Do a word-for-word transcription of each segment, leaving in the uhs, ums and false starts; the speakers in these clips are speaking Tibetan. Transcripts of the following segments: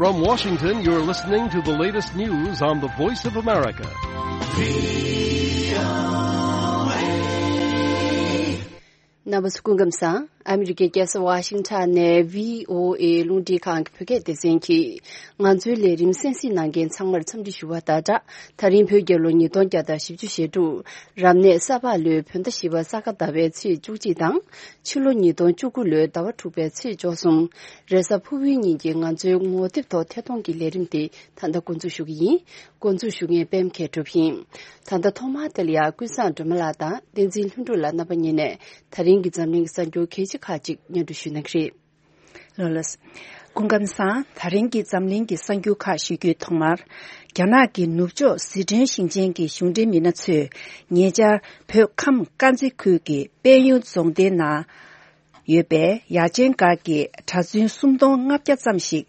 From Washington, you're listening to the latest news on the Voice of America. རྣམ་པ་ཚོ་སྐུ་ཁམས་བཟང་། ཨ་མི་རི་ཀའི་རྒྱལ་ས་ཝ་ཤིང་ཊོན་ནས་བྷི་ཨོ་ཨེ་རླུང་འཕྲིན་ཁང་གི་བོད་སྐད་སྡེ་ཚན་གྱིས་ང་ཚོའི་ལས་རིམ་གསན་གཟིགས་གནང་མཁན་ཚང་མར་འཚམས་འདྲི་ཞུ་བ་དང་སྦྲགས། ད་རིང་བོད་རྒྱལ་ལོ་ཉིས་སྟོང་བརྒྱ་དང་བཞི་བཅུ་ཞེ་དྲུག་རབ་གནས་ས་ཕག་ལོའི་བོད་ཟླ་བཞི་པ་ས་ག་ཟླ་བའི་ཚེས་བཅུ་གཅིག་དང་། ཕྱི་ལོ་ཉིས་སྟོང་བཅུ་དགུ་ལོའི་ཟླ་བ་དྲུག་པའི་ཚེས་བཅུ་གསུམ། རེས་གཟའ་ཕུར་བུའི་ཉིན་གྱི་ང་ཚོའི་ངོ་དེབ་ཐོག་ཐད་གཏོང་གི་ལས་རིམ་དེ་ད་ལྟ་འགོ་འཛུགས་ཞུ་གི་ཡིན། འགོ་འཛུགས་ཞུ་མཁན་པད་མ་མཁས་གྲུབ་ཡིན། ད་ལྟ་ཐོག་མར་དེ་ལ་ཡང་ཀུན་བཟང་སྒྲོལ་མ་ལགས་དང་བསྟན་འཛིན་ལྷུན་གྲུབ་ལགས་རྣམ་པ་གཉིས་ནས་ད་རིང་གི་འཛམ་གླིང་གི་གསར་འགྱུར་གལ་ཆེ་ཁག་ཅིག་སྙན་སྒྲོན་ཞུ་གནང་གི་རེད། ལགས་ལགས། སྐུ་ཁམས་བཟང་། ད་རིང་གི་འཛམ་གླིང་གི་གསར་འགྱུར་ཁག་ཞུ་རྒྱུའི་ཐོག་མར། རྒྱ་ནག་གི་ནུབ་ཕྱོགས་ཟི་ཁྲོན་ཞིང་ཆེན་གྱི་གཞུང་འབྲེལ་མི་སྣ་ཚོས་ཉེ་ཆར་བོད་ཁམས་དཀར་མཛེས་ཁུལ་གྱི་དཔལ་ཡོན་རྫོང་སྡེའི་ནང་ཡོད་པའི་ཡར་ཆེན་སྒར་གྱི་གྲྭ་བཙུན་སུམ་སྟོང་ལྔ་བརྒྱ་ཙམ་ཞིག་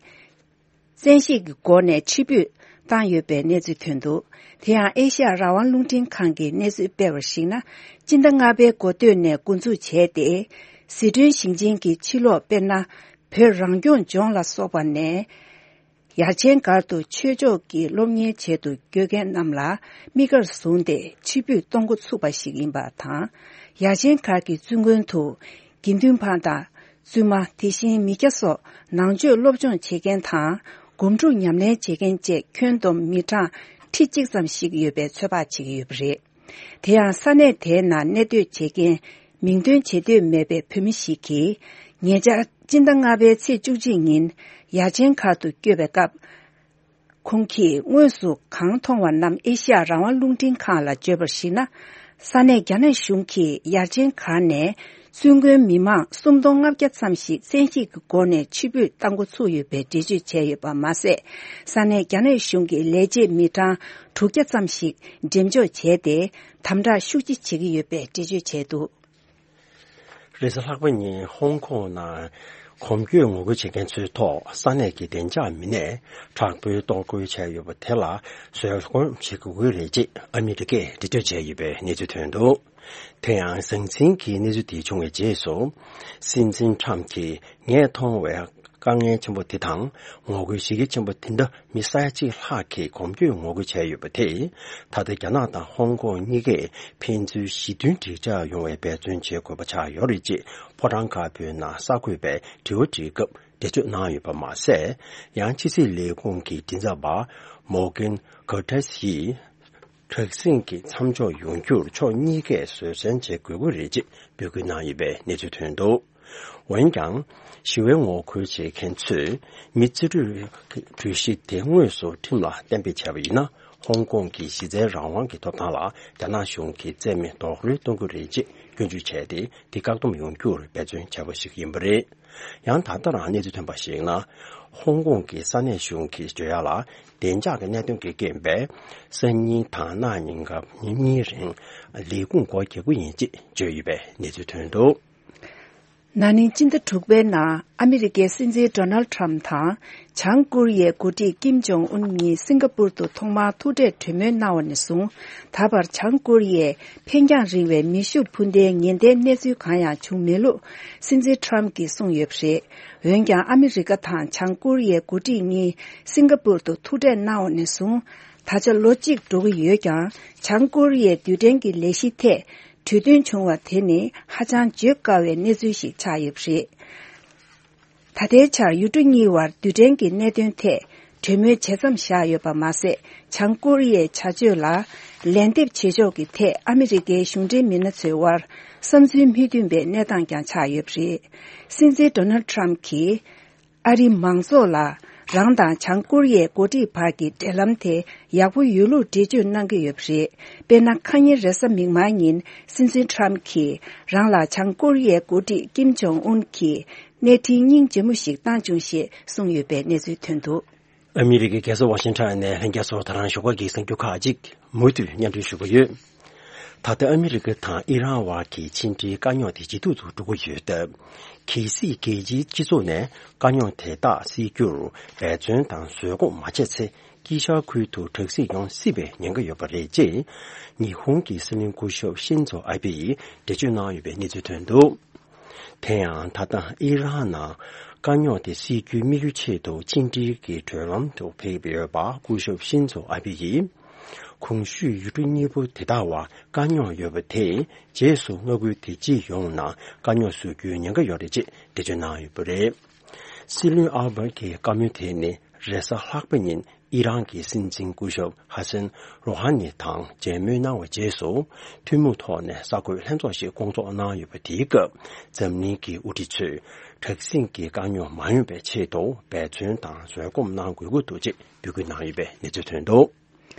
བཙན་ཤེད་ཀྱི་སྒོ་ནས་ཕྱིར་འབུད་བཏང་ཡོད་པའི་གནས་ཚུལ་ཐོན་འདུག་དེ་ཡང་ཨེ་ཤ་ཡ་རང་དབང་རླུང་འཕྲིན་ཁང་གིས་གནས་ཚུལ་སྤེལ་བར་གཞིགས་ན། སྤྱི་ཟླ་ལྔ་པའི་འགོ་སྟོད་ནས་འགོ་འཛུགས་བྱས་ཏེ། ཟི་ཁྲོན་ཞིང་ཆེན་གྱི་ཕྱི་ལོགས་དཔེར་ན། བོད་རང་སྐྱོང་ལྗོངས་ལ་སོགས་པ་ནས། ཡར་ཆེན་སྒར་དུ་ཆོས་ཕྱོགས་ཀྱི་སློབ་གཉེར་ཆེད་དུ་བསྐྱོད་མཁན་རྣམས་ལ་དམིགས་བཀར་བཟུང་སྟེ་ཕྱིར་འབུད་གཏོང་འགོ་ཚུགས་པ་ཞིག་ཡིན་པ་དང་། ཡར་ཆེན་སྒར་གྱི་བཙུན་དགོན་དུ་དགེ་འདུན་པ་དང་བཙུན་མ། དེ་བཞིན་མི་སྐྱ་སོགས་ནང་ཆོས་སློབ་སྦྱོང་བྱེད་མཁན་དང་། སྒོམ་སྒྲུབ་ཉམས་ལེན་བྱེད་མཁན་བཅས་ཁྱོན་བསྡོམས་མི་གྲངས་ཁྲི་གཅིག་ཙམ་ཞིག་ཡོད་པའི་ཚོད་དཔག་བྱེད་ཀྱི་ཡོད་པ་རེད། དེ་ཡང་ས་གནས་དེའི་ནང་གནས་སྡོད་བྱེད་མཁན་མིང་འདོན་བྱེད་འདོད་མེད་པའི་བོད་མི་ཞིག་གིས། ཉེ་ཆར་སྤྱི་ཟླ་ལྔ་པའི་ཚེས་བཅུ་གཅིག་ཉིན་ཡར་ཆེན་སྒར་དུ་བསྐྱོད་པའི་སྐབས། ཁོང་གིས་དངོས་སུ་གང་མཐོང་བ་རྣམས་ཨེ་ཤ་ཡ་རང་དབང་རླུང་འཕྲིན་ཁང་ལ་བརྗོད་པར་གཞིགས་ན། ས་གནས་རྒྱ་ནག་གཞུང་གིས་ཡར་ཆེན་སྒར་ནས་བཙུན་དགོན་མི་མང་སུམ་སྟོང་ལྔ་བརྒྱ་ཙམ་ཞིག་བཙན་ཤེད་ཀྱི་སྒོ་ནས་ཕྱིར་འབུད་བཏང་འགོ་ཚུགས་ཡོད་པའི་འགྲེལ་བརྗོད་བྱས་ཡོད་པ་མ་ཟད། ས་གནས་རྒྱ་ནག་གཞུང་གི་ལས་བྱེད་མི་གྲངས་དྲུག་བརྒྱ་ཙམ་ཞིག་འགྲེམས་འཇོག་བྱས་ཏེ། དམ་དྲག་ཤུགས་ཆེ་བྱེད་ཀྱི་ཡོད་པའི་འགྲེལ་བརྗོད་བྱས་འདུག་རེས་གཟའ་ལྷག་པ་ཉིན་ཧོང་ཀོང་ནང་གོམ་བགྲོད་ངོ་རྒོལ་བྱེད་མཁན་ཚོའི་ཐོག་ས་གནས་ཀྱི་བདེ་འཇགས་མི་སྣས་དྲག་པོའི་གཏོར་རྒོལ་བྱས་ཡོད་པ་དེ་ལ་བཟོད་སྒོམ་བྱེད་དགོས་ཀྱི་རེད་ཅེས་ཨ་མི་རི་ཀས་འགྲེལ་བརྗོད་བྱས་ཡོད་པའི་གནས་ཚུལ་ཐོན་འདུག་དེ་ཡང་ཟང་ཟིང་གི་གནས་ཚུལ་དེ་བྱུང་བའི་རྗེས་སུ། སྲིད་འཛིན་ཁྲམ་གྱིས་ངས་མཐོང་བའི་དཀའ་ངལ་ཆེན་པོ་དེ་དང་ངོ་རྒོལ་གཞི་རྒྱ་ཆེན་པོ་དེ་འདྲ་མི་ས་ཡ་གཅིག་ལྷག་གིས་གོམ་བགྲོད་ངོ་རྒོལ་བྱས་ཡོད་པ་དེས། ད་ལྟ་རྒྱ་ནག་དང་ཧོང་ཀོང་གཉིས་ཀས་ཕན་ཚུན་ཞི་མཐུན་འགྲིག་འཇགས་ཡོང་བའི་འབད་བརྩོན་བྱེད་དགོས་པ་ཆགས་ཡོད་རེད་ཅེས་ཕོ་བྲང་དཀར་པོའི་ནང་གསར་འགོད་པས་དྲི་བ་དྲིས་སྐབས་འགྲེལ་བརྗོད་གནང་ཡོད་པ་མ་ཟད། ཡང་ཕྱི་སྲིད་ལས་ཁུངས་ཀྱི་མགྲིན་ཚབ་པ་མོར་གྷན་ཀར་ཏིས་ཡིས། དྲག་ཟིང་གི་མཚམས་འཇོག་ཡོང་རྒྱུར་ཕྱོགས་གཉིས་ཀས་བཟོད་བསྲན་བྱེད་དགོས་ཀྱི་རེད་ཅེས་འབོད་སྐུལ་གནང་ཡོད་པའི་གནས་ཚུལ་ཐོན་འདུག་འོན་ཀྱང་། ཞི་བའི་ངོ་རྒོལ་བྱེད་མཁན་ཚོས་མི་རྩིས་སྤྲོད་གྲོས་གཞི་དེ་དངོས་སུ་ཁྲིམས་ལ་གཏན་འབེབས་བྱས་པ་ཡིན་ན། ཧོང་ཀོང་གི་གཞི་རྩའི་རང་དབང་གི་ཐོབ་ཐང་ལ་རྒྱ་ནག་གཞུང་གིས་བཙན་མེད་རྡོག་རོལ་གཏོང་གི་རེད་ཅེས་སྐྱོན་བརྗོད་བྱས་ཏེ། དེ་བཀག་སྡོམ་ཡོང་རྒྱུར་འབད་བརྩོན་བྱས་པ་ཞིག་ཡིན་པ་རེད། ཡང་ད་ལྟ་རང་གནས་ཚུལ་ཐོན་པར་གཞིགས་ན། ཧོང་ཀོང་གི་ས་གནས་གཞུང་གིས་བརྗོད་ཡག་ལ། བདེ་འཇགས་ཀྱི་གནད་དོན་གྱི་རྐྱེན་པས། སང་ཉིན་དང་གནངས་ཉིན་སྐབས་ཉིན་གཉིས་རིང་ལས་ཁུངས་སྒོ་རྒྱག་གི་ཡིན་ཅེས་བརྗོད་ཡོད་པའི་གནས་ཚུལ་ཐོན་འདུག་ན་ནིང་སྤྱི་ཟླ་དྲུག་པའི་ནང་ཨ་མི་རི་ཀའི་སྲིད་འཛིན་ཌོ་ནལ་ཁྲམ་དང་། བྱང་ཀོ་རི་ཡའི་འགོ་ཁྲིད་ཀིམ་ཇོང་ཨུན་གཉིས་སིང་ག་པུར་དུ་ཐོག་མར་ཐུག་འཕྲད་གྲོས་མོལ་གནང་བ་ནས་བཟུང་། ད་བར་བྱང་ཀོ་རི་ཡས་འཕེན་རྒྱང་རིང་བའི་མེ་ཤུགས་འཕུར་མདེལ་ངན་པའི་གནས་ཚུལ་གང་ཡང་བྱུང་མེད་ལུགས་སྲིད་འཛིན་ཁྲམ་གྱིས་གསུངས་ཡོད་པ་རེད། འོན་ཀྱང་ཨ་མི་རི་ཀ་དང་བྱང་ཀོ་རི་ཡའི་འགོ་ཁྲིད་གཉིས་སིང་ག་པུར་དུ་ཐུག་འཕྲད་གནང་བ་ནས་བཟུང་། ད་ཆ་ལོ་གཅིག་འགྲོ་གི་ཡོད་ཀྱང་། བྱང་ཀོ་རི་ཡའི་རྡུལ་ཕྲན་གྱི་ལས་གཞི་ཐད་གྲོས་མཐུན་བྱུང་བ་དེ་ནི་ཧ་ཅང་བརྗོད་དཀའ་བའི་གནས་ཚུལ་ཞིག་ཆགས་ཡོད་པ་རེད། ད་ལྟའི་ཆར་ཡུལ་གྲུ་གཉིས་བར་རྡུལ་ཕྲན་གྱི་གནད་དོན་ཐད་གྲོས་མོལ་བྱེད་མཚམས་བཞག་ཡོད་པ་མ་ཟད། བྱང་ཀོ་རི་ཡའི་བྱ་སྤྱོད་ལ་ལན་འདེབས་བྱེད་ཕྱོགས་ཀྱི་ཐད་ཨ་མི་རི་ཀའི་གཞུང་འབྲེལ་མི་སྣ་ཚོའི་དབར་བསམ་ཚུལ་མི་མཐུན་པའི་གནས་སྟངས་ཀྱང་ཆགས་ཡོད་པ་རེད། སྲིད་འཛིན་ཌོ་ནལ་ཁྲམ་གྱིས་ཨ་རིའི་མང་ཚོགས་ལ་རང་དང་བྱང་ཀོ་རི་ཡའི་འགོ་ཁྲིད་བར་གྱི་འབྲེལ་ལམ་དེ་ཡག་པོ་ཡོད་ལུགས་འགྲེལ་བརྗོད་གནང་གི་ཡོད་པ་རེད། དཔེར་ན། ཁ་ཉིན་རེས་གཟའ་མིག་དམར་ཉིན་སྲིད་འཛིན་ཁྲམ་གྱིས་རང་ལ་བྱང་ཀོ་རི་ཡའི་འགོ་ཁྲིད་ཀིམ་ཇོང་ཨུན་གྱིས། གནས་འཕྲིན་སྙིང་རྗེ་མོ་ཞིག་བཏང་བྱུང་ཞེས་གསུངས་ཡོད་པའི་གནས་ཚུལ་ཐོན་འདུག་ཨ་མི་རི་ཀའི་རྒྱལ་ས་ཝ་ཤིང་ཊོན་ནས་ལྷན་རྒྱས་ཚོར་ད་རང་ཞོགས་ཀ་གི་གསར་འགྱུར་ཁག་ཅིག་མུ་མཐུད་སྙན་སྒྲོན་ཞུ་གི་ཡོད། ད་ལྟ་ཨ་མི་རི་ཀ་དང་ཨི་རན་བར་གྱི་ཕྱི་འབྲེལ་དཀའ་རྙོག་དེ་ཇེ་སྡུག་ཏུ་འགྲོ་གི་ཡོད་སྟབས། གལ་སྲིད་རྒྱལ་སྤྱིའི་སྤྱི་ཚོགས་ནས་དཀའ་རྙོག་དེ་དག་སེལ་རྒྱུར་འབད་བརྩོན་དང་བཟོད་སྒོམ་མ་བྱས་ཚེ། དཀྱིལ་ཤར་ཁུལ་དུ་དྲག་ཟིང་ཡོང་སྲིད་པའི་ཉེན་ཁ་ཡོད་པ་རེད་ཅེས། ཉི་ཧོང་གི་སྲིད་བློན་སྐུ་ཞབས་ཤིན་ཛོ་ཨ་བྷེ་ཡིས་འགྲེལ་བརྗོད་གནང་ཡོད་པའི་གནས་ཚུལ་ཐོན་འདུག་དེ་ཡང་ད་ལྟ་ཨི་རན་ནང་ དཀའ་རྙོག་དེ་སེལ་རྒྱུའི་དམིགས་ཡུལ་ཆེད་དུ་ཕྱི་འབྲེལ་གྱི་གྲོས་ལམ་དུ་ཕེབས་ཡོད་པ་སྐུ་ཞབས་ཤིན་ཛོ་ཨ་བྷེ་ཡིས། གོང་ཞུས་ཡུལ་གྲུ་གཉིས་པོ་དེ་དག་བར་དཀའ་རྙོག་ཡོད་པ་དེས་རྗེས་སུ་མངའ་ཁུལ་དེ་སྤྱི་ཡོངས་ནང་དཀའ་རྙོག་བཟོ་རྒྱུའི་ཉེན་ཁ་ཡོད་རེད་ཅེས་འགྲེལ་བརྗོད་གནང་ཡོད་པ་རེད། སྲིད་བློན་ཨལ་བྷར་གྱི་བཀའ་མོལ་དེ་ནི་རེས་གཟའ་ལྷག་པ་ཉིན་ཨི་རན་གྱི་སྲིད་འཛིན་སྐུ་ཞབས་ཧ་སན་རོ་ཧ་ནི་དང་མཇལ་མོལ་གནང་བའི་རྗེས་སུ། ཐུན་མོང་ཐོག་ནས་གསར་འགོད་ལྷན་ཚོགས་ཤིག་བསྐོང་ཚོགས་གནང་ཡོད་པ་དེའི་སྐབས། འཛམ་གླིང་གི་དབུ་ཁྲིད་ཚོས་དྲག་ཟིང་གི་དཀའ་རྙོག་མ་ཡོང་བའི་ཆེད་དུ་འབད་བརྩོན་དང་བཟོད་སྒོམ་གནང་དགོས་ཀྱི་འདུག་ཅེས་འབོད་སྐུལ་གནང་ཡོད་པའི་གནས་ཚུལ་ཐོན་འདུག།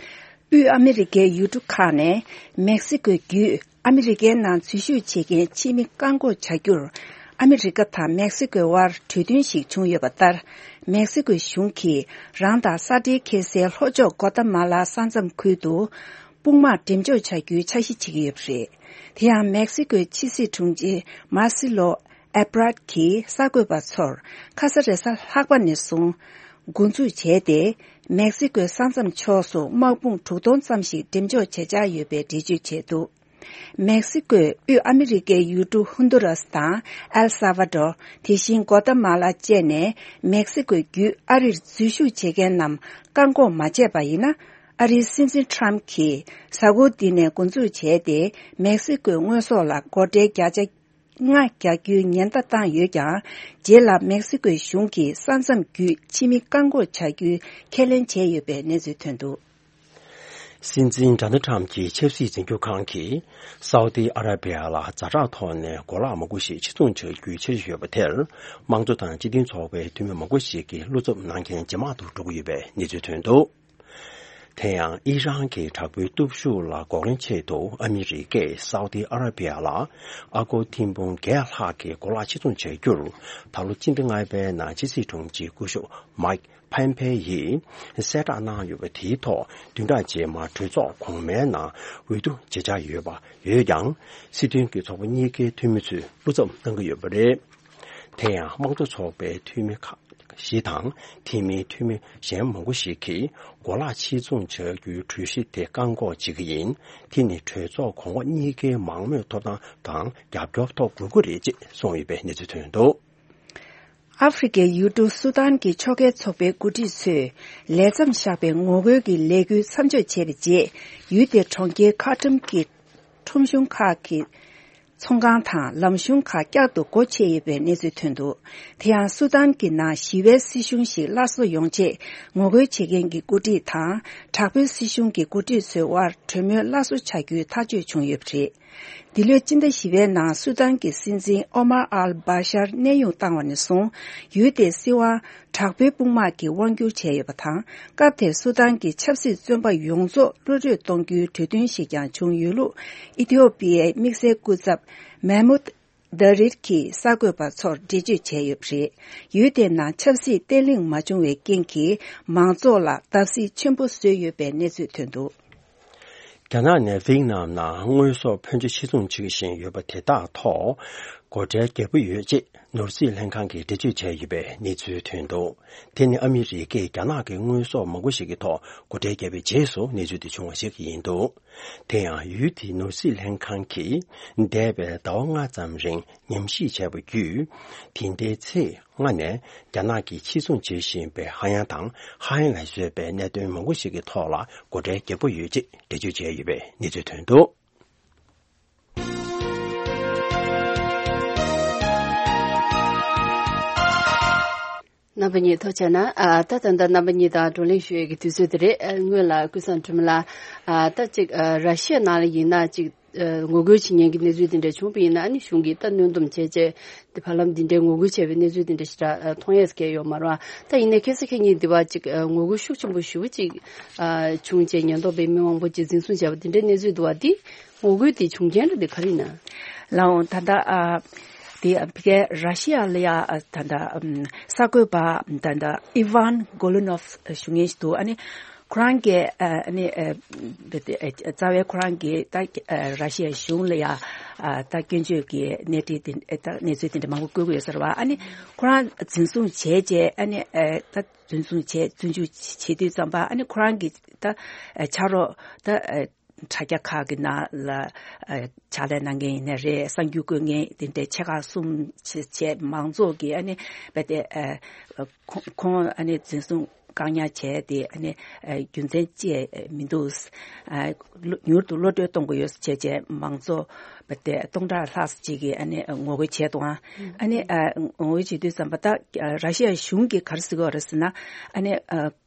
དབུས་ཨ་མི་རི་ཀའི་ཡུལ་གྲུ་ཁག་ནས་མེག་སི་ཀོའི་བརྒྱུད་ཨ་མི་རི་ཀའི་ནང་འཛུལ་ཞུགས་བྱེད་མཁན་ཕྱི་མི་བཀག་འགོག་བྱ་རྒྱུར། ཨ་མི་རི་ཀ་དང་མེག་སི་ཀོའི་དབར་གྲོས་མཐུན་ཞིག་བྱུང་ཡོད་པ་ལྟར། མེག་སི་ཀོའི་གཞུང་གིས་རང་དང་ས་འབྲེལ་འཁེལ་སའི་ལྷོ་ཕྱོགས་གོ་ཏ་མ་ལ་ས་མཚམས་ཁུལ་དུ་དཔུང་དམག་འགྲེམས་འཇོག་བྱ་རྒྱུའི་འཆར་གཞི་བྱེད་ཀྱི་ཡོད་པ་རེད། དེ་ཡང་མེག་སི་ཀོའི་ཕྱི་སྲིད་དྲུང་ཆེ་མར་སི་ལོ་ཨེ་པྲད་ཀྱིས་གསར་འགོད་པ་ཚོར་ཁ་ས་རེས་གཟའ་ལྷག་པ་ནས་བཟུང་འགོ་འཛུགས་བྱས་ཏེ། མེག་སི་ཀོའི་ས་མཚམས་ཕྱོགས་སུ་དམག་དཔུང་དྲུག་སྟོང་ཙམ་ཞིག་འགྲེམས་འཇོག་བྱེད་འཆར་ཡོད་པའི་འགྲེལ་བརྗོད་བྱས་འདུག། མེག་སི་ཀོས་དབུས་ཨ་མི་རི་ཀའི་ཡུལ་གྲུ་ཧུན་དུ་རཱས་དང་ཨེལ་ས་ཝ་ཌོར། དེ་བཞིན་གོ་ཏ་མ་ལ་བཅས་ནས་མེག་སི་ཀོའི་བརྒྱུད་ཨ་རིར་འཛུལ་ཞུགས་བྱེད་མཁན་རྣམས་བཀག་འགོག་མ་བྱས་པ་ཡིན་ན། ཨ་རིའི་སྲིད་འཛིན་ཊརམ་ཕི་གྱིས་གཟའ་འཁོར་འདི་ནས་འགོ་འཛུགས་བྱས་ཏེ། མེག་སི་ཀོའི་དངོས་ཟོག་ལ་སྒོ་ཁྲལ་བརྒྱ་ཆ་ལྔ་རྒྱག་རྒྱུའི་ཉེན་བརྡ་བཏང་ཡོད་ཀྱང་། རྗེས་ལ་མེག་སི་ཀོའི་གཞུང་གིས་ས་མཚམས་བརྒྱུད་ཕྱི་མི་བཀག་འགོག་བྱ་རྒྱུའི་ཁས་ལེན་བྱས་ཡོད་པའི་གནས་ཚུལ་ཐོན་འདུག། སྲིད་འཛིན་ཌོ་ནལ་ཊམ་གྱི་ཆབ་སྲིད་འཛིན་སྐྱོང་ཁང་གིས་སའུ་ཏི་ཨ་ར་བི་ཡ་ལ་ཛ་དྲག་ཐོག་ནས་གོ་ལག་མང་པོ་ཞིག་ཕྱིར་ཚོང་བྱ་རྒྱུའི་འཆར་གཞི་ཡོད་པ་དེར། དམངས་གཙོ་དང་སྤྱི་མཐུན་ཚོགས་པའི་འཐུས་མི་མང་པོ་ཞིག་གིས་བློ་འཚབ་གནང་མཁན་ཇེ་མང་དུ་འགྲོ་གི་ཡོད་པའི་གནས་ཚུལ་ཐོན་འདུག། དེ་ཡང་ཨི་རན་གྱི་དྲག་པོའི་སྟོབས་ཤུགས་ལ་འགོག་རིན་ཆེད་དུ་ཨ་མི་རི་ཀས་སའུ་ཏི་ཨ་ར་བི་ཡ་ལ་ཨ་སྒོར་ཐེར་འབུམ་བརྒྱད་ལྷག་གི་གོ་ལག་ཕྱིར་ཚོང་བྱ་རྒྱུར། ད་ལོ་སྤྱི་ཟླ་ལྔ་པའི་ནང་ཕྱི་སྲིད་དྲུང་ཆེ་སྐུ་ཞབས་མའིག་ཕན་ཕེ་ཡིས་གསལ་བསྒྲགས་གནང་ཡོད་པ་དེའི་ཐོག་བདུན་ཕྲག་རྗེས་མར་གྲོས་ཚོགས་གོང་མའི་ནང་འོས་བསྡུ་བྱེད་འཆར་ཡོད་པ་ཡོད་ཀྱང་། སྲིད་དོན་གྱི་ཚོགས་པ་གཉིས་ཀའི་འཐུས་མི་ཚོས་བློ་འཚབ་གནང་གི་ཡོད་པ་རེད། དེ་ཡང་དམངས་གཙོ་ཚོགས་པའི་འཐུས་མི་ཁག་བཞི་དང་། དེ་མིན་འཐུས་མི་གཞན་མང་པོ་ཞིག་གིས་གོ་ལག་ཕྱིར་ཚོང་བྱ་རྒྱུའི་གྲོས་གཞི་དེ་བཀག་འགོག་བྱེད་ཀྱི་ཡིན། དེ་ནི་གྲོས་ཚོགས་གོང་འོག་གཉིས་ཀའི་མང་མོས་ཐོབ་ཐང་དང་རྒྱབ་སྐྱོར་ཐོབ་དགོས་ཀྱི་རེད་ཅེས་གསུངས་ཡོད་པའི་གནས་ཚུལ་ཐོན་འདུག། ཨ་ཧྥེ་རི་ཁའི་ཡུལ་གྲུ་སུ་དཱན་གྱི་ཕྱོགས་འགལ་ཚོགས་པའི་འགོ་ཁྲིད་ཚོས་ལས་མཚམས་བཞག་པའི་ངོ་རྒོལ་གྱི་ལས་འགུལ་མཚམས་འཇོག་བྱས་པའི་རྗེས། ཡུལ་དེའི་གྲོང་ཁྱེར་ཁར་ཊུམ་གྱི་ཁྲོམ་གཞུང་ཁག་གི་ཚོང་ཁང་དང་ལམ་གཞུང་ཁག་བསྐྱར་དུ་སྒོ་ཕྱེ་ཡོད་པའི་གནས་ཚུལ་ཐོན་འདུག། དེ་ཡང་སུ་དཱན་གྱི་ནང་ཞི་བའི་སྲིད་གཞུང་ཞིག་སླར་གསོ་ཡོང་ཆེད་ངོ་རྒོལ་བྱེད་མཁན་གྱི་འགོ་ཁྲིད་དང་དྲག་པོའི་སྲིད་གཞུང་གི་འགོ་ཁྲིད་ཚོའི་དབར་གྲོས་མོལ་སླར་གསོ་བྱ་རྒྱུའི་ཐག་གཅོད་བྱུང་ཡོད་པ་རེད། འདི་ལོའི་སྤྱི་ཟླ་བཞི་པའི་ནང་སུ་དཱན་གྱི་སྲིད་འཛིན་ཨོ་མར་ཨལ་བྷ་ཤར་གནས་དབྱུང་བཏང་བ་ནས་བཟུང་། ཡུལ་དེའི་སྲིད་དབང་དྲག་པོའི་དཔུང་དམག་གིས་དབང་བསྒྱུར་བྱས་ཡོད་པ་དང་། སྐབས་དེར་སུ་དཱན་གྱི་ཆབ་སྲིད་བཙོན་པ་ཡོངས་རྫོགས་གློད་གྲོལ་གཏོང་རྒྱུའི་གྲོས་མཐུན་ཞིག་ཀྱང་བྱུང་ཡོད་ལུགས་ཨི་ཐི་ཡོ་པི་ཡའི་དམིགས་བསལ་སྐུ་ཚབ་མེ་མུད་དཱ་རིར་གྱིས་གསར་འགོད་པ་ཚོར་འགྲེལ་བརྗོད་བྱས་ཡོད་པ་རེད། ཡུལ་དེའི་ནང་ཆབ་སྲིད་བརྟན་ལྷིང་མ་བྱུང་བའི་རྐྱེན་གྱིས། མང་ཚོགས་ལ་བརྡབ་གསིག་ཆེན་པོ་བཟོས་ཡོད་པའི་གནས་ཚུལ་ཐོན་འདུག། རྒྱ་ནག་ནས་ཝེ་ཏི་ནམ་ནང་དངོས་ཟོག་ཕོན་ཆེ་ཕྱིར་ཚོང་བྱེད་བཞིན་ཡོད་པ་དེ་དག་ཐོག་སྒོ་ཁྲལ་རྒྱག་གི་ཡོད་ཅེས་ནོར་སྲིད་ལྷན་ཁང་གིས་འགྲེལ་བརྗོད་བྱས་ཡོད་པའི་གནས་ཚུལ་ཐོན་འདུག། དེ་ནི་ཨ་མི་རི་ཀས་རྒྱ་ནག་གི་དངོས་ཟོག་མང་པོ་ཞིག་གི་ཐོག་སྒོ་ཁྲལ་བརྒྱབ་པའི་རྗེས་སུ་གནས་ཚུལ་དེ་བྱུང་བ་ཞིག་ཡིན་འདུག། དེ་ཡང་ཡུལ་དེའི་ནོར་སྲིད་ལྷན་ཁང་གིས་འདས་པའི་ཟླ་བ་ལྔ་ཙམ་རིང་ཉམས་ཞིབ་བྱས་པ་བརྒྱུད། དེ་འདྲའི་ཚེས་ལྔ་ནས་རྒྱ་ནག་གིས་ཕྱིར་ཚོང་བྱེད་བཞིན་པའི་ཧ་ཡང་དང་ཧ་ཡང་ལ་བཟོས་པའི་གནད་དོན་མང་པོ་ཞིག་གི་ཐོག་ལ་སྒོ་ཁྲལ་རྒྱག་གི་ཡོད་ཅེས་འགྲེལ་བརྗོད་བྱས་ཡོད་པའི་གནས་ཚུལ་ཐོན་འདུག། རྣམ་པ་གཉིས་ཐུགས་རྗེ་གནང་། ཨ། ད་ད་ལྟ་རྣམ་པ་གཉིས་དང་བགྲོ་གླེང་ཞུ་ཡས་ཀྱི་དུས་ཚོད་དེ་རེད། ཨ། སྔོན་ལ་ཀུན་བཟང་སྒྲོལ་མ་ལགས། ཨ། ད་ཅིག་ཨ། ར་ཤི་ཡ་ནང་ལ་ཡིན་ན་ཅིག་ཨ། ངོ་རྒོལ་བྱེད་མཁན་གྱི་གནས་ཚུལ་དེ་འདྲ་བྱུང་བ་ཡིན་ན། ཨ་ནི་གཞུང་གིས་ད་གནོན་སྡོམ་བྱས་བྱས་དེ་བར་ལམ་འདི་འདྲའི་ངོ་རྒོལ་བྱས་པའི་གནས་ཚུལ་དེ་འདྲ་ཞེ་དྲག་ཨ། མཐོང་ཡས་སྐད་ཡོད་མ་རེད་བ། ད་ཡིན་ནའི་ཁ་སང་ཁ་ཉིན་འདི་བ་ཅིག་ཨ། ངོ་རྒོལ་ཤུགས་ཆེན་པོ་ཞེ་པོ་ཅིག་ཨ། བྱུང་བྱས་ཉེན་རྟོག་པས་མི་མང་པོ་ཅིག་འཛིན་བཟུང་བྱས་པ་དེ་འདྲའི་གནས་ཚུལ་འདུག་བ། དེ་ངོ་རྒོལ་དེ་བྱུང་རྐྱེན་ར་དེ་ག་རེ་ཡིན་ན། ལགས་འོང་། ད་ལྟ་ཨ། དེ་ཕ་གིའི་ར་ཤི་ཡ་ལ་ཡ་ཨ། ད་ལྟ་ཨམ། གསར་འགོད་པ་ད་ལྟ་ཨི་ཝན་གོ་ལུ་ནོབ་ཞུ་མཁན་ཞིག་འདུག། ཨ་ནི་ཁོ་རང་གིས་ཨ། ཨ་ནི་ཨ། རྩ་བའི་ཁོ་རང་གིས་ད་ཨ། ར་ཤི་ཡའི་གཞུང་ལ་ཡ་ཨ། ད་སྐྱོན་བརྗོད་ཀྱི་གནས་འདྲི་དེ་ཨ། ད་གནས་ཚུལ་དེ་འདྲ་མང་པོ་བཀོད་ཀྱི་ཡོད་ས་རེད་བ། ཨ་ནི་ཁོ་རང་འཛིན་བཟུང་བྱས་རྗེས། ཨ་ནི་ཨ། ད་འཛིན་བཟུང་བྱས་བཙོན་འཇུག་བྱེད་དུས་ཙམ་པ། ཨ་ནི་ཁོ་རང་གི་ད་ཨ། ཕྱག་རོགས་ད་ཨ། དྲ་རྒྱ་ཁག་གི་ནང་ལ་ཕྱག་ལས་གནང་མཁན་ཡིན་ནའི་རེད། གསར་འགྱུར་བཀོད་མཁན་དེ་འདྲའི་ཆེ་ཁག་གསུམ་བྱས་མང་ཚོགས་ཀྱིས་ཨ་ནི་རྦད་དེ་ཁོང་ཁོང་ཨ་ནི་འཛིན་བཟུང་བཀག་ཉར་བྱས་ཏེ་ཨ་ནི་རྒྱུ་མཚན་ཅི་མི་འདུག་མྱུར་དུ་གློད་གྲོལ་གཏོང་དགོས་ཡོད་ཟེར་བྱས་མང་ཚོགས་རྦད་དེ་སྟོང་ཕྲག་ལྷག་ཅིག་གིས་ཨ་ནི་ངོ་རྒོལ་བྱས་འདུག་ཨ་ནི་ངོ་རྒོལ་བྱེད་དུས་ཙམ་པ་ད་ར་ཤི་ཡ་གཞུང་གིས་ག་རེ་ཟེར་གྱི་ཡོད་རེད་ཟེར་ན། ཨ་ནི་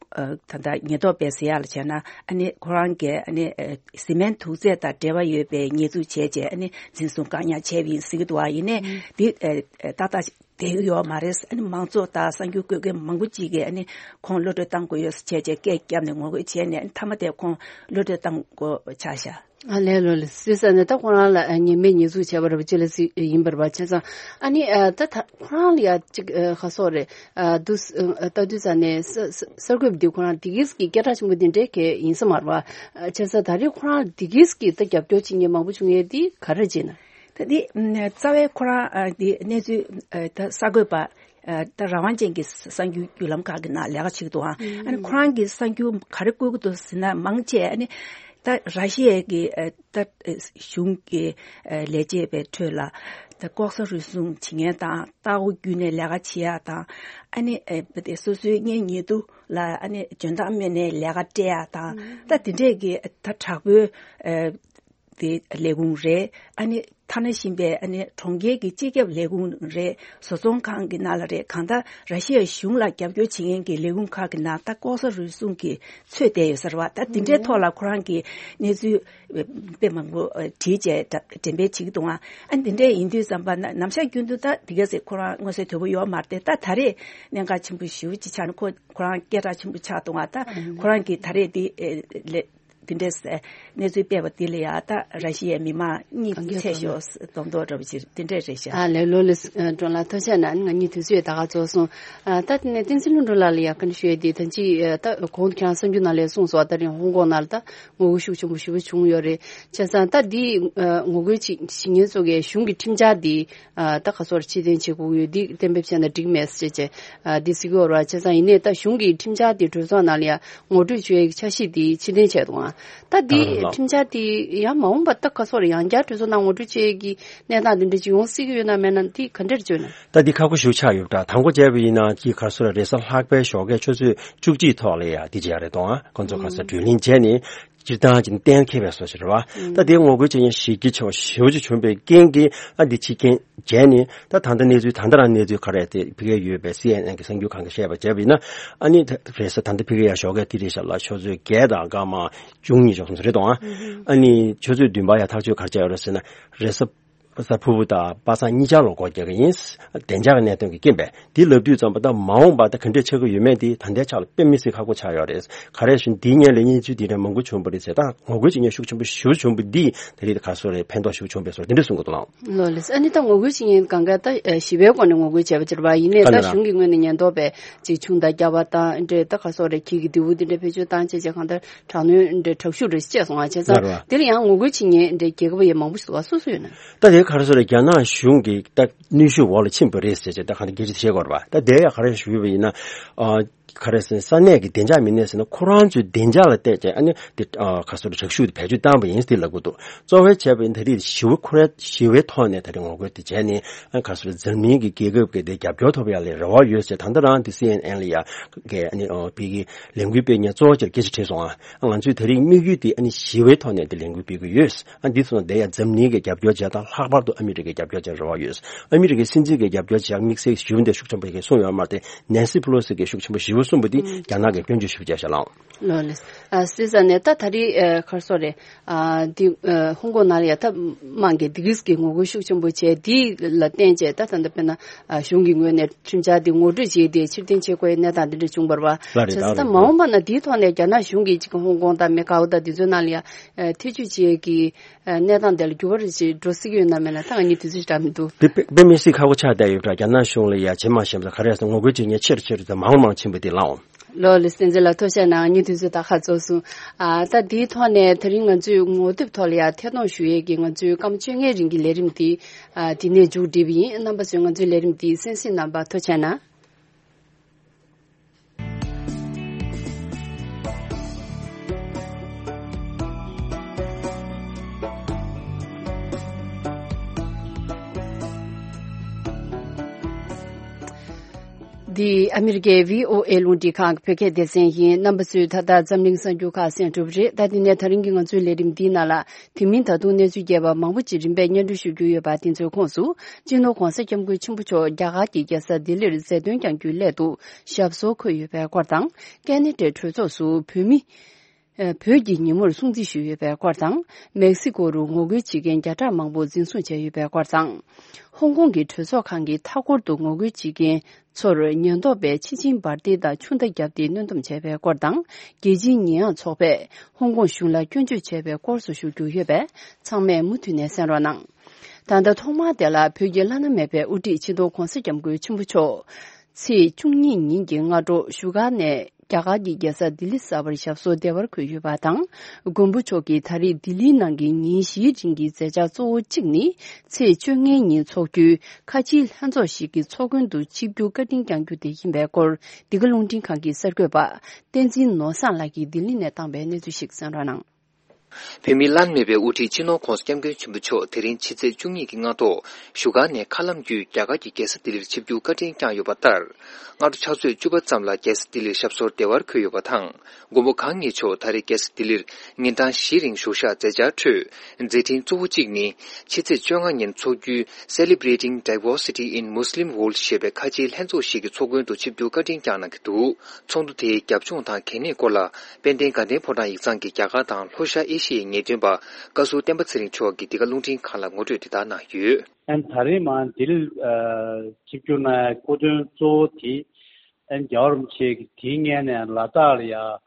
ད་ལྟ་ཉེན་རྟོག་པས་ཟེར་ཡག་ལ་བྱས་ན་ཨ་ནི་ཁོ་རང་གིས་ཨ་ནི་སི་མེན་དུག་རྫས་དང་འབྲེལ་བ་ཡོད་པའི་ཉེས་འཛུགས་བྱས་རྗེས་ཨ་ནི་འཛིན་བཟུང་བཀག་ཉར་བྱས་པ་ཡིན་ཟེར་གྱི་འདུག་བ། ཡིན་ནའི་འདི་ཏག་ཏག་བསྡད་ཀྱི་ཡོད་མ་རེད། ཨ་ནི་མང་ཚོགས་དང་གསར་འགྱུར་བཀོད་མཁན་མང་པོ་ཅིག་གིས་ཨ་ནི་ཁོང་གློད་གྲོལ་བཏང་དགོས་ཡོད་ཟེར་བྱས་རྗེས་སྐད་བརྒྱབ་ནས་ངོ་རྒོལ་བྱས་ནས་ཨ་ནི་མཐའ་མ་དེ་ཁོང་གློད་གྲོལ་བཏང་དགོས་ཆགས་ཤག་ཨ་ལས་ལོ་ལས་སི་ས་ནས་ད་ཁོ་རང་ལ་ཉེས་མེད་ཉེས་འཛུགས་བྱས་པ་རེད་པ་ཅི་ལ་སི་ཡིན་པ་རེད་པ་བྱས་ཙང་ཨ་ནི་ད་ད་ཁོ་རང་ལ་ཡ་ཅིག་ཁ་སོགས་རེད། ཨ་དུ་ཨ་ལྟ་དུས་ཙ་ནས་ས་ས་གསར་འགོད་པ་འདི་ཁོ་རང་འདི་གིས་ཀྱི་སྐད་གྲགས་ཆེན་པོ་འདི་འདྲའི་གས་ཡིན་ས་མ་རེད་པ། བྱས་ཙང་ད་རེས་ཁོ་རང་འདི་གིས་ཀྱི་ད་རྒྱབ་སྐྱོར་བྱེད་མཁན་མང་པོ་བྱུང་ཡས་འདི་ག་རེ་བྱས་ན། ད་འདི་རྩ་བའི་ཁོ་རང་འདི་གནས་ཚུལ་ད་གསར་འགོད་པ་ད་རང་དབང་ཅན་གྱི་གསར་འགྱུར་བརྒྱུད་ལམ་ཁག་གི་ནང་ལས་ཀ་བྱེད་ཀྱི་འདུག་ཨ་ནི་ཁོ་རང་གིས་གསར་འགྱུར་ག་རེ་བཀོད་ཀྱི་འདུག་ཟེར་ན་མང་ཆེ་ཨ་ནི་ད་ར་ཤི་ཡའི་གི་ད་གཞུང་གི་ལས་བྱེད་པའི་ཁྲོད་ལ་ད་ལྐོག་ཟ་རུལ་སུངས་བྱེད་མཁན་དང་ལྟ་སྒོ་བརྒྱུད་ནས་ལས་ཀ་བྱེད་ཡག་དང་ཨ་ནི་སོ་སོའི་གཉེན་ཉེ་དུ་ལ་ཨ་ནི་འཇོན་ཐང་སྨོས་ནས་ལས་ཀ་སྤྲད་ཡག་དང་ད་དེ་འདྲས་ཀྱི་ད་དྲག་པོའི་དེ་ལས་ཁུངས་རེད། ཨ་ནི་ཐ་ན་ཤིང་པའི་ཨ་ནི་གྲོང་ཁྱེར་གྱི་སྤྱི་ཁྱབ་ལས་ཁུངས་རེད། བཟོ་ཚོང་ཁང་གི་ནང་ལ་རེད། གང་ལྟར་ར་ཤི་ཡ་གཞུང་ལ་རྒྱབ་སྐྱོར་བྱེད་མཁན་གྱི་ལས་ཁུངས་ཁག་གི་ནང་ད་ལྐོག་ཟ་རུལ་སུངས་ཀྱི་ཚོད་བསྡད་ཡོད་ས་རེད་པ། ད་དེ་འདྲའི་ཐོག་ལ་ཁོ་རང་གིས་གནས་ཚུལ་དཔེ་མང་པོ་བྲིས་བྱས་འགྲེམས་སྤེལ་བྱེད་ཀྱི་འདུག་ཨ་ནི་དེ་འདྲ་ཡིན་དུས་ཙམ་པ་ན་ནམ་ཞག་རྒྱུན་དུ་ད་དེ་ག་ཟེ་ཁོ་རང་མངོན་གསལ་དོད་པོ་ཡོད་མ་རེད་དེ། ད་ད་རེས་གནད་འགག་ཆེན་པོ་ཞེ་པོ་ཅིག་ཆགས་ནས་ཁོ་ཁོ་རང་སྐད་གྲགས་ཆེན་པོ་ཆགས་འདུག་ཨ་ད་ཁོ་རང་གིས་ད་རེས་དེ་ལས། དེ་འདྲས་གནས་ཚུལ་སྤེལ་བ་འདི་ལ་ཡང་ད་ར་ཤི་ཡའི་མི་མང་གཉིད་ཚད་ཤོར་མདོག་མདོག་འདྲ་བོ་ཅིག་དེ་འདྲས་རེད་ཤག་ཨ་ལས་ལོ་ལས་སྒྲོན་ལགས་ཐུགས་རྗེ་གནང་། ང་གཉིས་དུས་ཚོད་ད་ག་རྫོགས་སོང་། ཨ་ད་དེ་ནས་བསྟན་འཛིན་ལྷུན་གྲུབ་ལགས་ལ་ཡང་བཀའ་འདྲི་ཞུ་ཡས་དེ་ད་ཅི་ད་གོང་དུ་ཁྱེད་རང་གསར་འགྱུར་ནང་ལ་གསུངས་སོང་། ད་རིང་ཧོང་ཀོང་ནང་ལ་ད་ངོ་རྒོལ་ཤུགས་ཆེན་པོ་ཞེ་པོ་བྱུང་ཡོད་རེད། བྱས་ཙང་ད་འདི་ངོ་རྒོལ་བྱེད་བྱེད་མཁན་ཚོ་གའི་གཞུང་གི་ཁྲིམས་འཆར་འདི་ཨ་ད་ག་སོར་ཕྱིར་འཐེན་བྱེད་དགོས་ཡོད། འདི་གཏན་འབེབས་བྱས་ན་འགྲིག་མེད་ཟེར་བྱས་ཨ་འདི་ཟེར་གྱི་ཡོད་རེད་བ། བྱས་ཙང་ཡིན་ནའི་ད་གཞུང་གི་ཁྲིམས་འཆར་འདི་གྲོས་ཚོགས་ནང་ལ་ཡང་ངོ་སྤྲོད་བྱེད་ཡག་གི་འཆར་གཞི་འདི་ཕྱིར་འཐེན་བྱས་འདུག་ཨ་ད་འདི་ཁྲིམས་འཆར་འདི་ཡང་མ་འོངས་པ་ད་ག་སོར་ཡང་བསྐྱར་གྲོས་ཚོགས་ནང་ངོ་སྤྲོད་བྱེད་ཡག་གི་གནས་སྟངས་འདི་འདྲ་ཅིག་ཡོང་སྲིད་ཀྱི་ཡོད་ན་མེད་ན་འདི་ག་འདྲར་བརྗོད་ན། ད་འདི་ཁག་པོ་ཞིག་ཆགས་ཡོད་འདྲ། དང་པོ་བྱས་པ་ཡིན་ན་ཅིག་ག་སོར་རེས་གཟའ་ལྷག་པའི་ཞོགས་ཀའི་ཆུ་ཚོད་བཅུ་གཅིག་ཐོག་ལ་ཡང་འདི་བྱས་རེད་དོ། ཨ་ཁོང་ཚོ་ག་སོར་བགྲོ་གླེང་བྱས་ནས། སྤྱིར་བཏང་གཅིག་གཏན་འཁེལ་བའི་བཟོ་ཞིག་རེད་བ། ད་དེའི་ངོ་རྒོལ་བྱེད་མཁན་ཞེ་གི་ཆེ་བ་ཞེ་པོ་ཅིག་བྱུང་བའི་རྐྱེན་གྱིས་ཨ་འདི་ཕྱིར་འཐེན་བྱས་ནས་ད་ད་ལྟ་གནས་ཚུལ་ད་ལྟ་རང་གནས་ཚུལ་ག་རེ་དེ་ཕ་གིར་ཡོད་པའི་སི་ཨེན་ཨེན་གྱི་གསར་འགྱུར་ཁང་གིས་བཤད་པ་བྱས་པ་ཡིན་ན་ཨ་ནི་ད་རེས་གཟའ་ད་ལྟ་ཕ་གིར་ཡང་ཞོགས་ཀས་དེ་རེད་ཤག་ལ་ཆུ་ཚོད་བརྒྱད་དང་སྐར་མ་བཅུ་གཉིས་ཙམ་རེད་དོ། ཨ་ནི་ཆུ་ཚོད་བདུན་པ་ཡང་ཐག་གཅོད་ག་རེ་བྱས་ཡོད་རེད་ཟེར་ན་རེས་གཟའ་གཟའ་ཕུར་བུ་དང་པ་སངས་གཉིས་ཆར་ལ་སྒོ་རྒྱག་གི་ཡིན། བདེ་འཇགས་ཀྱི་གནད་དོན་གྱི་རྐྱེན་པས་འདི་ལབ་དུས་ཙམ་པ་ད་མ་འོངས་པ་ད་ག་འདྲས་ཆགས་ཀྱི་ཡོད་མེད་འདི་ད་ལྟའི་ཆ་ལ་དཔེ་མི་སྲིད་ཁག་པོ་ཆགས་ཡོད་རེད། ག་རེ་ཞུ་འདིའི་སྔོན་ལ་གནས་ཚུལ་འདི་འདྲ་མང་པོ་བྱུང་བ་རེད་ཟེར། ད་ངོ་རྒོལ་བྱེད་མཁན་ཤུགས་ཆེན་པོ་ཞེ་པོ་བྱུང་བ་འདིས་ད་རེས་ད་ག་སོར་རེ་ཕན་ཐོགས་ཞེ་པོ་བྱུང་བས་སོ་འདི་འདྲ་གསུང་གི་འདུག་ལགས། ལོ་ལེགས། ཨ་ནི་ད་ངོ་རྒོལ་བྱེད་མཁན་གང་ག་ད་ཞི་བའི་སྒོ་ནས་ངོ་རྒོལ་བྱས་པ་ཅིག་རེད་པ། ཡིན་ནའི་ད་གཞུང་གི་ངོས་ནས་ཉེན་རྟོག་པས་ཅིག་ཆུང་དང་རྒྱ་བ་དང་འདྲེ་ད་ག་སོགས་རེ་ཁྱི་གི་རྡེའུ་འདི་འདྲ་བེད་སྤྱོད་བཏང་བྱས་བྱས་གང་ལྟར་དྲག་གནོན་འདྲེ་དྲག་ཤུགས་རེ་བྱས་སོང་བ་བྱས་ཙང་དེ་ལ་ཡང་ངོ་རྒོལ་བྱེད་མཁན་འདྲེ་རྒྱལ་ཁབ་ཡང་མང་པོ་ཞིག་འདུག་བ། སུ་སུ་ཡོད་ན། ད་དེ་ག་རེ་ཟེར་རྒྱ་ནག་གཞུང་གི་ད་གནོན་ཤུགས་འོག་ལ་ཕྱིན་པ་རེད་ཟེར་བྱས་ད་གང་ལྟར་སྐད་ཆ་བཤད་དགོས་རེད་པ། ད་དེ་ཡང་ག་རེ་ཞུས་པ་ཡིན་ན་ཨ། ག་རེ་ཟེར་ས་གནས་ཀྱི་བདེ་འཇགས་མི་སྣས་ཟེར་ན་ཁོ་རང་ཚོའི་བདེ་འཇགས་ལ་བལྟས་ཀྱང་ཨ་ནི་དེ་ཨ་ག་སོགས་དྲག་ཤུགས་དེ་བེད་སྤྱོད་བཏང་པ་ཡིན་ཟེར་ལབ་ཀྱི་འདུག་གཙོ་བོ་བྱས་པ་ཡིན་ད་རེས་ཞི་བའི་ཁོ་རའི་ཞི་བའི་ཐོག་ནས་ད་རེས་ངོ་རྒོལ་དེ་བྱས་ནས་ཨ་ག་སོགས་འཛམ་གླིང་གི་རྒྱལ་ཁབ་ཀྱི་དེ་རྒྱབ་སྐྱོར་ཐོབ་ཡག་ལ་རེ་བ་ཡོད་ཟེར། ད་ལྟ་རང་དེ་སི་ཨེན་ཨེན་ལ་ཡ་གི་ཨ་ནི་ཨོ་བི་གི་ལས་འགུལ་སྤེལ་མཁན་གཙོ་བོ་ཅིག་སྐད་ཆ་དྲིས་སོང་། ཨ་ང་ཚོའི་ད་རེས་དམིགས་ཡུལ་དེ་ཨ་ནི་ཞི་བའི་ཐོག་ནས་དེ་ལས་འགུལ་སྤེལ་གྱི་ཡོད། ཨ་འདི་ཚོ་དེ་ཡང་འཛམ་གླིང་གི་རྒྱབ་སྐྱོར་བྱས་དང་ལྷག་པར་དུ་ཨ་མི་རི་ཀའི་རྒྱབ་སྐྱོར་བྱས་རེ་བ་ཡོད། ཨ་མི་རི་ཀའི་སྲིད་འཛིན་གྱི་རྒྱབ་སྐྱོར་བྱས་དམིགས་བསལ་ཞུ་འདི་ཤུགས་ཆེན་པོ་ཞིག་གསུངས་ཡོད་མ་རེད། ནེན་སི་ཕེ་ལོ་སི་གིས་ཤུགས་ཆེན་པོ་ཞེ་པོ་གསུངས་པ་འདི་རྒྱ་ནག་གིས་སྐྱོན་བརྗོད་ཞེ་པོ་བྱས་ཤག་ལགས། ལོ་ལེགས། ཨ་སི་ས་ནས་ད་ད་རེས་ཨ་ག་རེ་ཟེར་རེད། ཨ་འདི་ཨ་ཧོང་ཀོང་ནང་ལ་ཡ་ད་དམངས་ཀྱི་དེ་གིས་ཀྱི་ངོ་རྒོལ་ཤུགས་ཆེན་པོ་བྱས་འདི་ལ་བརྟེན་བྱས་ད་ད་ལྟ་དཔེར་ན་ཨ་གཞུང་གི་ངོས་ནས་ཁྲིམས་འཆར་འདི་ངོ་སྤྲོད་བྱས་ཏེ་ཕྱིར་འཐེན་བྱེད་དགོས་ཡའི་གནས་སྟངས་འདི་འདྲ་བྱུང་བ་རེད་པ། ལགས་རེད། བྱས་ཙང་ད་ལགས་རེད། མ་འོངས་པ་ན་འདིའི་ཐོག་ནས་རྒྱ་ནག་གཞུང་གིས་ཅིག་ཧོང་ཀོང་དང་མེ་ཀའོ་དང་འདི་ཚོའི་ནང་ལ་ཡ་ཨ་ཐེ་ཇུས་བྱེད་ཀྱི་ཨ་གནས་སྟངས་དེ་ལ་འགྱུར་བ་རེ་ཞིག་འགྲོ་སྲིད་ཀྱི་ཡོད་ན་མེད་ན་ད་ང་གཉིས་དུས་ཚོད་ཞིག་འདྲ་མི་འདུག་དེ་དཔེ་དཔེ་མི་སྲིད་ཁག་པོ་ཆགས་བསྡད་ཡོད་འདྲ། རྒྱ་ནག་གཞུང་ལ་ཡ་ཇེ་མང་ཇེ་མང་དུ་ག་རེ་ཟེར་ངོ་རྒོལ་བྱེད་མཁན་ཆེ་རུ་ཆེ་རུ་དང་མང་རུ་མང་རུ་ཕྱིན་པ་དེ་ལའོ། ལོ་ལེགས་བསྟན་འཛིན་ལགས་ཐུགས་རྗེ་གནང་། ངའི་དུས་ཚོད་ད་ག་རྫོགས་སོང་། ཨ་ད་འདིའི་ཐོག་ནས་ད་རིང་ང་ཚོས་ངོ་དེབ་ཐོག་ལ་ཡ་ཐད་གཏོང་ཞུ་ཡས་ཀྱི་ང་ཚོའི་སྐར་མ་བཅོ་ལྔའི་རིང་གི་ལས་རིམ་འདི་ཨ་འདི་ནས་མཇུག་སྒྲིལ་བ་ཡིན། རྣམ་པ་ཚོས་ང་ཚོའི་ལས་རིམ་འདི་གསན་གཟིགས་གནང་བར་ཐུགས་རྗེ་གནང་། འདི་ཨ་མི་རི་ཀའི་བྷི་ཨོ་ཨེ་རླུང་འཕྲིན་ཁང་གི་བོད་སྐད་སྡེ་ཚན་ཡིན། རྣམ་པ་ཚོས་ད་ལྟ་འཛམ་གླིང་གསར་འགྱུར་ཁག་གསན་གྲུབ་རེད། ད་དེ་ནས་ད་རིང་གི་ང་ཚོའི་ལས་རིམ་འདིའི་ནང་ལ། དེ་མིན་ད་དུང་གནས་ཚུལ་རྒྱས་པ་མང་པོ་ཅིག་རིམ་པས་སྙན་སྒྲོན་ཞུ་རྒྱུ་ཡོད་པ། དེ་ཚོའི་ཁོངས་སུ། སྤྱི་ནོར་༧གོང་ས་༧སྐྱབས་མགོན་ཆེན་པོ་མཆོག་རྒྱ་གར་གྱི་རྒྱལ་ས་ལྡི་ལིར་མཛད་དོན་བསྐྱང་རྒྱུའི་སླད་དུ་ཞབས་སོར་འཁོད་ཡོད་པའི་སྐོར་དང་། ཀེ་ན་ཌའི་གྲོས་ཚོགས་སུ་བོད་མི། ཨ། བོད་ཀྱི་ཉིན་མོར་སྲུང་བརྩི་ཞུས་ཡོད་པའི་སྐོར་དང་། མེག་སི་ཀོ་རུ་ངོ་རྒོལ་བྱེད་མཁན་བརྒྱ་ཕྲག་མང་པོ་འཛིན་བཟུང་བྱས་ཡོད་པའི་སྐོར་དང་། ཧོང་ཀོང་གི་གྲོས་ཚོགས་ཁང་གི་མཐའ་འཁོར་དུ་ངོ་རྒོལ་བྱེད་མཁན་ཚོར་ཉེན་རྟོག་པས་ཕྱི་ཆིངས་འབར་མདེལ་དང་ཆུ་མདའ་བརྒྱབ་སྟེ་གནོན་སྡོམ་བྱས་པའི་སྐོར་དང་། རྒྱལ་སྤྱིའི་ཉེས་ཡངས་ཚོགས་པས་ཧོང་ཀོང་གཞུང་ལ་སྐྱོན་བརྗོད་བྱས་པའི་སྐོར་སོགས་ཞུ་རྒྱུ་ཡོད་པས། ཚང་མས་མུ་མཐུད་ནས་གསན་རོགས་གནང་། ད་ལྟ་ཐོག་མར་དེ་ལ་བོད་ཀྱི་བླ་ན་མེད་པའི་དབུ་ཁྲིད་སྤྱི་ནོར་༧གོང་ས་༧སྐྱབས་མགོན་ཆེན་པོ་མཆོག་ཚེས་བཅུ་གཉིས་ཉིན་གྱི་སྔ་དྲོ་བཞུགས་སྒར་ནས་རྒྱ་གར་གྱི་རྒྱལ་ས་ལྡི་ལི་གསར་པར་ཞབས་སོར་བདེ་བར་འཁོད་ཡོད་པ་དང་། མགོན་པོ་མཆོག་གིས་ད་རེས་ལྡི་ལིའི་ནང་གི་ཉིན་བཞིའི་རིང་གི་མཛད་འཆར་གཙོ་བོ་གཅིག་ནི། ཚེས་བཅོ་ལྔའི་ཉིན་འཚོགས་རྒྱུའི་ཁ་ཆེའི་ལྷན་ཚོགས་ཤིག་གི་ཚོགས་མགོན་དུ་ཆིབས་བསྒྱུར་བཀའ་དྲིན་བསྐྱང་རྒྱུ་དེ་ཡིན་པའི་སྐོར། འདི་ག་རླུང་འཕྲིན་ཁང་གི་གསར་འགོད་པ་བསྟན་འཛིན་ནོར་བཟང་ལགས་ཀྱིས་ལྡི་ལི་ནས་བཏང་པའི་གནས་ཚུལ་ཞིག་གསན་རོགས་གནང་། བོད་མིའི་བླ་ན་མེད་པའི་དབུ་ཁྲིད་སྤྱི་ནོར་༧གོང་ས་༧སྐྱབས་མགོན་ཆེན་པོ་མཆོག་དེ་རིང་ཕྱི་ཚེས་བཅུ་གཉིས་ཀྱི་སྔ་དྲོ་བཞུགས་སྒར་ནས་མཁའ་ལམ་བརྒྱུད་རྒྱ་གར་གྱི་རྒྱལ་ས་ལྡི་ལིར་ཆིབས་བསྒྱུར་བཀའ་དྲིན་བསྐྱངས་ཡོད་པ་ལྟར། སྔ་དྲོ་ཕྱག་ཚོད་བཅུ་པ་ཙམ་ལ་རྒྱལ་ས་ལྡི་ལིར་ཞབས་སོར་བདེ་བར་འཁོད་ཡོད་པ་དང་། མགོན་པོ་གང་ཉིད་མཆོག་ད་རེས་རྒྱལ་ས་ལྡི་ལིར་ཉིན་གྲངས་བཞིའི་རིང་བཞུགས་ཤག་མཛད་འཆར་ཁྲོད། མཛད་འཕྲིན་གཙོ་བོ་གཅིག་ནི། ཕྱི་ཚེས་བཅོ་ལྔ་ཉིན་འཚོགས་རྒྱུའི་Celebrating Diversity in Muslim World ཞེས་པའི་ཁ་ཆེའི་ལྷན་ཚོགས་ཤིག་གི་ཚོགས་མགོན་དུ་ཆིབས་བསྒྱུར་བཀའ་དྲིན་བསྐྱངས་གནང་གི་འདུག་ཚོགས་འདུ་དེའི་རྒྱབ་ལྗོངས་དང་གལ་གནད་སྐོར་ལ། དཔལ་ལྡན་དགའ་ལྡན་ཕོ་བྲང་ཡིག་ཚང་གི་རྒྱ་གར་དང་ལྷོ་ཤར་ཨེ་ཤི་ཡའི་ངེས་སྟོན་པ་བཀའ་ཟུར་བསྟན་པ་ཚེ་རིང་མཆོག་གིས་འདི་ག་རླུང་འཕྲིན་ཁང་ལ་ངོ་སྤྲོད་དེ་ལྟར་གནང་ཡོད། ཨན་ད་རེས་མ་འདིར་ཆིབས་བསྒྱུར་གནང་སྐུ་མགྲོན་གཙོ་བོ་དེ་ཨན་རྒྱལ་བ་རིན་པོ་ཆེ་གིས་དེའི་སྔོན་ནས་ལ་དྭགས་ལ་ཡ།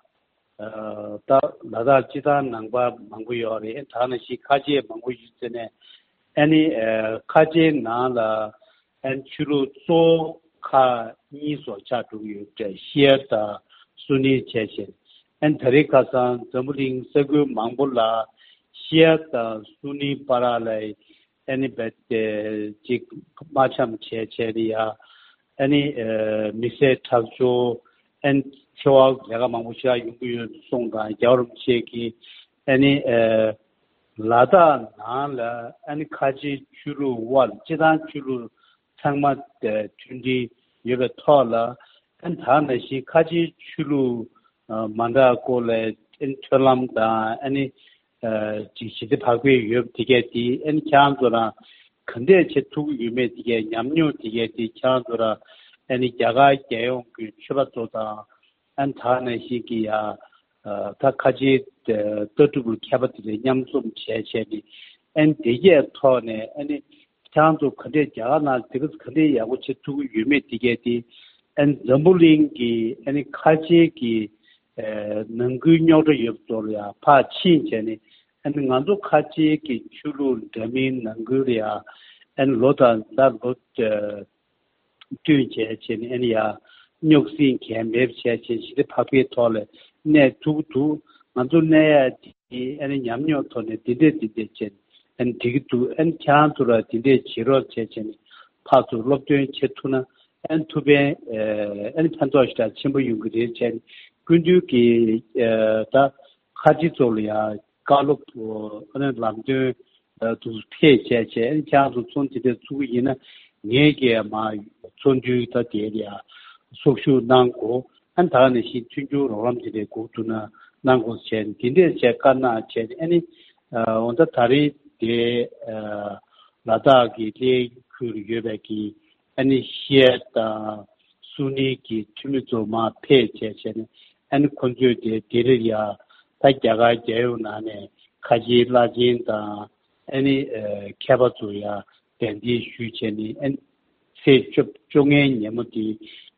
ད་ལ་དྭགས་སྤྱི་བཏང་ནང་པ་མང་པོ་ཡོད་རེད། ད་ནང་བཞིན་ཁ་ཆེ་མང་པོ་ཡོད་ཟེར་ནས། ཨ་ནི་ཁ་ཆེའི་ནང་ལ་ཨ་ནི་ཆོས་ལུགས་གཙོ་བོ་ཁག་གཉིས་སོགས་ཆགས་འགྲོ་གི་ཡོད་པ་རེད། ཤི་ཡ་དང་སུ་ནི་བྱས་བྱས། ཨ་ནི་ད་རེས་ཁ་སང་འཛམ་བུ་གླིང་ས་ཁུལ་མང་པོ་ལ་ཤི་ཡ་དང་སུ་ནི་བར་ལ་ཨ་ནི་རྦད་དེ་ཅིག་དམག་འཆམ་བྱས་བྱས་ནས་ཡ། ཨ་ནི་མི་བསད་ཁྲག་སྦྱོར། ཨ་ནི་འཚེ་བ་ལས་ཀ་མང་པོ་ཞིག་ཡོང་གི་ཡོད་གསུངས་དང་། རྒྱལ་བ་རིན་པོ་ཆེ་གིས་ཨ་ནི་ལ་དྭགས་ནང་ལ་ཨ་ནི་ཁ་ཆེའི་ཆོས་ལུགས་དབར་སྤྱི་བཏང་ཆོས་ལུགས་ཚང་མ་མཐུན་སྒྲིལ་ཡོད་པའི་ཐོག་ལ། ཨ་ནི་ད་ནང་བཞིན་ཁ་ཆེའི་ཆོས་ལུགས་མ་འདྲ་སྐོར་ལ་ཨ་ནི་མཐུན་ལམ་དང་ཨ་ནི། ཅིག་ཞི་བདེ་བག་ཕེབས་ཡོད་པ་དེ་གས་དེ་ཨ་ནི་ཁྱེད་རང་ཚོ་རང་ག་འདྲས་བྱེད་ཐུབ་ཀྱི་ཡོད་མེད་དེ་གས། ཉམས་མྱོང་དེ་གས་དེ་ཁྱེད་རང་ཚོ་རང་ཨ་ནི་རྒྱ་གར་རྒྱལ་ཡོངས་ཀྱི་ཆོས་པ་ཚོ་དང་ཨ་ནི་ད་ནང་བཞིན་གྱི་ཡ་ད་ཁ་ཆེའི་ལྟ་གྲུབ་ལ་མཁས་པ་དེ་འདྲས་མཉམ་འཛོམས་བྱས་བྱས་ནས་ཨ་ནི་དེ་གས་ཐོག་ནས་ཨ་ནི་ཁྱེད་རང་ཚོ་ག་འདྲས་རྒྱ་གར་ནང་དེ་ག་ག་འདྲས་ཡག་པོ་བྱེད་ཐུབ་ཀྱི་ཡོད་མེད་དེ་གས་དེ་ཨ་ནི་འཛམ་བུ་གླིང་གི་ཨ་ནི་ཁ་ཆེའི་གི་ནང་ཁུལ་རྙོག་དྲ་ཡོད་པ་ཚོ་ལ་ཡང་ཕར་ཕྱིན་བྱས་ནས། ཨ་ནི་ང་ཚོ་ཁ་ཆེའི་གི་ཆོས་ལུགས་འདྲ་མིན་ནང་ཁུལ་ལ་ཡང་ཨ་ནི་ལོ་དང་ཟླ་ལོ་བསྟུན་བྱས་བྱས་ནས་ཨ་ནི་ཡང་རྙོག་ཟིང་གང་མེད་པ་བྱས་བྱས་ཞི་བདེ་བག་ཕེབས་ཐོག་ལ་གནས་ཐུབ་ཀྱི་འདུག་ང་ཚོ་གནས་ཡ་དེ་ཨ་ནི་ཉམས་མྱོང་ཐོག་ནས་འདི་འདྲས་འདི་འདྲས་བྱས་ནས་ཨ་ནི་འགྲིག་གི་འདུག་ཨ་ནི་ཁྱེད་རང་ཚོ་ལ་འདི་འདྲས་བྱེད་རོགས་བྱས་བྱས་ནས་ཕར་ཚུར་སློབ་སྟོན་བྱེད་ཐུབ་ན། ཨན་ཐུབ་པའི་ཨན་ཕན་ཐོགས་ཞེ་དྲག་ཆེན་པོ་ཡོང་གི་རེད་བྱས་ནས་སྐུ་མདུན་གྱིས་ད་ཁ་ཆེ་ཚོ་ལ་ཡང་བཀའ་སློབ་ཨ་ནི་ལམ་སྟོན་དུ་ཕེབས་བྱས་བྱས། ཨན་ཁྱེད་རང་ཚོ་ཚོགས་འདུ་དེ་འདྲ་ཚུགས་ཀྱི་ཡིན་ན་ངས་ཀྱིས་མ་ཚོགས་འདུའི་ད་དེ་ལ་ཡང་ཚོགས་ཞུགས་གནང་དགོས། ཨན་ད་ག་ནང་བཞིན་མཐུན་འགྱུར་རོགས་རམ་དེ་འདྲ་དགོས་འདུག་ན་གནང་དགོས་བྱས་ནས་དེ་འདྲས་བྱས་བཀའ་གནང་བྱས་ནས། ཨ་ནི་འོ་ད་ད་རེས་དེ་ལ་དྭགས་ཀྱི་གླེ་ཁུལ་ཡོད་པའི་གི་ཨ་ནི་ཤི་ཡ་དང་སུ་ནི་གི་འཐུས་མི་ཚོ་མར་ཕེབས་བྱས་བྱས་ནས། ཨ་ནི་ཁོ་ཚོས་དེ་དེ་རིང་ཡ་ད་རྒྱ་གར་རྒྱལ་ཡོངས་ནང་ནས་ཁ་ཆེའི་བླ་ཆེན་དང་ཨ་ནི་མཁས་པ་ཚོ་ཡ་གདན་འདྲེན་ཞུས་བྱས་ནས། ཨ་ནི་ཚེས་བཅོ་བཅོ་ལྔའི་ཉིན་མོ་དེ་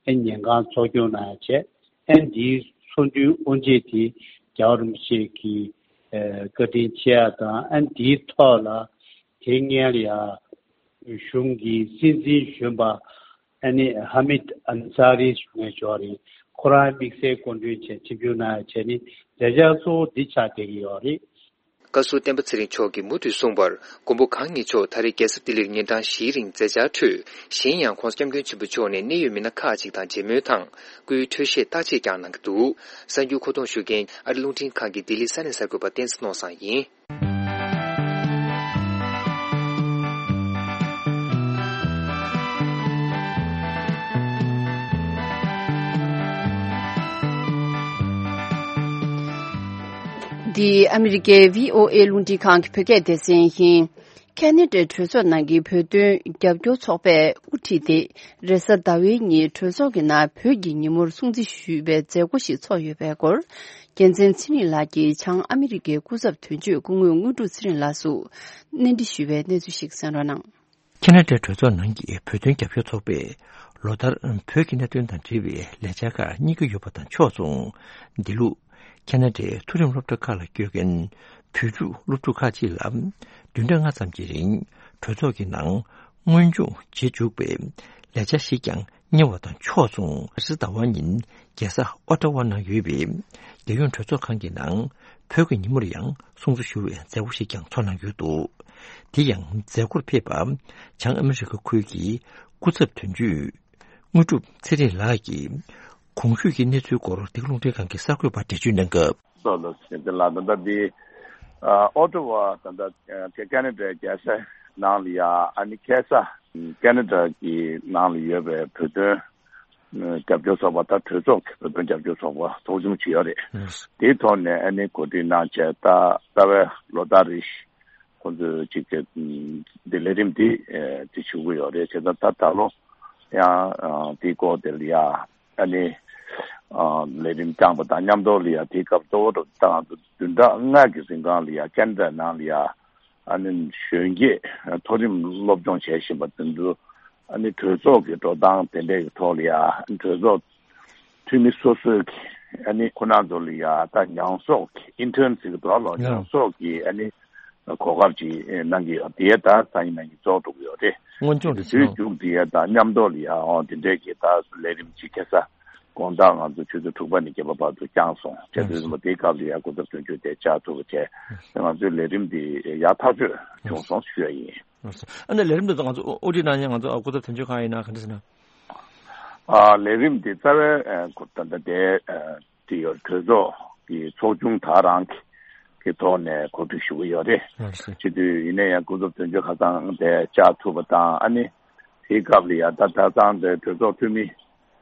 ཨ་ནི་ཉིན་གང་ཚོགས་སྐྱོང་གནང་ཡ་བྱས། ཨ་ནི་འདིའི་ཚོགས་འདུའི་དབུ་འབྱེད་དེ་རྒྱལ་བ་རིན་པོ་ཆེ་གི་བཀའ་དྲིན་ཆེ་ཡ་དང་། ཨ་ནི་འདིའི་ཐོག་ལ་དེ་སྔོན་ལ་ཡ་གཞུང་གི་སྲིད་འཛིན་གཞོན་པ་ཨ་ནི་ཧ་མིད་ཨན་ས་རི་ཞུ་མཁན་ཞིག་ཡོད་རེད། ཁོ་རང་དམིགས་བསལ་སྐུ་མགྲོན་བྱས་ཆིབས་བསྒྱུར་གནང་ཡ་བྱས་ནས་མཛད་འཆར་གཙོ་བོ་འདི་ཆགས་བསྡད་ཀྱི་ཡོད་རེད། བཀའ་ཟུར་བསྟན་པ་ཚེ་རིང་མཆོག་གིས་མུ་མཐུད་གསུངས་པར། མགོན་པོ་གང་ཉིད་མཆོག་ད་རེས་རྒྱལ་ས་ལྡི་ལིར་ཉིན་གྲངས་བཞིའི་རིང་མཛད་འཆར་ཁྲོད། གཞན་ཡང་༧གོང་ས་༧སྐྱབས་མགོན་ཆེན་པོ་མཆོག་ནས་གནད་ཡོད་མི་སྣ་ཁག་ཅིག་དང་མཇལ་མོལ་དང་། སྐུའི་འཕྲོད་བཞེས་བརྟག་དཔྱད་ཀྱང་གནང་གི་འདུག་གསར་འགྱུར་མཁོ་གཏོང་ཞུ་མཁན་ཨ་རི་རླུང་འཕྲིན་ཁང་གི་ལྡི་ལི་ས་གནས་གསར་འགོད་པ་བསྟན་འཛིན་ནོར་བཟང་ཡིན། འདི་ཨ་མི་རི་ཀའི་བྷི་ཨོ་ཨེ་རླུང་འཕྲིན་ཁང་གི་བོད་སྐད་སྡེ་ཚན་ཡིན། ཁ་ན་ཌའི་གྲོས་ཚོགས་ནང་གི་བོད་དོན་རྒྱབ་སྐྱོར་ཚོགས་པས་དབུ་ཁྲིད་དེ། རེས་གཟའ་ཟླ་བའི་ཉིན་གྲོས་ཚོགས་ཀྱི་ནང་བོད་ཀྱི་ཉིན་མོར་སྲུང་བརྩི་ཞུས་པའི་མཛད་སྒོ་ཞིག་ཚོགས་ཡོད་པའི་སྐོར། རྒྱལ་མཚན་ཚེ་རིང་ལགས་ཀྱིས་བྱང་ཨ་མི་རི་ཀའི་སྐུ་ཚབ་དོན་གཅོད་སྐུ་ངོ་དངོས་གྲུབ་ཚེ་རིང་ལགས་སུ་གནས་འདྲི་ཞུས་པའི་གནས་ཚུལ་ཞིག་གསན་རོགས་གནང་། ཁ་ན་ཌའི་གྲོས་ཚོགས་ནང་གི་བོད་དོན་རྒྱབ་སྐྱོར་ཚོགས་པས་ལོ་ལྟར་བོད་ཀྱི་གནད་དོན་དང་འབྲེལ་བའི་ལས་འཆར་ཁག་གཉེར་གྱི་ཡོད་པ་དང་ཕྱོགས་མཚུངས། འདི་ལོ་ཁ་ན་ཌའི་མཐོ་རིམ་སློབ་གྲྭ་ཁག་ལ་བསྐྱོད་མཁན་བོད་ཕྲུག་སློབ་ཕྲུག་ཁག་ཅིག་ལ་བདུན་ཕྲག་ལྔ་ཙམ་གྱི་རིང་གྲོས་ཚོགས་ཀྱི་ནང་སྔོན་སྦྱོང་བྱེད་འཇུག་པའི་ལས་འཆར་ཞིག་ཀྱང་གཉེར་བ་དང་ཕྱོགས་མཚུངས། རེས་གཟའ་ཟླ་བ་ཉིན་རྒྱལ་ས་ཨོ་ཊ་ཝ་ནང་ཡོད་པའི་རྒྱལ་ཡོངས་གྲོས་ཚོགས་ཁང་གི་ནང་བོད་ཀྱི་ཉིན་མོར་ཡང་སྲུང་བརྩི་ཞུ་བའི་མཛད་སྒོ་ཞིག་ཀྱང་ཚོགས་གནང་ཡོད་འདུག་དེ་ཡང་མཛད་སྒོར་ཕེབས་པ་བྱང་ཨ་མི་རི་ཀ་ཁུལ་གྱི་སྐུ་ཚབ་དོན་གཅོད་དངོས་གྲུབ་ཚེ་རིང་ལགས་ཀྱིས་གོང་ཞུས་ཀྱི་གནས་ཚུལ་སྐོར་འདི་ག་རླུང་འཕྲིན་ཁང་གི་གསར་འགོད་པར་འགྲེལ་བརྗོད་གནང་སྐབས། ལགས་སོ། ལགས་ད་ལྟ་འདི་ཨ་ཨོ་ཊ་ཝ་ད་ལྟ་ཨ་ཁ་ན་ཌའི་རྒྱལ་ས་ནང་ལ་ཡ་ཨ་ནི་ཁ་ས་ཁ་ན་ཌ་གི་ནང་ལ་ཡོད་པའི་བོད་དོན་རྒྱབ་སྐྱོར་ཚོགས་པ་ད་གྲོས་ཚོགས་ཀྱི་བོད་དོན་རྒྱབ་སྐྱོར་ཚོགས་པ་ཚོགས་ཆུང་ཅིག་ཡོད་རེད། དེའི་ཐོག་ནས་ཨ་ནི་གོ་སྒྲིག་གནང་བྱས་ད་རྩ་བའི་ལོ་ལྟར་རེ་བཞིན་ཁོང་ཚོས་ཅིག་གི་འདི་ལས་རིམ་འདི་ཨེ་དེ་ཞུ་གི་ཡོད་རེད། བྱས་ཙང་ད་ད་ལོ་ཡང་ཨ་དེའི་སྐོར་དེ་ལ་ཡ་ཨ་ནི་ཨ་ལས་རིམ་བསྐྱངས་པ་དང་མཉམ་དུ་ལ་ཡ་དེའི་སྐབས་གཙོ་བོ་ད་ང་ཚོ་བདུན་ཕྲག་ལྔ་གི་རིང་གང་ལ་ཡ་ཁ་ན་ཌ་ནང་ལ་ཡ་ཨ་ནི་གཞོན་སྐྱེས་མཐོ་རིམ་སློབ་སྦྱོང་བྱེད་བཞིན་པ་དེ་ཚོ་ཨ་ནི་གྲོས་ཚོགས་ཀྱི་འགྲོ་སྟངས་དེ་འདྲའི་གི་ཐོག་ལ་ཡ་ཨ་ནི་གྲོས་ཚོགས་འཐུས་མི་སོ་སོའི་གི་ཨ་ནི་ཁོ་ན་ཚོ་ལ་ཡ་ད་ཉམས་གསོག་གི་ཨིན་ཊརན་ཟེར་གི་འདུག་ལོ། ཡ། ཉམས་གསོག་གི་ཨ་ནི་གོ་སྐབས་ཅིག་གནང་གི་ཡོད། དེ་ད་སང་ཉིན་གནངས་ཉིན་རྫོགས་འགྲོ་གི་ཡོད་རེད། སྔོན་སྦྱོང་དེ་ཕྱིན་དུས་མཇུག་དེ་ཡ་ད་མཉམ་དུ་ལ་ཡ་ཨོ་དེ་འདྲའི་གི་ད་ལས་རིམ་ཅིག་ཁ་ས་དགོང་དག་ང་ཚོ་ཆུ་ཚོད་དྲུག་པ་ནས་བརྒྱད་པ་བར་དུ་བསྐྱངས་སོང་། བྱས་དུས་ཙམ་པ་དེའི་སྐབས་ལ་ཡ་སྐུ་ཚབ་དོན་གཅོད་དེ་བཅར་ཐུབ་པ་བྱས། ང་ཚོའི་ལས་རིམ་དེ་ཡག་ཐག་ཆོད་བྱུང་སོང་ཞུ་ཡ་ཡིན། ཨ་ནི་ལས་རིམ་དེ་ཚོ་ང་ཚོ་དབུ་ཁྲིད་གནང་མཁན་ང་ཚོ་སྐུ་ཚབ་དོན་གཅོད་ཁང་ཡིན་ན་ག་འདྲ་ཟེར་ན། ཨ་ལས་རིམ་འདི་རྩ་བའི་ཨ་ད་ལྟ་དེ་ཨ་དེ་ཡོད་གྲོས་ཚོགས་ཀྱི་ཚོགས་ཆུང་དག་རང་གི་ཐོག་ནས་གོ་སྒྲིག་ཞུ་གི་ཡོད་རེད། ཨ་ཟེར། བྱེད་དུས་ཡིན་ན་ཡང་སྐུ་ཚབ་དོན་གཅོད་ཁ་སང་དེ་བཅར་ཐུབ་པ་དང་ཨ་ནི་དེའི་སྐབས་ལ་ཡ་ད་ད་ཚང་དེ་གྲོས་ཚོགས་འཐུས་མི་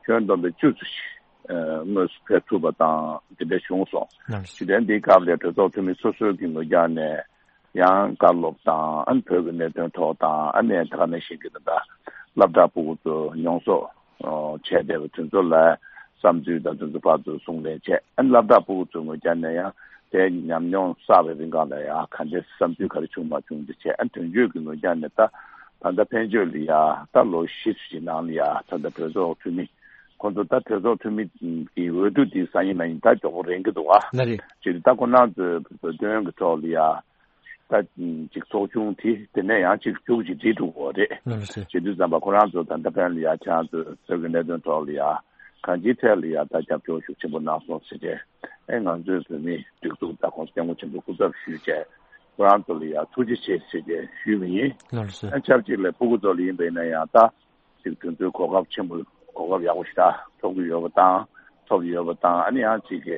ཁྱོན་བསྡོམས་པའི་བཅུ་ཙམ་ཞིག་ཨ་དངོས་སུ་ཕེབས་ཐུབ་པ་དང་དེ་འདྲ་བྱུང་སོང་། ཨ་ཟེར། བྱེད་དུས་འདིའི་སྐབས་ལ་གྲོས་ཚོགས་འཐུས་མི་སོ་སོའི་གི་ངོས་རྒྱག་ནས། ཡང་བཀའ་སློབ་དང་ཨ་ནི་བོད་ཀྱི་གནད་དོན་ཐོག་དང་ཨ་ནི་ད་ག་ནང་བཞིན་གྱི་ད་ལྟ་སློབ་གྲྭ་ཕྲུ་གུ་ཚོ་མྱོང་ཚོར་ཨོ་བྱས་བསྡད་པ་དེ་ཚོ་ལ་བསམ་ཚུལ་དང་དེ་ཚོ་ཕར་ཚུར་གསུང་གླེང་བྱས། ཨ་ནི་སློབ་གྲྭ་ཕྲུ་གུ་ཚོའི་ངོས་རྒྱག་ནས་ཡང་དེ་ཉམས་མྱོང་བསགས་པའི་རིང་ག་ལ་ཡང་ག་འདྲའི་བསམ་ཚུལ་ག་རེ་བྱུང་མ་བྱུང་དེ་བྱས། ཨ་ནི་དོན་གཅོད་ཀྱི་ངོས་རྒྱག་ནས་ད་ད་ལྟ་ཕན་ཆོད་ལ་ཡ་ད་ལོ་བཞི་ཙམ་ནང་ལ་ཡ་ད་ལྟ་གྲོས་ཚོགས་འཐུས་མི་ཁོང་ཚོ་ད་གྲོས་ཚོགས་འཐུས་མི་གི་འོས་བསྡུ་དེ་སང་ཉིན་གནངས་ཉིན་ད་མགྱོགས་པོ་རན་གྱི་འདུག་ཨ། ལགས་རེད། བྱས་ཙང་ད་ཁོ་རང་ཚོའི་བོད་དོན་གྱི་ཐོག་ལ་ཡ། ད་ཅིག་ཚོགས་ཆུང་དེ་དེ་ནས་ཡང་ཅིག་བཅུ་གཅིག་བསྒྲིལ་འགྲོ་གི་རེད། ལགས་སོ། བྱེད་དུས་ཙམ་པ་ཁོ་རང་ཚོ་ད་ལྟ་ཕན་ལ་ཡ་ཁྱེད་རང་ཚོས་བོད་ཀྱི་གནད་དོན་ཐོག་ལ་ཡ་གང་ཅིའི་ཐད་ལ་ཡ་ད་རྒྱབ་སྐྱོར་ཤུགས་ཆེན་པོ་གནང་སོང་ཟེར་ཏེ། ཨེ་ང་ཚོའི་བོད་མིའི་སྒྲིག་འཛུགས་ད་ཁོང་སྐྱབས་མགོན་ཆེན་པོ་སྐུ་ཚབ་ཞུས་བྱས་ཁོ་རང་ཚོ་ལ་ཡ་ཐུགས་རྗེ་ཆེ་ཟེར་ཏེ་ཞུས་པ་ཡིན། ལགས་སོ། ཨེ་ཆབས་ཅིག་ལ་ཕྲུ་གུ་ཚོ་ལ་ཡིན་པ་ཡིན་ན་ཡང་ད། ཅིག་དེ་ཚོའི་གོ་སྐབས་ཆེན་པོ་གོ་སྐབས་ཡག་པོ་ཞེ་དྲག་ཐོབ་ཀྱི་ཡོད་པ་དང་ཐོབ་ཀྱི་ཡོད་པ་དང་ཨ་ནི་ཡང་ཅིག་གི་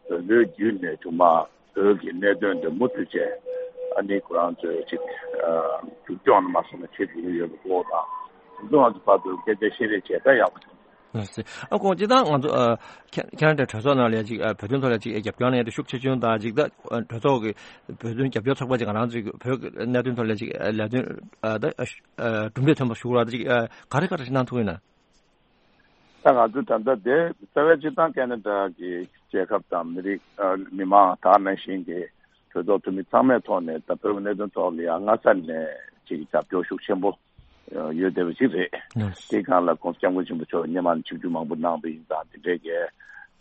བོད་པའི་བརྒྱུད་ནས་དུ་མ་བོད་ཀྱི་གནད་དོན་དེ་མུ་མཐུད་བྱས་ཨ་ནི་ཁོ་རང་ཚོས་ཅིག་མཇུག་སྐྱོང་ནས་མ་སོང་ན་བྱེད་ཐུབ་ཀྱི་ཡོད་པའི་སྐོར་དང་དེ་ཚོ་ང་ཚོ་བར་དུ་སྐད་ཆ་བཤད་རེས་བྱས་ད་ཡག་པོ་བྱུང་། ལགས་སོ། ཨ་ཁོང་སྤྱིར་བཏང་ང་ཚོ་ཨ་ཁ་ཁ་ན་ཌའི་གྲོས་ཚོགས་ནང་ལ་ཅིག་ཨ་བོད་དོན་ཐོག་ལ་ཅིག་རྒྱབ་སྐྱོར་གནང་ཡ་དེ་ཤུགས་ཆེ་ཆུང་དང་ཅིག་ད་གྲོས་ཚོགས་ཀྱི་བོད་དོན་རྒྱབ་སྐྱོར་ཚོགས་པ་ཅིག་ང་རང་ཚོའི་བོད་ཀྱི་གནད་དོན་ཐོག་ལ་ཅིག་ལས་དོན་ཨ་ད་ཨ་གྲུབ་འབྲས་ཐོན་པ་ཞུ་རོགས་ད་ཅིག་ཨ་ག་རེ་ག་རེ་ཞིག་གནང་ཐུབ་ཡོད་ན། ད་ང་ཚོ་ད་ལྟ་དེ་རྩ་བའི་སྤྱིར་བཏང་ཁ་ན་ཌ་གི་རྒྱལ་ཁབ་དང་མི་རིགས་ཨ་མི་མང་དག་ནང་བཞིན་གྱི་གྲོས་ཚོགས་འཐུས་མི་ཚང་མའི་ཐོག་ནས་ད་བོད་ཀྱི་གནད་དོན་ཐོག་ལ་ཡང་སྔ་ས་ནས་ཅིག་རྒྱབ་སྐྱོར་ཤུགས་ཆེན་པོ་ཡོད་བསྡད་པ་ཞིག་རེད། ལགས་སོ། དེའི་སྒང་ལ་༸གོང་ས་༸སྐྱབས་མགོན་ཆེན་པོ་མཆོག་སྔོན་མ་ནས་ཆིབས་བསྒྱུར་མང་པོ་གནང་བ་ཡིན་ཙང་དེ་འདྲའི་གི་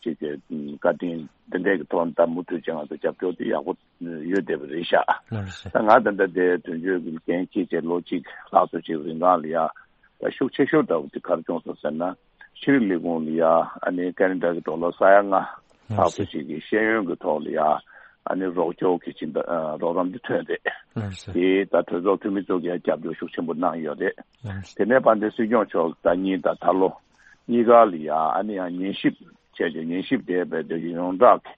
ཅིག་གི་བཀའ་དྲིན་དེ་འདྲའི་གི་ཐོག་ནས་ད་མུ་མཐུད་བྱས་ང་ཚོ་རྒྱབ་སྐྱོར་དེ་ཡག་པོ་ཡོད་བསྡད་པ་རེད་ཤག་ལགས་སོ། ད་ང་ད་ལྟ་དེ་དོན་གཅོད་ཀྱི་འགན་འཁྱེར་བྱས་ལོ་གཅིག་ལྷག་ཙམ་ཅིག་རིང་གང་ལ་ཡ་ད་ཤུགས་ཆེ་ཤོས་འདྲ་བོ་དེ་ག་རེ་བྱུང་སོང་ཟེར་ན་ཕྱི་དྲིལ་ལས་ཁུངས་ལ་ཡ་ཨ་ནི་ཁ་ན་ཌ་གི་ཌོ་ལར་ས་ཡ་ལྔ་ལྷག་ཙམ་ཅིག་གི་ཤེས་ཡོན་གྱི་ཐོག་ལ་ཡ་ཨ་ནི་རོགས་སྐྱོར་གྱི་ཅིག་ད་རོགས་རམ་དེ་ཐོན་རེད། ལགས་སོ། དེ་ད་གྲོས་ཚོགས་འཐུས་མི་ཚོ་གིས་རྒྱབ་སྐྱོར་ཤུགས་ཆེན་པོ་གནང་ཡོད་རེད། ལགས་སོ། དེ་ནས་དཔལ་ལྡན་སྲིད་སྐྱོང་མཆོག་ཟླ་གཉིས་དང་ད་ལོ་གཉིས་ཀ་ལ་ཡ་ཨ་ནི་ཡང་ཉན་ཞིབ་བྱས་ཏེ་ཉན་ཞིབ་དེ་བས་དེ་ཡོངས་གྲགས་ཀྱི་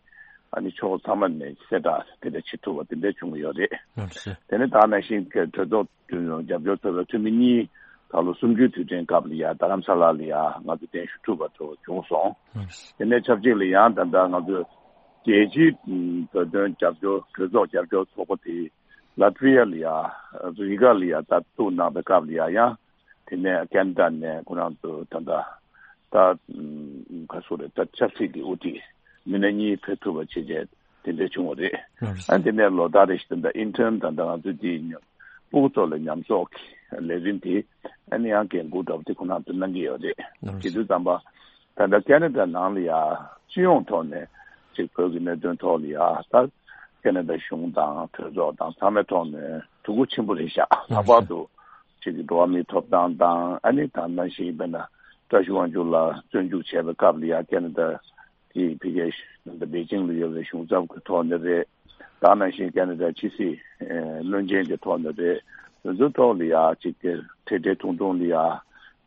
ཨ་ནི་ཕྱོགས་ཚང་མ་ནས་གསལ་བསྒྲགས་དེ་འདྲ་བྱེད་ཐུབ་པ་དེ་འདྲ་བྱུང་ཡོད་རེད། ལགས་སོ། དེ་ནས་ད་ནང་བཞིན་གྱི་གྲོས་ཚོགས་རྒྱབ་སྐྱོར་ཚོགས་པའི་འཐུས་མི་གཉིས་ད་ལོ་གསུམ་བཅུའི་དུས་དྲན་སྐབས་ལ་ཡ་རྡ་རམ་ས་ལ་ལ་ཡ་ང་ཚོ་གདན་ཞུ་ཐུབ་པ་ཚོ་བྱུང་སོང་། ལགས་སོ། དེ་ནས་ཆབས་ཅིག་ལ་ཡང་ད་ལྟ་ང་ཚོས་ རྒྱལ་སྤྱིའི་བོད་དོན་རྒྱབ་སྐྱོར་གྲོས་ཚོགས་རྒྱབ་སྐྱོར་ཚོགས་པ་དེ་ལ་ཏི་ཝི་ཡ་ལ་ཡ་རི་ག་ལ་ཡ་ད་བཙུགས་གནང་པའི་སྐབས་ལ་ཡ་ཡང་དེ་ནས་ཁེ་ན་ཌ་ནས་ཁོ་རང་ཚོ་ད་ལྟ་ད་ག་སུ་རེད་ད་ཆབ་སྲིད་ཀྱི་དབུ་ཁྲིད་མི་སྣ་གཉིས་ཕེབས་ཐུབ་པ་བྱས་རྗེས་དེ་འདྲ་བྱུང་བ་རེད། ཨ་དེ་ནས་ལོ་ལྟར་རེ་བཞིན་ད་ཨིན་ཊརན་ད་ལྟ་ང་ཚོ་དེའི་ཉམས་སྤུ་གུ་ཚོ་ལ་ཉམས་གསོག་གི་ལས་རིམ་དེ་ཨ་ནི་ཡང་འགན་འཁུར་འདྲ་པོ་དེ་ཁོ་རང་ཚོ་གནང་གི་ཡོད་རེད། དེ་དུས་ཙམ་པ། ད་ལྟ་ཁེ་ན་ཌ་ནང་ལ་ཡ་སྤྱི་ཡོངས་ཐོག་ནས་ཅིག་བོད་ཀྱི་གནད་དོན་ཐོག་ལ་ཡ་ད་ཁེ་ན་ཌ་གཞུང་དང་གྲོས་ཚོགས་དང་ཚང་མའི་ཐོག་ནས་ཐུགས་ཁུར་ཆེན་པོ་རེད་ཤག་ལྷག་པར་དུ་ཅིག་གི་འགྲོ་བ་མིའི་ཐོབ་ཐང་དང་ཨ་ནི་ད་ནང་བཞིན་དཔེར་ན་བཀྲ་ཤིས་དབང་ཕྱུག་ལགས་བཙོན་འཇུག་བྱས་པའི་སྐབས་ལ་ཡ་ཁེ་ན་ཌ་དེ་ཕ་གིའི་ད་ལྟ་པེ་ཅིང་ལ་ཡོད་པའི་གཞུང་ཚབ་ཀྱི་ཐོག་ནས་རེད། ད་ནང་བཞིན་ཁེ་ན་ཌ་ཕྱི་སྲིད་བློན་ཆེན་གྱི་ཐོག་ནས་རེད། དེ་ཚོའི་ཐོག་ལ་ཡ་ཅིག་གི་འཕྲལ་འཕྲལ་ཐུང་ཐུང་ལ་ཡ་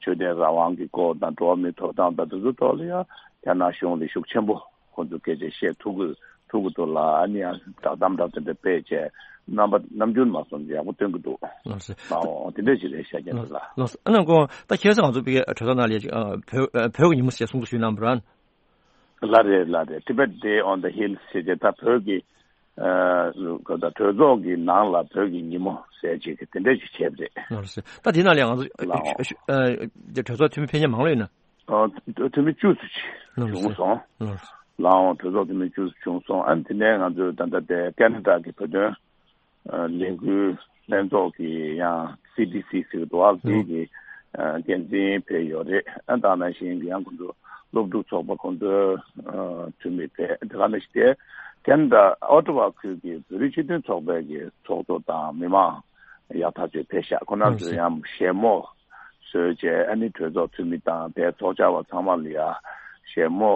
ཆོས་དད་རང་དབང་གི་སྐོར་དང་འགྲོ་བ་མིའི་ཐོབ་ཐང་དང་དེ་ཚོའི་ཐོག་ལ་ཡ་རྒྱ་ནག་གཞུང་ལ་ཤུགས་ཆེན་པོ་ཁོང་ཚོ་སྐད་ཆ་བཤད་ཐུབ་ཀྱི་ཐུབ་ཀྱི་འདུག་ལ་ཨ་ནི་ཡང་བསྒྲགས་གཏམ་འདྲ་དེ་འདྲ་སྤེལ་བྱས་རྣམ་པ་ནམ་རྒྱུན་མ་སོང་ཡག་པོ་སྟོན་གྱི་འདུག་ལགས་སོ། ཨོ་དེ་འདྲ་ཞིག་རེད་ཤག་རྒན་ལགས། ལགས་སོ། ཨ་ནི་ཁོང་ད་ཁ་སང་ང་ཚོ་པའི་གྲོས་ཚོགས་ནང་ལ་ཡ་ཅིག་ཨ་བོད་ཨ་བོད་ཀྱི་ཉིན་མོ་ཞེས་གསུང་དུ་ཞུས་གནང་བ་རེད། ལགས་རེད་ལགས་རེད། Tibet Day on the Hill ཟེར་ཏེ་ད་བོད་ཀྱི་ཨ་ག་ད་གྲོས་ཚོགས་ཀྱི་ནང་ལ་བོད་ཀྱི་ཉིན་མོ་ཟེར་ཅིག་དེ་འདྲ་ཞིག་བྱས་པ་རེད། ལགས་སོ། ད་དེ་ནང་ལ་ང་ཚོ་ལགས་ཨ་གྲོས་ཚོགས་འཐུས་མི་ཕལ་ཆེར་མང་ལོས་ཡིན་ན། ཨ་འཐུས་མི་བཅུ་ཙམ་ཅིག་ལགས་སོ། བྱུང་སོང་། ལགས་སོ། ལའང་གྲོས་ཚོགས་འཐུས་མི་བཅུ་ཙམ་བྱུང་སོང་། ཨ་ནི་དེ་ནས་ང་ཚོའི་ད་ལྟ་དེ་ཁེ་ན་ཌ་གི་བོད་དོན་ལས་འགུལ་ལྷན་ཚོགས་ཀྱི་ཡང་སི་ཌི་སི་ཟེར་གྱི་འདུག་ཨ་དེ་གི་འགན་འཛིན་ཕེབས་ཡོད་རེད། ཨ་ད་ནང་བཞིན་གྱི་ཡང་ཁོང་ཚོ་སློབ་ཕྲུག་ཚོགས་པ་ཁོང་ཚོའི་འཐུས་མི་ཕེབས་དེ་ག་ནང་བཞིན་དེ་ཁེ་ན་ཌ་ཨོ་ཊ་ཝ་ཁུལ་གྱི་བོད་རིགས་སྤྱི་མཐུན་ཚོགས་པའི་གི་ཚོགས་གཙོ་དང་མི་མང་ཡག་ཐག་ཆོད་ཕེབས་ཤག་ཁོང་རྣམ་ཚོས་ཡང་བཞད་མོ་བཟོས་བྱས་ཨ་ནི་གྲོས་ཚོགས་འཐུས་མི་དང་དེ་ཚོགས་བཅར་བ་ཚང་མ་ལ་ཡ་བཞད་མོ་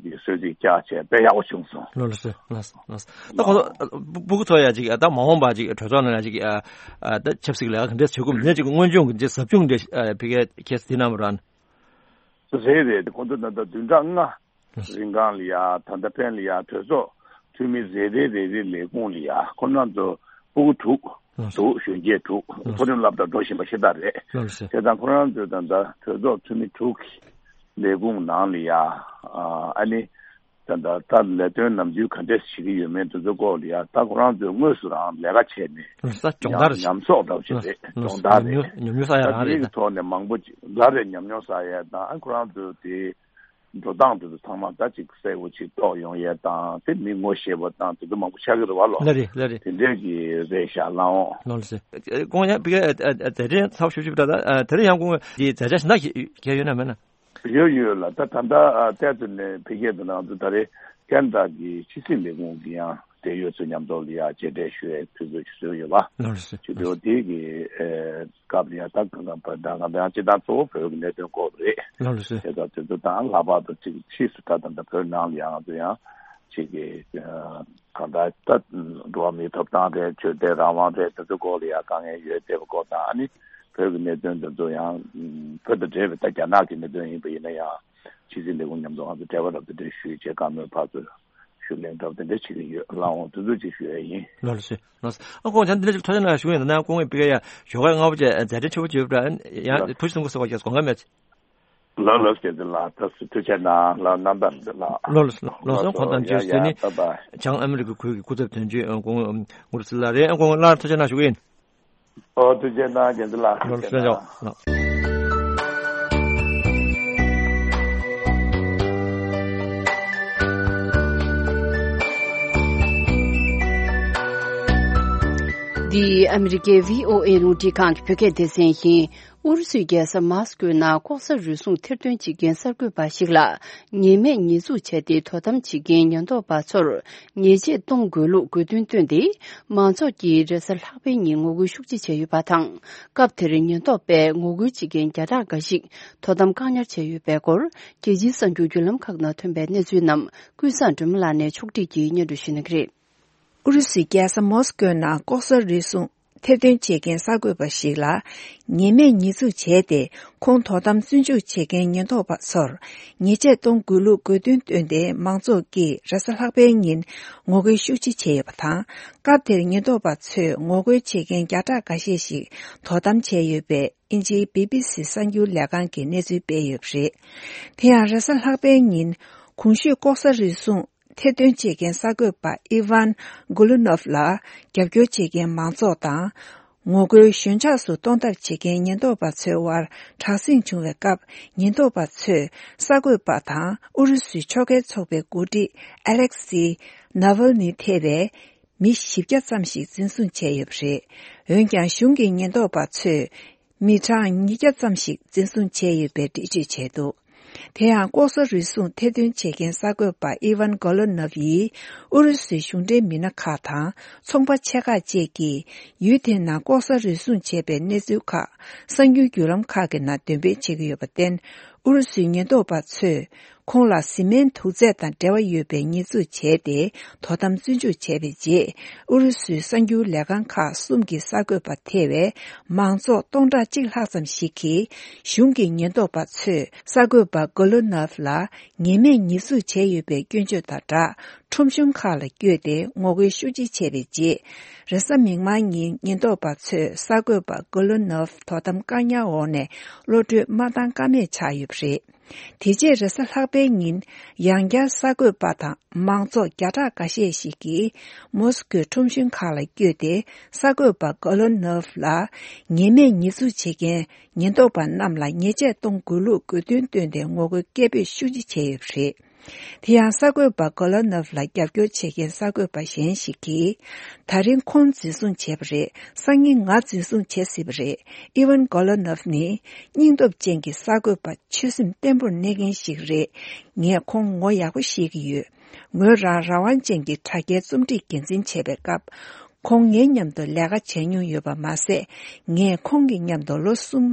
གི་གསོལ་ཚིགས་བཀྱགས་བྱས་དཔེ་ཡག་པོ་བྱུང་སོང་། ལགས་སོ། ལགས་སོ། ལགས་སོ། ད་ཁོང་ཚོ་སྤུ་གུ་ཚོ་ཡ་ཅིག་ད་མ་འོངས་པ་ཅིག་གྲོས་ཚོགས་ནང་ལ་ཅིག་ད་ཆབ་སྲིད་ལས་ཀ་ག་འདྲས་བྱེད་དགོས་མིན་ཅིག་སྔོན་བྱུང་གི་ཟབ་སྦྱོང་འདྲ་ཕ་གིའི་ཁྱེད་དེ་རྣམ་པ་རང་། རེད་རེད། ཁོང་ཚོ་ད་ལྟ་བདུན་ཕྲག་ལྔ་རིང་གང་ལ་ཡ་ད་ལྟ་ཕན་ལ་ཡ་གྲོས་ཚོགས་འཐུས་མི་རེ་རེ་རེ་རེ་ལས་ཁུངས་ལ་ཡ་ཁོ་རང་ཚོ་སྤུ་གུ་དྲུག་འདུག་གཞོན་སྐྱེས་དྲུག་མཐོ་རིམ་སློབ་གྲྭ་འགྲོ་བཞིན་པ་ཤ་སྟག་རེད། ལགས་སོ། དེ་དང་ཁོ་རང་ཚོས་ད་ལྟ་གྲོས་ཚོགས་འཐུས་མི་དྲུག་གི་ལས་ཁུངས་ནང་ལ་ཡ་ཨ་ནི་ད་ལྟ་ད་ལས་དོན་ནམ་རྒྱུན་ག་འདྲས་བྱེད་ཀྱི་ཡོད་མེད་དེ་ཚོའི་སྐོར་ལ་ཡ་ད་ཁོ་རང་ཚོས་དངོས་སུ་རང་ལས་ཀ་བྱས་ནས་ལགས་སོ། སྦྱོང་བརྡར་ཉམས་ཉམས་གསོག་འདྲ་བོ་ཞིག་རེད། ལགས་སོ། སྦྱོང་བརྡར་རེད། ཉམས་མྱོང་ཉམས་མྱོང་བསགས་ཡ་རང་རེད། ད་དེའི་ཐོག་ནས་མང་པོ་ཅིག་ལ་རེད། ཉམས་མྱོང་བསགས་ཡ་དང་ཁོ་རང་ཚོས་དེ། འགྲོ་སྟངས་དེ་ཚོ་ཚང་མ་ད་ཅིག་གསལ་པོ་ཅིག་རྟོགས་ཡོང་ཡས་དང་དེ་མི་ངོ་ཤེས་པ་དང་དེ་ཚོ་མང་པོ་ཆགས་ཀྱི་རེད་བ་ལོ། ལགས་རེད། ལགས་རེད། དེ་འདྲས་ཀྱི་རེད་ཤག་ལགས་འོང་། ལགས་སོ། ཁོང་ཡང་ཕ་གིའི་མཛད་འཕྲིན་ཚ་པོ་ཞེ་པོ་ཅིག་རེད། ད་དེ་རིང་ཡང་ཁོང་གི་མཛད་འཆར་གཞན་དག་ཞིག་ཡོད་ན་མེད་ན། ཡོད་ཡོད་ལགས། ད་ད་ལྟ་ཏོག་ཙམ་ནས་ཕ་གིའི་དེ་ནང་དུ་ད་རེས་ཁེ་ན་ཌ་གི་ཕྱི་སྲིད་ལས་ཁུངས་ཀྱི་ཡང་འབྲེལ་ཡོད་ཚོ་མཉམ་དུ་ལ་ཡ་མཇལ་འཕྲད་ཞུ་ཡའི་དུས་ཚོད་ཅིག་བཟོས་ཡོད་པ། ལགས་སོ། ཅིག་དེ་འོ་དེ་གི་སྐབས་ལ་ཡ་ད་གང་གང་བར་ད་གང་ལྟར་ཡང་སྤྱིར་བཏང་གཙོ་བོ་བོད་ཀྱི་གནད་དོན་སྐོར་རེད། ལགས་སོ། དེ་ཚོ་དེ་ཚོ་དང་ལྷག་པར་དུ་ཅིག་ཕྱིས་སུ་ད་ད་ལྟ་བོད་ནང་ལ་ཡང་ང་ཚོ་ཡང་ཅིག་གི་གང་ལྟར་ད་འགྲོ་བ་མིའི་ཐོབ་ཐང་རེད། ཆོས་དད་རང་དབང་རེད། དེ་ཚོ་སྐོར་ལ་ཡ་དཀའ་ངལ་ཡོད་བསྡད་པ་སྐོར་དང་ཨ་ནི་བོད་ཀྱི་གནད་དོན་དེ་ཚོ་ཡང་བོད་དང་འབྲེལ་བའི་ད་རྒྱ་ནག་གི་གནད་དོན་ཡིན་པ་ཡིན་ན་ཡང་ཕྱི་སྲིད་ལས་ཁུངས་མཉམ་དུ་ང་ཚོ་འབྲེལ་བ་རབ་ཏུ་འབྲེལ་ཞུས་བྱས་བཀའ་མོལ་ཕར་ཚུར་ཞུ་གླེང་འདྲ་བོ་དེ་འདྲ་བྱེད་ཀྱི་ཡོད། ལགས་འོང་། དེ་ཚོ་ཅིག་ཞུ་ཡ་ཡིན། ལགས་སོ། ལགས་སོ། ཨ་ཁོང་ཚང་འདི་འདྲ་ཅིག་ཐུགས་རྗེ་གནང་ཞུ་ཡིན། ད་ནང་ཁོང་གིས་ཕ་གི་ཡ་ཞོགས་ཀ་སྔ་པོ་བྱས་མཛད་འཕྲིན་ཆེ་པོ་བྱས་པ་འདྲ། ཡང་ཐུགས་རྗེ་གནང་དགོས་ཟེར་བ་ཞིག་དགོངས་འགལ་མེད། ལགས་ལགས། བསྐྱལ་དེ་ལགས། ཐུགས་རྗེ་ཆེ་གནང་ལགས། རྣམ་པ་འདི་ལགས། ལགས་ལགས་ལགས་སོ། ཁོང་ཐམས་ཅད་ལགས་སོ། དེ་ནི་ཡ་ཡ་བྱང་ཨ་མི་རི་ཀ་ཁུལ་གྱི་སྐུ་ཚབ་དོན་གཅོད་ཨ་ཁོང་ངུར་སི་ལགས་རེད། ཨ་ཁོང་ལགས་ཐུགས་རྗེ་གནང་ཞུ་གི་ཡིན། ཨོ་ཐུགས་རྗེ་གནང་རྒན་ཚེ་ལགས། ལགས་ཐུགས་རྗེ་གནང་། ལགས། འདི་ཨ་མི་རི་ཀའི་བྷི་ཨོ་ཨེ་རླུང་འཕྲིན་ཁང་གི་བོད་སྐད་སྡེ་ཚན་ཡིན། ཨུ་རུ་སུའི་རྒྱལ་ས་མཱ་སི་ཀོའི་ནང་ལྐོག་ཟ་རུལ་སུངས་ཐེར་འདོན་བྱེད་མཁན་གསར་འགོད་པ་ཞིག་ལ་ཉེས་མེད་ཉེས་འཛུགས་བྱས་ཏེ་དོ་དམ་བྱེད་མཁན་ཉེན་རྟོག་པ་ཚོར་ཉེས་ཆད་གཏོང་དགོས་ལུགས་དགོས་འདུན་བཏོན་ཏེ། མང་ཚོགས་ཀྱིས་རེས་གཟའ་ལྷག་པའི་ཉིན་ངོ་རྒོལ་ཤུགས་ཆེ་བྱས་ཡོད་པ་དང་། སྐབས་དེར་ཉེན་རྟོག་པས་ངོ་རྒོལ་བྱེད་མཁན་བརྒྱ་ཕྲག་འགའ་ཞིག་དོ་དམ་བཀག་ཉར་བྱས་ཡོད་པའི་སྐོར། རྒྱལ་སྤྱིའི་གསར་འགྱུར་བརྒྱུད་ལམ་ཁག་ནང་ཐོན་པའི་གནས་ཚུལ་རྣམས་ཀུན་བཟང་སྒྲོལ་མ་ལགས་ནས་ཕྱོགས་སྒྲིག་གིས་སྙན་སྒྲོན་ཞུ་གནང་གི་རེད། ཨུ་རུ་སུའི་རྒྱལ་ས་མོ་སི་ཀོའི་ནང་ལྐོག་ཟ་རུལ་སུངས་ཐེར་འདོན་བྱེད་མཁན་གསར་འགོད་པ་ཞིག་ལ་ཉེས་མེད་ཉེས་འཛུགས་བྱས་ཏེ། ཁོང་དོ་དམ་བཙོན་འཇུག་བྱེད་མཁན་ཉེན་རྟོག་པ་ཚོར་ཉེས་ཆད་གཏོང་དགོས་ལུགས་དགོས་འདུན་བཏོན་ཏེ། མང་ཚོགས་ཀྱིས་རེས་གཟའ་ལྷག་པའི་ཉིན་ངོ་རྒོལ་ཤུགས་ཆེ་བྱས་ཡོད་པ་དང་། སྐབས་དེར་ཉེན་རྟོག་པ་ཚོས་ངོ་རྒོལ་བྱེད་མཁན་བརྒྱ་ཕྲག་འགའ་ཤས་ཤིག་དོ་དམ་བྱས་ཡོད་པའི་དབྱིན་ཇིའི་བི་བི་སི་གསར་འགྱུར་ལས་ཁང་གིས་གནས་ཚུལ་སྤེལ་ཡོད་པ་རེད། དེ་ཡང་རེས་གཟའ་ལྷག་པའི་ཉིན་གོང་ཞུས་ལྐོག་ཟ་རུལ་སུངས་ ཐེར་འདོན་བྱེད་མཁན་གསར་འགོད་པ་ཨི་ཝན་གོ་ལུ་ནོབ་ལ་རྒྱབ་སྐྱོར་བྱེད་མཁན་མང་ཚོགས་དང་། ངོ་རྒོལ་ཞོད་འཇགས་སུ་གཏོང་ཐབས་བྱེད་མཁན་ཉེན་རྟོག་པ་ཚོའི་དབར་དྲག་ཟིང་བྱུང་བའི་སྐབས། ཉེན་རྟོག་པ་ཚོས་གསར་འགོད་པ་དང་ཨུ་རུ་སུའི་ཕྱོགས་འགལ་ཚོགས་པའི་འགོ་ཁྲིད་ཨ་ལེག་སི་ནཱ་ཝལ་ནི་ཐེ་བའི་མི་བཞི་བརྒྱ་ཙམ་ཞིག་འཛིན་བཟུང་བྱས་ཡོད་པ་རེད། འོན་ཀྱང་། གཞུང་གི་ཉེན་རྟོག་པ་ཚོས་མི་གྲངས་ཉིས་བརྒྱ་ཙམ་ཞིག་འཛིན་བཟུང་བྱས་ཡོད་པའི་འགྲེལ་བརྗོད་བྱས་འདུག་དེ་ཡང་། ལྐོག་ཟ་རུལ་སུངས་ཐེར་འདོན་བྱེད་མཁན་གསར་འགོད་པ་ཨི་ཝན་གོ་ལོ་ནོབ་ཡིས་ཨུ་རུ་སུའི་གཞུང་འབྲེལ་མི་སྣ་ཁག་དང་ཚོང་པ་ཆེ་ཁག་བཅས་ཀྱིས་ཡུལ་དེའི་ནང་ལྐོག་ཟ་རུལ་སུངས་བྱས་པའི་གནས་ཚུལ་ཁག་གསར་འགྱུར་བརྒྱུད་ལམ་ཁག་གི་ནང་འདོན་སྤེལ་བྱེད་ཀྱི་ཡོད་པར་བརྟེན། ཨུ་རུ་སུའི་ཉེན་རྟོག་པ་ཚོས་ཁོང་ལ་བཟི་སྨན་དུག་རྫས་དང་འབྲེལ་བ་ཡོད་པའི་ཉེས་འཛུགས་བྱས་ཏེ། དོ་དམ་བཙོན་འཇུག་བྱས་པའི་རྗེས། ཨུ་རུ་སུའི་གསར་འགྱུར་ལས་ཁང་ཁག་གསུམ་གྱི་གསར་འགོད་པ་ཐེ་བའི་མང་ཚོགས་སྟོང་ཕྲག་གཅིག་ལྷག་ཙམ་ཞིག་གིས། གཞུང་གི་ཉེན་རྟོག་པ་ཚོས་གསར་འགོད་པ་གོ་ལོ་ནོབ་ལ་ཉེས་མེད་ཉེས་འཛུགས་བྱས་ཡོད་པའི་སྐྱོན་བརྗོད་དང་སྦྲགས། ཁྲོམ་གཞུང་ཁག་ལ་བསྐྱོད་དེ་ངོ་རྒོལ་ཤུགས་ཆེ་བྱས་པའི་རྗེས། རེས་གཟའ་མིག་དམར་ཉིན་ཉེན་རྟོག་པ་ཚོས་གསར་འགོད་པ་གོ་ལོ་ནོབ་དོ་དམ་བཀག་ཉར་འོག་ནས་གློད་གྲོལ་མ་བཏང་ཀ་མེད་ཆགས་ཡོད་པ་རེད། དེ་རྗེས་རེས་གཟའ་ལྷག་པའི་ཉིན། ཡང་བསྐྱར་གསར་འགོད་པ་དང་མང་ཚོགས་བརྒྱ་ཕྲག་འགའ་ཤས་ཤིག་གིས་མོ་སི་ཀོའི་ཁྲོམ་གཞུང་ཁག་ལ་བསྐྱོད་དེ། གསར་འགོད་པ་གོ་ལོ་ནོབ་ལ་ཉེས་མེད་ཉེས་འཛུགས་བྱེད་མཁན་ཉེན་རྟོག་པ་རྣམས་ལ་ཉེས་ཆད་གཏོང་དགོས་ལུགས་དགོས་འདུན་བཏོན་ཏེ་ངོ་རྒོལ་སྐད་འབོད་ཤུགས་ཆེ་བྱས་ཡོད་པ་རེད། དེ་ཡང་། གསར་འགོད་པ་གོ་ལོ་ནོབ་ལ་རྒྱབ་སྐྱོར་བྱེད་མཁན་གསར་འགོད་པ་གཞན་ཞིག་གིས། ད་རིང་ཁོང་འཛིན་བཟུང་བྱས་པ་རེད། སང་ཉིན་ང་འཛིན་བཟུང་བྱེད་སྲིད་པ་རེད། ཨི་ཝན་གོ་ལོ་ནོབ་ནི་སྙིང་སྟོབས་ཅན་གྱི་གསར་འགོད་པ། ཆོད་སེམས་བརྟན་པོར་གནས་མཁན་ཞིག་རེད། ངས་ཁོང་ངོ་ཡག་པོ་ཤེས་ཀྱི་ཡོད། ངོས་རང་རང་དབང་ཅན་གྱི་དྲ་རྒྱའི་རྩོམ་སྒྲིག་འགན་འཛིན་བྱས་པའི་སྐབས། ཁོང་ངའི་མཉམ་དུ་ལས་ཀ་བྱས་མྱོང་ཡོད་པ་མ་ཟད། ངས་ཁོང་གི་མཉམ་དུ་ལོ་གསུམ་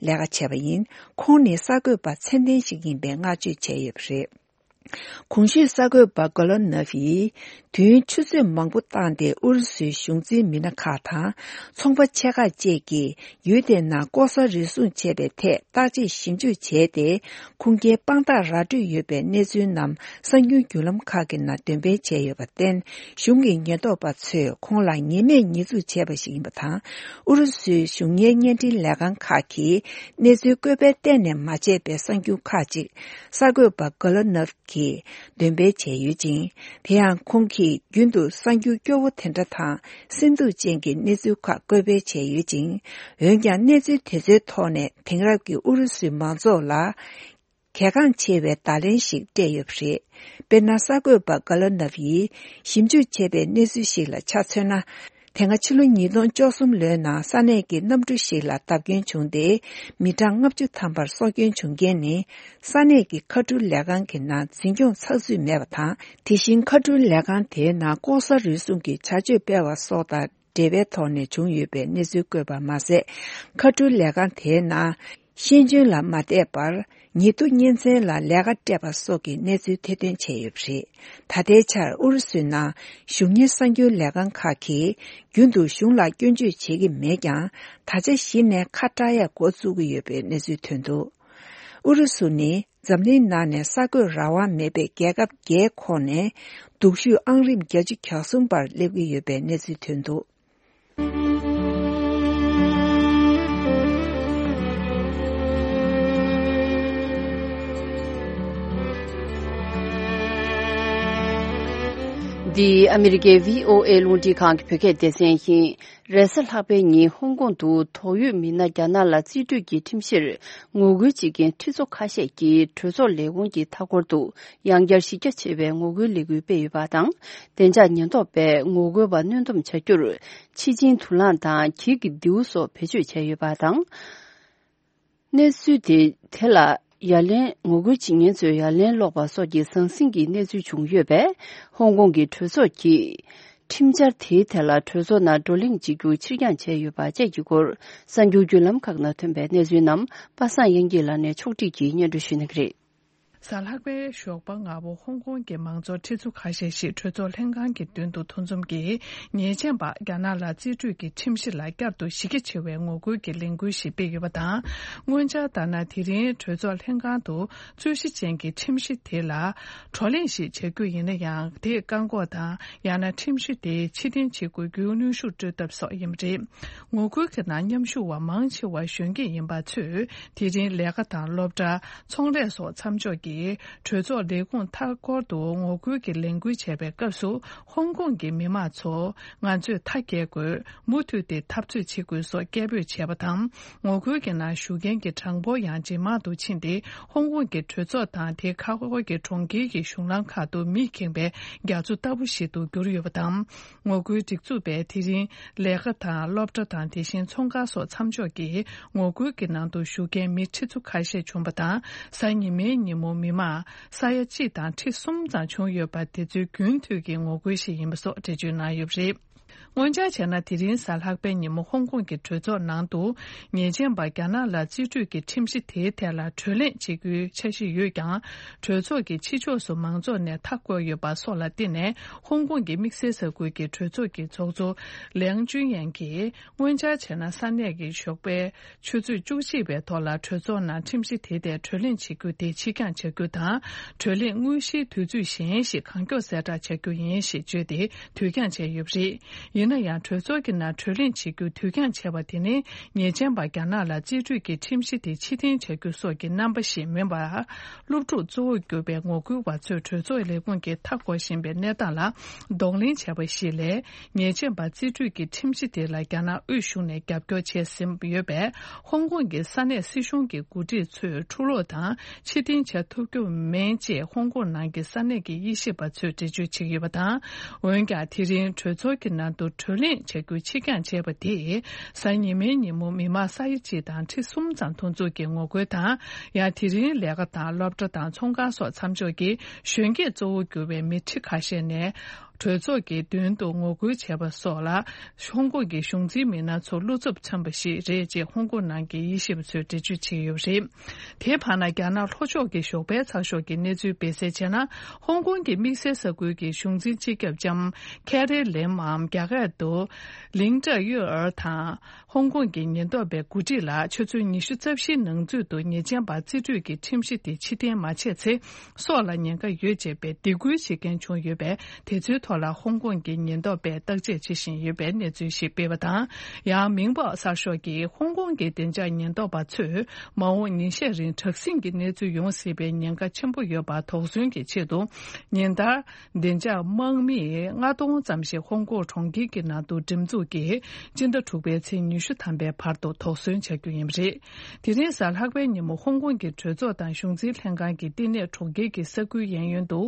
ལས་ཀ་བྱས་པ་ཡིན། ཁོང་ནི་གསར་འགོད་པ་ཚད་ལྡན་ཞིག་ཡིན་པའི་བསྔགས་བརྗོད་བྱས་ཡོད་པ་རེད། གོང་ཞུས་གསར་འགོད་པ་གོ་ལོ་ནོབ་ཡིས། དུས་ཡུན་ཆུ་ཚོད་མང་པོ་བཏང་སྟེ་ཨུ་རུ་སུའི་གཞུང་འཛིན་མི་སྣ་ཁག་དང་ཚོང་པ་ཆེ་ཁག་བཅས་ཀྱིས་ཡུལ་དེའི་ནང་ལྐོག་ཟ་རུལ་སུངས་བྱས་པའི་ཐད་བརྟག་དཔྱད་ཞིབ་འཇུག་བྱས་ཏེ། ཁུངས་སྐྱེལ་དཔང་རྟགས་ར་སྤྲོད་ཡོད་པའི་གནས་ཚུལ་རྣམས་གསར་འགྱུར་བརྒྱུད་ལམ་ཁག་གི་ནང་འདོན་སྤེལ་བྱས་ཡོད་པར་བརྟེན། གཞུང་གི་ཉེན་རྟོག་པ་ཚོས་ཁོང་ལ་ཉེས་མེད་ཉེས་འཛུགས་བྱས་པ་ཞིག་ཡིན་པ་དང་། ཨུ་རུ་སུའི་གཞུང་གཉེར་བརྙན་འཕྲིན་ལས་ཁང་ཁག་གིས་གནས་ཚུལ་བཀོད་སྤེལ་གཏན་ནས་མ་བྱས་པའི་གསར་འགྱུར་ཁག་ཅིག་གསར་འགོད་པ་གོ་ལོ་ནོབ་ཀྱིས་འདོན་སྤེལ་བྱས་ཡོད་ཅིང་། དེ་ཡང་ཁོང་གིས་རྒྱུན་དུ་གསར་འགྱུར་སྐྱོ་བོ་དེ་འདྲ་དང་སེམས་སྡུག་ཅན་གྱི་གནས་ཚུལ་ཁག་བཀོད་སྤེལ་བྱས་ཡོད་ཅིང་། འོན་ཀྱང་གནས་ཚུལ་དེ་ཚོའི་ཐོག་ནས་དེང་རབས་ཀྱི་ཨུ་རུ་སུའི་མང་ཚོགས་ལ་གལ་འགངས་ཆེ་བའི་བརྡ་ལན་ཞིག་སྤྲད་ཡོད་པ་རེད། དཔེར་ན། གསར་འགོད་པ་ག་ལོ་ནབ་ཡིས་ཞིབ་འཇུག་བྱས་པའི་གནས་ཚུལ་ཞིག་ལ་ཆ་མཚོན་ན། དེ་སྔ་ཕྱི་ལོ་ཉིས་སྟོང་བཅུ་གསུམ་ལོའི་ནང་ས་གནས་ཀྱི་གནམ་གྲུ་ཞིག་ལ་བརྡབ་སྐྱོན་བྱུང་སྟེ། མི་གྲངས་ལྔ་བཅུ་ཐམ་པར་སྲོག་སྐྱོན་བྱུང་རྐྱེན་ནི། ས་གནས་ཀྱི་མཁའ་འགྲུལ་ལས་ཁང་གི་ནང་འཛིན་སྐྱོང་ཚགས་ཚུད་མེད་པ་དང་། དེ་བཞིན་མཁའ་འགྲུལ་ལས་ཁང་དེའི་ནང་ལྐོག་ཟ་རུལ་སུངས་ཀྱི་བྱ་སྤྱོད་སྤེལ་བ་སོགས་དང་འབྲེལ་བའི་ཐོག་ནས་བྱུང་ཡོད་པའི་གནས་ཚུལ་བཀོད་པ་མ་ཟད། མཁའ་འགྲུལ་ལས་ཁང་དེའི་ནང་ཤེས་འཇོན་ལ་མ་བལྟས་པར། ཉེས་རྡུང་གཉེན་ཚན་ལ་ལས་ཀ་སྤྲད་པ་སོགས་ཀྱི་གནས་ཚུལ་ཐེར་འདོན་བྱས་ཡོད་པ་རེད། ད་ལྟའི་ཆར་ཨུ་རུ་སུའི་ནང་གཞུང་གཉེར་གསར་འགྱུར་ལས་ཁང་ཁག་གིས་རྒྱུན་དུ་གཞུང་ལ་སྐྱོན་བརྗོད་བྱེད་ཀྱི་མེད་ཀྱང་། ད་ཆ་གཞི་ནས་ཁ་བྲལ་ཡག་འགོ་བཙུགས་ཀྱི་ཡོད་པའི་གནས་ཚུལ་ཐོན་འདུག་ཨུ་རུ་སུ་ནི་འཛམ་གླིང་ནང་ནས་གསར་འགོད་རང་དབང་མེད་པའི་རྒྱལ་ཁབ་བརྒྱད་ཁོངས་ནས་སྡུག་ཤོས་ཨང་རིམ་བརྒྱད་ཅུ་གྱ་གསུམ་པར་སླེབས་ཀྱི་ཡོད་པའི་གནས་ཚུལ་ཐོན་འདུག་འདི་ཨ་མི་རི་ཀའི་བྷི་ཨོ་ཨེ་རླུང་འཕྲིན་ཁང་གི་བོད་སྐད་སྡེ་ཚན་ཡིན། རེས་གཟའ་ལྷག་པའི་ཉིན་ཧོང་ཀོང་དུ་དོགས་ཡོད་མི་སྣ་རྒྱ་ནག་ལ་རྩིས་སྤྲོད་ཀྱི་ཁྲིམས་གཞིར་ངོ་རྒོལ་བྱེད་མཁན་ཁྲི་ཚོ་ཁ་ཤས་ཀྱིས་གྲོས་ཚོགས་ལས་ཁུངས་ཀྱི་མཐའ་འཁོར་དུ་ཡང་བསྐྱར་གཞི་རྒྱ་ཆེ་བའི་ངོ་རྒོལ་ལས་འགུལ་སྤེལ་ཡོད་པ་དང་། བདེ་འཇགས་ཉེན་རྟོག་པས་ངོ་རྒོལ་བ་གནོན་སྡོམ་བྱ་རྒྱུར་ཕྱི་སྦྱིན་དུག་རླངས་དང་གྱི་གི་མདེའུ་སོགས་བེད་སྤྱོད་བྱས་ཡོད་པ་དང་། གནས་ཚུལ་དེ་དེ་ལ་ཡ་ལན། ངོ་རྒོལ་བྱེད་མཁན་ཚོས་ཡ་ལན་སློག་པ་སོགས་ཀྱི་ཟང་ཟིང་གི་གནས་ཚུལ་བྱུང་ཡོད་པས། ཧོང་ཀོང་གི་གྲོས་ཚོགས་ཀྱིས་ཁྲིམས་འཆར་དེའི་ཐད་ལ་གྲོས་ཚོགས་ནང་བགྲོ་གླེང་བྱེད་རྒྱུ་ཕྱིར་འགྱངས་བྱས་ཡོད་པ་བཅས་ཀྱི་སྐོར། གསར་འགྱུར་བརྒྱུད་ལམ་ཁག་ནང་ཐོན་པའི་གནས་ཚུལ་རྣམས་པ་སངས་དབྱངས་སྐྱིད་ལགས་ནས་ཕྱོགས་སྒྲིག་གིས་སྙན་སྒྲོན་ཞུ་གནང་གི་རེད། གཟའ་ལྷག་པའི་ཞོགས་པ་སྔ་པོ་ཧོང་ཀོང་གི་མང་ཚོགས་ཁྲི་ཚོ་ཁ་ཤས་ཤིག་གྲོས་ཚོགས་ལྷན་ཁང་གི་མདུན་དུ་འདུ་འཛོམས་ཀྱིས། ཉེས་ཅན་པ་རྒྱ་ནག་ལ་རྩིས་སྤྲོད་ཀྱི་ཁྲིམས་གཞི་ལ་བསྐྱར་དུ་གཞི་རྒྱ་ཆེ་བའི་ངོ་རྒོལ་གྱི་ལས་འགུལ་ཞིག་སྤེལ་ཡོད་པ་དང་། སྔོན་ཆར་ལྟར་ན། དེ་རིང་གྲོས་ཚོགས་ལྷན་ཁང་དུ་རྩོད་གཞི་ཅན་གྱི་ཁྲིམས་གཞི་དེ་ལ་བགྲོ་གླེང་ཞིག་བྱ་རྒྱུ་ཡིན་ན་ཡང་། དེས་བཀག་འགོག་དང་། ཡང་ན་ཁྲིམས་གཞི་དེ་ཕྱིར་འཐེན་བྱེད་དགོས་རྒྱུའི་གནོན་ཤུགས་སྤྲོད་ཐབས་སོགས་ཡིན་པ་རེད། ངོ་རྒོལ་གྱི་ནང་མཉམ་ཞུགས་པ་མང་ཆེ་བ་གཞོན་སྐྱེས་ཡིན་པ་ཚོས། དེ་རིང་ལས་ཀ་དང་སློབ་གྲྭ། ཚོང་ལས་སོགས་མཚམས་འཇོག་གིས་གྲོས་ཚོགས་ལས་ཁུངས་མཐའ་འཁོར་དུ་ངོ་རྒོལ་གྱི་ལས་འགུལ་བྱས་པའི་སྐབས་སུ། ཧོང་ཀོང་གི་མི་མང་ཚོ་ང་ཚོས་མཐའ་རྒྱལ་དགོས། མུ་མཐུད་དེ་འཐབ་རྩོད་བྱེད་དགོས་སོགས་སྐད་འབོད་བྱས་པ་དང་། ངོ་རྒོལ་གྱི་ནང་ཞུགས་མཁན་གྱི་གྲངས་འབོར་ཡང་ཇེ་མང་དུ་ཕྱིན་ཏེ། ཧོང་ཀོང་གི་གྲོས་ཚོགས་དང་དེའི་ཁ་འཁོར་གྱི་གྲོང་ཁྱེར་གྱི་གཞུང་ལམ་ཁག་ཏུ་མིས་ཁེངས་པའི་རྒྱ་མཚོ་ལྟ་བུ་ཞིག་ཏུ་གྱུར་ཡོད་པ་དང་། ངོ་རྒོལ་སྒྲིག་འཛུགས་པས་དེ་རིང་ལས་ཀ་དང་སློབ་གྲྭ་དང་། དེ་བཞིན་ཚོང་ཁང་སོགས་མཚམས་འཇོག་གིས་ངོ་རྒོལ་གྱི་ནང་དུ་ཞུགས་མཁན་མི་ཁྲི་ཚོ་ཁ་ཤས་བྱུང་བ་དང་། གཟའ་ཉི་མའི་ཉིན་མོ་མི་མང་ས་ཡ་གཅིག་དང་ཁྲི་གསུམ་ཙམ་བྱུང་ཡོད་པ། དེ་ཚོའི་རྒྱུན་མཐུད་ཀྱི་ངོ་རྒོལ་ཞིག་ཡིན་པ་སོགས་འགྲེལ་བརྗོད་གནང་ཡོད་པ་རེད། སྔོན་ཆར་བྱས་ན། དེ་རིང་གཟའ་ལྷག་པའི་ཉིན་མོ་ཧོང་ཀོང་གི་གྲོས་ཚོགས་ནང་དུ་ཉེས་ཅན་པ་རྒྱ་ནག་ལ་རྩིས་སྤྲོད་ཀྱི་ཁྲིམས་གཞི་དེའི་ཐད་ལ་གྲོས་གླེང་བྱེད་རྒྱུའི་འཆར་གཞི་ཡོད་ཀྱང་། གྲོས་ཚོགས་ཀྱི་ཕྱི་ཕྱོགས་སུ་མང་ཚོགས་ནས་མཐའ་བསྐོར་ཡོད་པ་སོགས་ལ་བརྟེན་ནས། ཧོང་ཀོང་གི་དམིགས་བསལ་ས་ཁུལ་གྱི་གྲོས་ཚོགས་ཀྱི་ཚོགས་གཙོ་ལེང་ཅུན་ཡན་གྱིས། སྔོན་ཆར་བྱས་ན། ས་གནས་ཀྱི་ཞོགས་པའི་ཆུ་ཚོད་བཅུ་གཅིག་པའི་ཐོག་ལ་གྲོས་ཚོགས་ནང་ཁྲིམས་གཞི་དེའི་ཐད་གྲོས་གླེང་བྱེད་རྒྱུ་དེ་ཕྱིར་འགྱངས་བྱ་རྒྱུ་དང་། གྲོས་གླེང་དངོས་གཞིའི་དུས་ཚོད་གཞན་ཞིག་གང་མགྱོགས་གསལ་བསྒྲགས་བྱ་རྒྱུ་ཡིན་ཞེས་བརྗོད་དེ། དུས་འགྱངས་བྱས་ཡོད་པ་རེད། ཡིན་ན་ཡང་། གྲོས་ཚོགས་ཀྱི་ནང་གྲོས་གླེང་བྱེད་རྒྱུ་དུས་འགྱངས་བྱས་པ་དེ་ནི། ཉེས་ཅན་པ་རྒྱ་ནག་ལ་རྩིས་སྤྲོད་ཀྱི་ཁྲིམས་གཞི་དེ་ཕྱིར་འཐེན་བྱ་རྒྱུ་སོགས་ཀྱི་རྣམ་པ་ཞིག་མིན་པར། སློབ་ཕྲུག་གཙོ་བོར་གྱུར་པའི་ངོ་རྒོལ་བ་ཚོས་གྲོས་ཚོགས་ལས་ཁུངས་ཀྱི་མཐའ་འཁོར་བཞིན་པའི་གནས་སྟངས་ལ་གདོང་ལེན་བྱས་པ་ཞིག་ལས། ཉེས་ཅན་པ་རྩིས་སྤྲོད་ཀྱི་ཁྲིམས་གཞི་དེ་ལ་རྒྱ་ནག་དབུས་གཞུང་ནས་རྒྱབ་སྐྱོར་བྱས་ཟིན་ཡོད་པས། ཧོང་ཀོང་གི་ས་གནས་སྲིད་གཞུང་གི་འགོ་ཁྲིད་ཚོས་འཁྲུག་སློང་དང་ཕྱིར་འཐེན་བྱ་ཐུབ་རྒྱུ་མིན་ཅེས་ཧོང་ཀོང་ནང་གི་ས་གནས་ཀྱི་དབྱེ་ཞིབ་པ་ཚོས་འགྲེལ་བརྗོད་བྱེད་ཀྱི་ཡོད་པ་དང་། འོན་ཀྱང་། དེ་རིང་གྲོས་ཚོགས་ཀྱི་ནང་དུ་གྲོས་གླེང་བྱ་རྒྱུ་ཕྱིར་འགྱངས་བྱས་པ་དེས། གཟའ་ཉི་མའི་ཉིན་མོ་མི་མང་ས་ཡ་གཅིག་དང་ཁྲི་གསུམ་ཙམ་དུས་ཚོད་ཀྱི་ངོ་རྒོལ་དང་། ཡང་། དེ་རིང་ལས་ཀ་དང་སློབ་གྲྭ་དང་ཚོང་ཁང་སོགས་མཚམས་འཇོག་གིས་གཞོན་སྐྱེས་གཙོ་བོར་གྱུར་པའི་མི་ཁྲི་ཁ་ཤས་ནས། གྲོས་ཚོགས་ཀྱི་མདུན་དུ་ངོ་རྒོལ་བྱས་པ་སོགས་ལ། ཧོང་ཀོང་གི་གཞུང་འཛིན་མི་སྣ་ཚོ་བློ་འཚབ་འཚམས་པ་ཞིག་རེད་ཅེས་ཧོང་ཀོང་ནང་གི་དབྱེ་ཞིབ་པ་ཚོས་འགྲེལ་བརྗོད་བྱས་ཡོད་པ་རེད། དེའི་བར་ན། རྒྱ་ནག་ལྷོ་ཕྱོགས་ཀྱི་ཞོགས་པའི་ཚགས་ཤོག་གི་གནས་ཚུལ་སྤེལ་གསལ་བྱས་ན། ཧོང་ཀོང་གི་དམིགས་བསལ་ས་ཁུལ་གྱི་གཞུང་འཛིན་སྤྱི་ཁྱབ་ལྕམ་ཁེ་རི་ལེམ་འམ། རྒྱ་སྐད་དུ་ལིང་ཀྲ་ཡོད་ཨར་དང་། ཧོང་ཀོང་གི་ཉེན་རྟོག་པའི་འགོ་ཁྲིད་ལ་ཆུ་ཚོད་ཉི་ཤུ་རྩ་བཞིའི་ནང་ཚུད་དུ་ཉེས་ཅན་པ་རྩིས་སྤྲོད་ཀྱི་ཁྲིམས་གཞི་དེ་ཕྱིར་འཐེན་མ་བྱས་ཚེ། སྲོག་ལ་ཉེན་ཁ་ཡོད་ཅེས་པའི་སྡིགས་སྐུལ་བྱེད་མཁན་བྱུང་ཡོད་པས། དེ་ཚོའི་ཐོག་ལ་ཧོང་ཀོང་གི་ཉེན་རྟོག་པས་བརྟག་དཔྱད་བྱེད་བཞིན་ཡོད་པའི་གནས་ཚུལ་ཞིག་སྤེལ་བ་དང་། ཡང་། མིང་པའོ་གསར་ཤོག་གིས། ཧོང་ཀོང་གི་བདེ་འཇགས་ཉེན་རྟོག་པ་ཚོས་མ་འོངས་ཉིན་ཤས་རིང་དྲག་ཟིང་གི་གནས་ཚུལ་ཡོང་སྲིད་པའི་ཉེན་ཁ་ཆེན་པོ་ཡོད་པ་དོགས་ཟོན་གྱི་ཆེད་དུ། ཉིན་ལྟར། བདེ་འཇགས་དམག་མི་ལྔ་སྟོང་ཙམ་ཞིག་ཧོང་ཀོང་གྲོང་ཁྱེར་གྱི་ནང་དུ་འགྲེམས་འཛུགས་ཀྱིས། སྤྱི་ཟླ་དྲུག་པའི་ཚེས་ཉི་ཤུ་ཐམ་པའི་བར་དུ་དོགས་ཟོན་བྱ་རྒྱུ་ཡིན་པ་རེད། དེ་རིང་གཟའ་ལྷག་པའི་ཉིན་མོ་ཧོང་ཀོང་གི་གྲོས་ཚོགས་དང་གཞུང་འཛིན་ལྷན་ཁང་གི་བསྟི་གནས་གྲོང་ཁྱེར་གྱི་ས་ཁུལ་གཡས་གཡོན་དུ།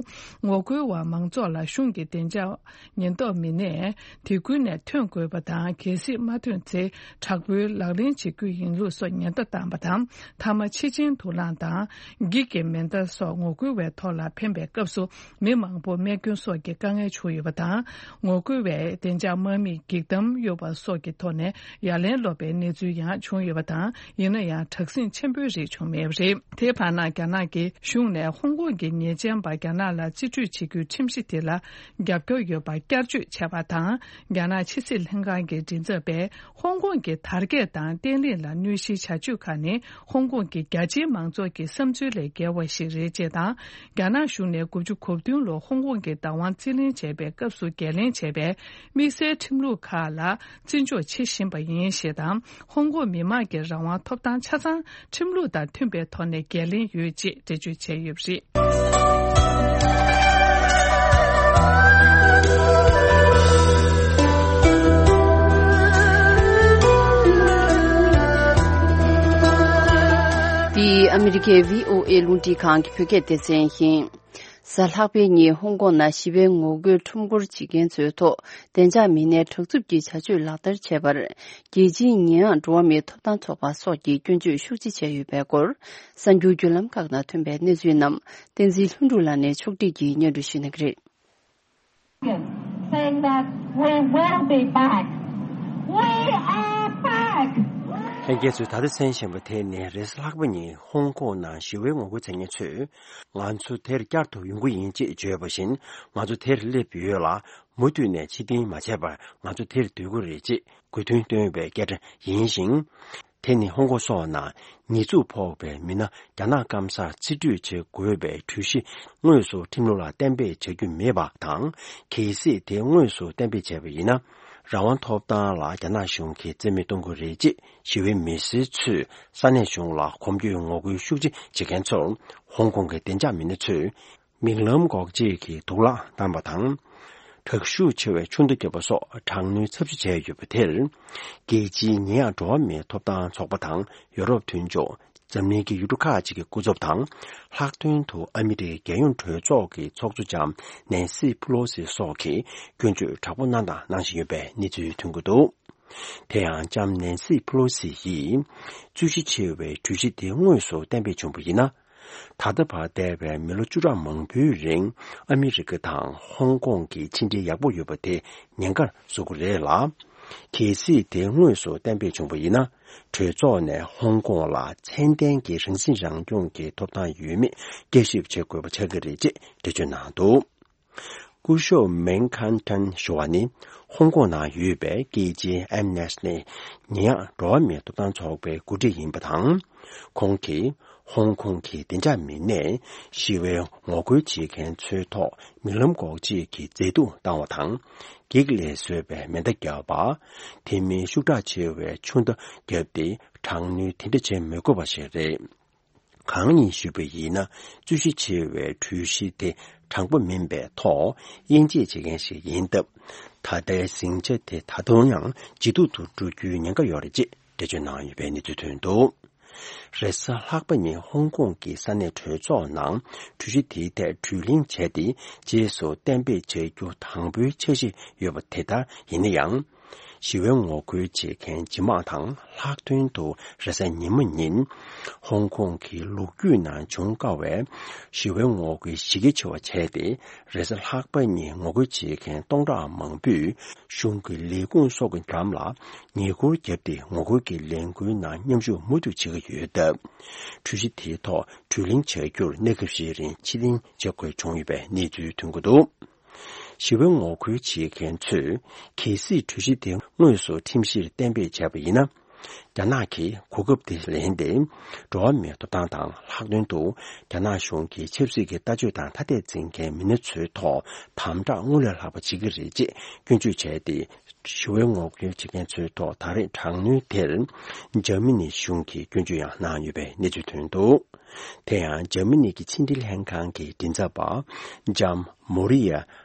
ངོ་རྒོལ་བ་མང་ཚོགས་ལ་གཞུང་གི་བདེ་འཇགས་ཉེན་རྟོག་མི་སྣས། དེ་ཁུལ་ནས་ཐོན་དགོས་པ་དང་། གལ་སྲིད་མ་ཐོན་ཚེ། དྲག་པོའི་ལག་ལེན་བྱེད་རྒྱུ་ཡིན་ལུགས་སོགས་ཉེན་བརྡ་བཏང་བ་དང་། མཐའ་མ། ཕྱི་ཆིངས་དུག་རླངས་དང་། འགྱིག་གི་མེ་མདའ་སོགས་ངོ་རྒོལ་བའི་ཐོག་ལ་འཕེན་པའི་སྐབས་སུ། མི་མང་པོ་རྨས་སྐྱོན་སོགས་ཀྱི་དཀའ་ངལ་བྱུང་ཡོད་པ་དང་། ངོ་རྒོལ་བས་བདེ་འཇགས་དམག་མིས་འགྱིག་དམ་གཡོགས་པ་སོགས་ཀྱི་ཐོག་ནས་ཡ་ལན་སློག་པའི་གནས་ཚུལ་ཡང་བྱུང་ཡོད་པ་དང་། ཡིན་ན་ཡང་། དྲག་ཟིང་ཆེན་པོའི་རིགས་བྱུང་མེད་པ་རེད། དེའི་བར་ན། རྒྱ་ནག་གི་གཞུང་ནས་ཧོང་ཀོང་གི་ཉེས་ཅན་པ་རྒྱ་ནག་ལ་རྩིས་སྤྲོད་བྱེད་རྒྱུའི་ཁྲིམས་གཞི་དེ་ལ་རྒྱབ་སྐྱོར་ཡོད་པར་བསྐྱར་བརྗོད་བྱས་པ་དང་། རྒྱ་ནག་ཕྱི་སྲིད་ལྷན་ཁང་གི་མགྲིན་ཚབ་པས། ཧོང་ཀོང་གི་དར་རྒྱས་དང་བརྟན་ལྷིང་ལ་གནོད་གཞིའི་བྱ་སྤྱོད་ཁག་ནི། ཧོང་ཀོང་གི་རྒྱ་ཆེའི་མང་ཚོགས་ཀྱི་བསམ་ཚུལ་ལས་བརྒལ་བ་ཞིག་རེད་ཅེས་དང་། རྒྱ་ནག་གཞུང་ནས་དགུ་བཅུ་གོ་བདུན་ལོར་ཧོང་ཀོང་གི་བདག་དབང་རྩིས་ལེན་བྱས་པའི་སྐབས་སུ་འགན་ལེན་བྱས་པའི་དམིགས་བསལ་ཁྲིམས་ལུགས་ཁག་ལ་བརྩི་འཇོག་བྱེད་བཞིན་པ་ཡིན་ཞེས་དང་། ཧོང་ཀོང་མི་དམངས་ཀྱི་རང་དབང་ཐོབ་ཐང་ཆ་ཚང་ཁྲིམས་ལུགས་དང་མཐུན་པའི་ཐོག་ནས་འགན་ལེན་ཡོད་ཅེས་འགྲེལ་བརྗོད་བྱས་ཡོད་པ་རེད། འདི་ཨ་མི་རི་ཀའི་བྷི་ཨོ་ཨེ་རླུང་འཕྲིན་ཁང་གི་བོད་སྐད་སྡེ་ཚན་ཡིན། གཟའ་ལྷག་པའི་ཉིན་ཧོང་ཀོང་ནང་ཞི་བའི་ངོ་རྒོལ་ཁྲོམ་སྐོར་བྱེད་མཁན་ཚོའི་ཐོག་བདེ་འཇགས་མི་སྣས་དྲག་རྩུབ་ཀྱི་བྱ་སྤྱོད་ལག་བསྟར་བྱས་པར། རྒྱལ་སྤྱིའི་ཉེས་ཡངས་འགྲོ་བ་མིའི་ཐོབ་ཐང་ཚོགས་པ་སོགས་ཀྱིས་སྐྱོན་བརྗོད་ཤུགས་ཆེ་བྱས་ཡོད་པའི་སྐོར། གསར་འགྱུར་བརྒྱུད་ལམ་ཁག་ནང་ཐོན་པའི་གནས་ཚུལ་རྣམས་བསྟན་འཛིན་ལྷུན་གྲུབ་ལགས་ནས་ཕྱོགས་སྒྲིག་གིས་སྙན་སྒྲོན་ཞུ་གནང་གི་རེད། Saying that we will be back. We are back. ལྷན་རྒྱས་ཚོས་ད་ལྟ་གསན་བཞིན་པ་དེ་ནི་རེས་གཟའ་ལྷག་པ་ཉིན་ཧོང་ཀོང་ནང་ཞི་བའི་ངོ་རྒོལ་མཛད་མཁན་ཚོས། ང་ཚོ་དེར་བསྐྱར་དུ་ཡོང་གི་ཡིན་ཅེས་བརྗོད་པ་བཞིན། ང་ཚོ་དེར་སླེབས་ཡོད་ལ། མུ་མཐུད་ནས་ཕྱིར་འཐེན་མ་བྱས་པར་ང་ཚོ་དེར་སྡོད་ཀྱི་རེད་ཅེས་དགོས་འདུན་བཏོན་པའི་སྐད་སྒྲ་ཡིན་ཞིང་། དེ་ནི་ཧོང་ཀོང་སོགས་ནང་ཉེས་འཛུགས་ཕོག་པའི་མི་སྣ་རྒྱ་ནག་སྐམ་སར་རྩིས་སྤྲོད་བྱེད་དགོས་པའི་གྲོས་གཞི་དངོས་སུ་ཁྲིམས་ལུགས་ལ་གཏན་འབེབས་བྱ་རྒྱུ་མེད་པ་དང་། གལ་སྲིད་དེ་དངོས་སུ་གཏན་འབེབས་བྱས་པ་ཡིན་ན། རང་དབང་ཐོབ་ཐང་ལ་རྒྱ་ནག་གཞུང་གིས་རྩིས་མེད་གཏོང་གི་རེད་ཅེས་ཞི་བའི་མི་སེར་ཚོས་ས་གནས་གཞུང་ལ་གོམ་བགྲོད་ངོ་རྒོལ་ཤུགས་ཆེ་བྱེད་མཁན་ཚོར་ཧོང་ཀོང་གི་བདེ་འཇགས་མི་སྣ་ཚོས་མིག་ལམ་འགོག་བྱེད་ཀྱི་དུག་ལག་བཏང་བ་དང་། དྲག་ཤུགས་ཆེ་བའི་ཆུ་མདའ་བརྒྱབ་པ་སོགས་དྲག་གནོན་ཚབས་ཆེ་བྱས་ཡོད་པ་དེར། རྒྱལ་སྤྱིའི་ཉེ་ཡངས་འགྲོ་བ་མིའི་ཐོབ་ཐང་ཚོགས་པ་དང་ཡོ་རོབ་མཐུན་ཕྱོགས། འཛམ་གླིང་གི་ཡུལ་གྲུ་ཁག་ཅིག་གི་སྐུ་ཚབ་དང་། ལྷག་དོན་དུ་ཨ་མི་རི་ཀའི་རྒྱལ་ཡོངས་གྲོས་ཚོགས་ཀྱི་ཚོགས་གཙོ་ལྕམ་ནན་སི་ཕུ་ལོ་སི་སོགས་ཀྱིས་སྐྱོན་བརྗོད་དྲག་པོ་གནང་དང་གནང་བཞིན་ཡོད་པའི་གནས་ཚུལ་ཐོན་གྱི་འདུག་དེ་ཡང་ལྕམ་ནན་སི་ཕུ་ལོ་སི་ཡིས་རྩོད་གཞི་ཆེ་བའི་གྲོས་གཞི་དེ་དངོས་སུ་གཏན་འབེབས་བྱུང་བ་ཡིན་ན། ད་ལྟ་བར་འདས་པའི་མི་ལོ་བཅུ་ཕྲག་མང་པོའི་རིང་ཨ་མི་རི་ཀ་དང་ཧོང་ཀོང་གི་ཕྱི་འབྲེལ་ཡག་པོ་ཡོད་པ་དེ་ཉེན་ཁར་བཟོ་གི་རེད་ལ། གལ་སྲིད་དེ་དངོས་སུ་གཏན་འབེབས་བྱུང་བ་ཡིན་ན། གྲོས་ཚོགས་ནས་ཧོང་ཀོང་ལ་ཚད་ལྡན་གྱི་རང་སྲིད་རང་སྐྱོང་གི་ཐོབ་ཐང་ཡོད་མེད་བསྐྱར་ཞིབ་བྱེད་དགོས་པ་ཆགས་ཀྱི་རེད་ཅེས་འགྲེལ་བརྗོད་གནང་འདུག་སྐུ་ཞབས་མེང་ཁན་ཐན་ཞུ་བ་ནི་ཧོང་ཀོང་ནང་ཡོད་པའི་རྒྱལ་སྤྱིའི་ཨེམ་ནེ་སི་ཊི་ཉེ་ཡངས་འགྲོ་བ་མིའི་ཐོབ་ཐང་ཚོགས་པའི་འགོ་ཁྲིད་ཡིན་པ་དང་། ཁོང་གིས་ཧོང་ཀོང་གི་བདེ་འཇགས་མི་སྣས་ཞི་བའི་ངོ་རྒོལ་བྱེད་མཁན་ཚོའི་ཐོག་མིག་ལམ་འགོག་བྱེད་ཀྱི་མཛེས་སྡུག་བཏང་བ་དང་། བགེགས་ལས་བཟོས་པའི་མེ་མདའ་བརྒྱབ་པ། དེ་མིན་ཤུགས་དྲག་ཆེ་བའི་ཆུ་མདའ་བརྒྱབ་སྟེ་དྲག་གནོན་དེ་འདྲ་བྱེད་མི་དགོས་པ་ཞིག་རེད། གང་ཡིན་ཞུས་པ་ཡིན་ན། རྩོད་གཞི་ཆེ་བའི་གྲོས་གཞི་དེ་དྲང་པོ་མིན་པའི་ཐོག་དབྱེ་འབྱེད་བྱེད་མཁན་ཞིག་ཡིན་སྟབས། ད་ལྟའི་ཟིང་ཆ་དེ་ད་དུང་ཡང་ཇེ་སྡུག་ཏུ་འགྲོ་རྒྱུའི་ཉེན་ཁ་ཡོད་རེད་ཅེས་འགྲེལ་བརྗོད་གནང་ཡོད་པའི་གནས་ཚུལ་ཐོན་འདུག་རེས་གཟའ་ལྷག་པ་ཉིན་ཧོང་ཀོང་གི་ས་གནས་གྲོས་ཚོགས་ནང་གྲོས་གཞི་དེའི་ཐད་གྲོས་གླེང་བྱས་ཏེ། རྗེས་སུ་གཏན་འབེབས་བྱ་རྒྱུ་དང་པོའི་འཆར་གཞི་ཡོད་པ་དེ་ལྟར་ཡིན་ན་ཡང་། ཞི་བའི་ངོ་རྒོལ་བྱེད་མཁན་ཇི་མང་དང་། ལྷག་དོན་དུ་རེས་གཟའ་ཉི་མ་ཉིན་ཧོང་ཀོང་གི་ལོ་རྒྱུས་ནང་བྱུང་དཀའ་བའི་ཞི་བའི་ངོ་རྒོལ་གཞི་རྒྱ་ཆེ་བ་བྱས་ཏེ། རེས་གཟའ་ལྷག་པ་ཉིན་ངོ་རྒོལ་བྱེད་མཁན་སྟོང་ཕྲག་མང་པོས་གཞུང་གི་ལས་ཁུངས་སོགས་ཀྱི་འགྲམ་ལ་ཉེ་འཁོར་བརྒྱབ་སྟེ། ངོ་རྒོལ་གྱི་ལས་འགུལ་ནང་མཉམ་ཞུགས་མུ་མཐུད་བྱེད་ཀྱི་ཡོད་སྟབས། གྲོས་གཞི་དེའི་ཐོག་གྲོས་གླེང་བྱ་རྒྱུར་གནས་སྐབས་ཤིག་རིང་ཕྱིར་འཐེན་བྱེད་དགོས་བྱུང་ཡོད་པའི་གནས་ཚུལ་ཐོན་གྱི་འདུག་ཞི་བའི་ངོ་རྒོལ་བྱེད་མཁན་ཚོས་གལ་སྲིད་གྲོས་གཞི་དེ་དངོས་སུ་ཁྲིམས་གཞིར་གཏན་འབེབས་བྱས་པ་ཡིན་ན། རྒྱ་ནག་གིས་གོ་སྐབས་དེ་ལེན་ཏེ། འགྲོ་བ་མིའི་ཐོབ་ཐང་དང་། ལྷག་དོན་དུ་རྒྱ་ནག་གཞུང་གི་ཆབ་སྲིད་ཀྱི་ལྟ་སྤྱོད་དང་ཐ་དད་འཛིན་མཁན་མི་སྣ་ཚོའི་ཐོག་དམ་དྲག་སྔར་ལས་ལྷག་པ་བྱེད་ཀྱི་རེད་ཅེས་སྐྱོན་བརྗོད་བྱས་ཏེ། ཞི་བའི་ངོ་རྒོལ་བྱེད་མཁན་ཚོའི་ཐོག་ད་རེས་དྲག་གནོན་དེར་འཇར་མ་ནི་གཞུང་གིས་སྐྱོན་བརྗོད་ཡང་གནང་ཡོད་པའི་གནས་ཚུལ་ཐོན་འདུག་དེ་ཡང་འཇར་མ་ནི་གི་ཕྱི་འབྲེལ་ལྷན་ཁང་གི་མགྲིན་ཚབ་པ་ལྕམ་མོ་རི་ཡ་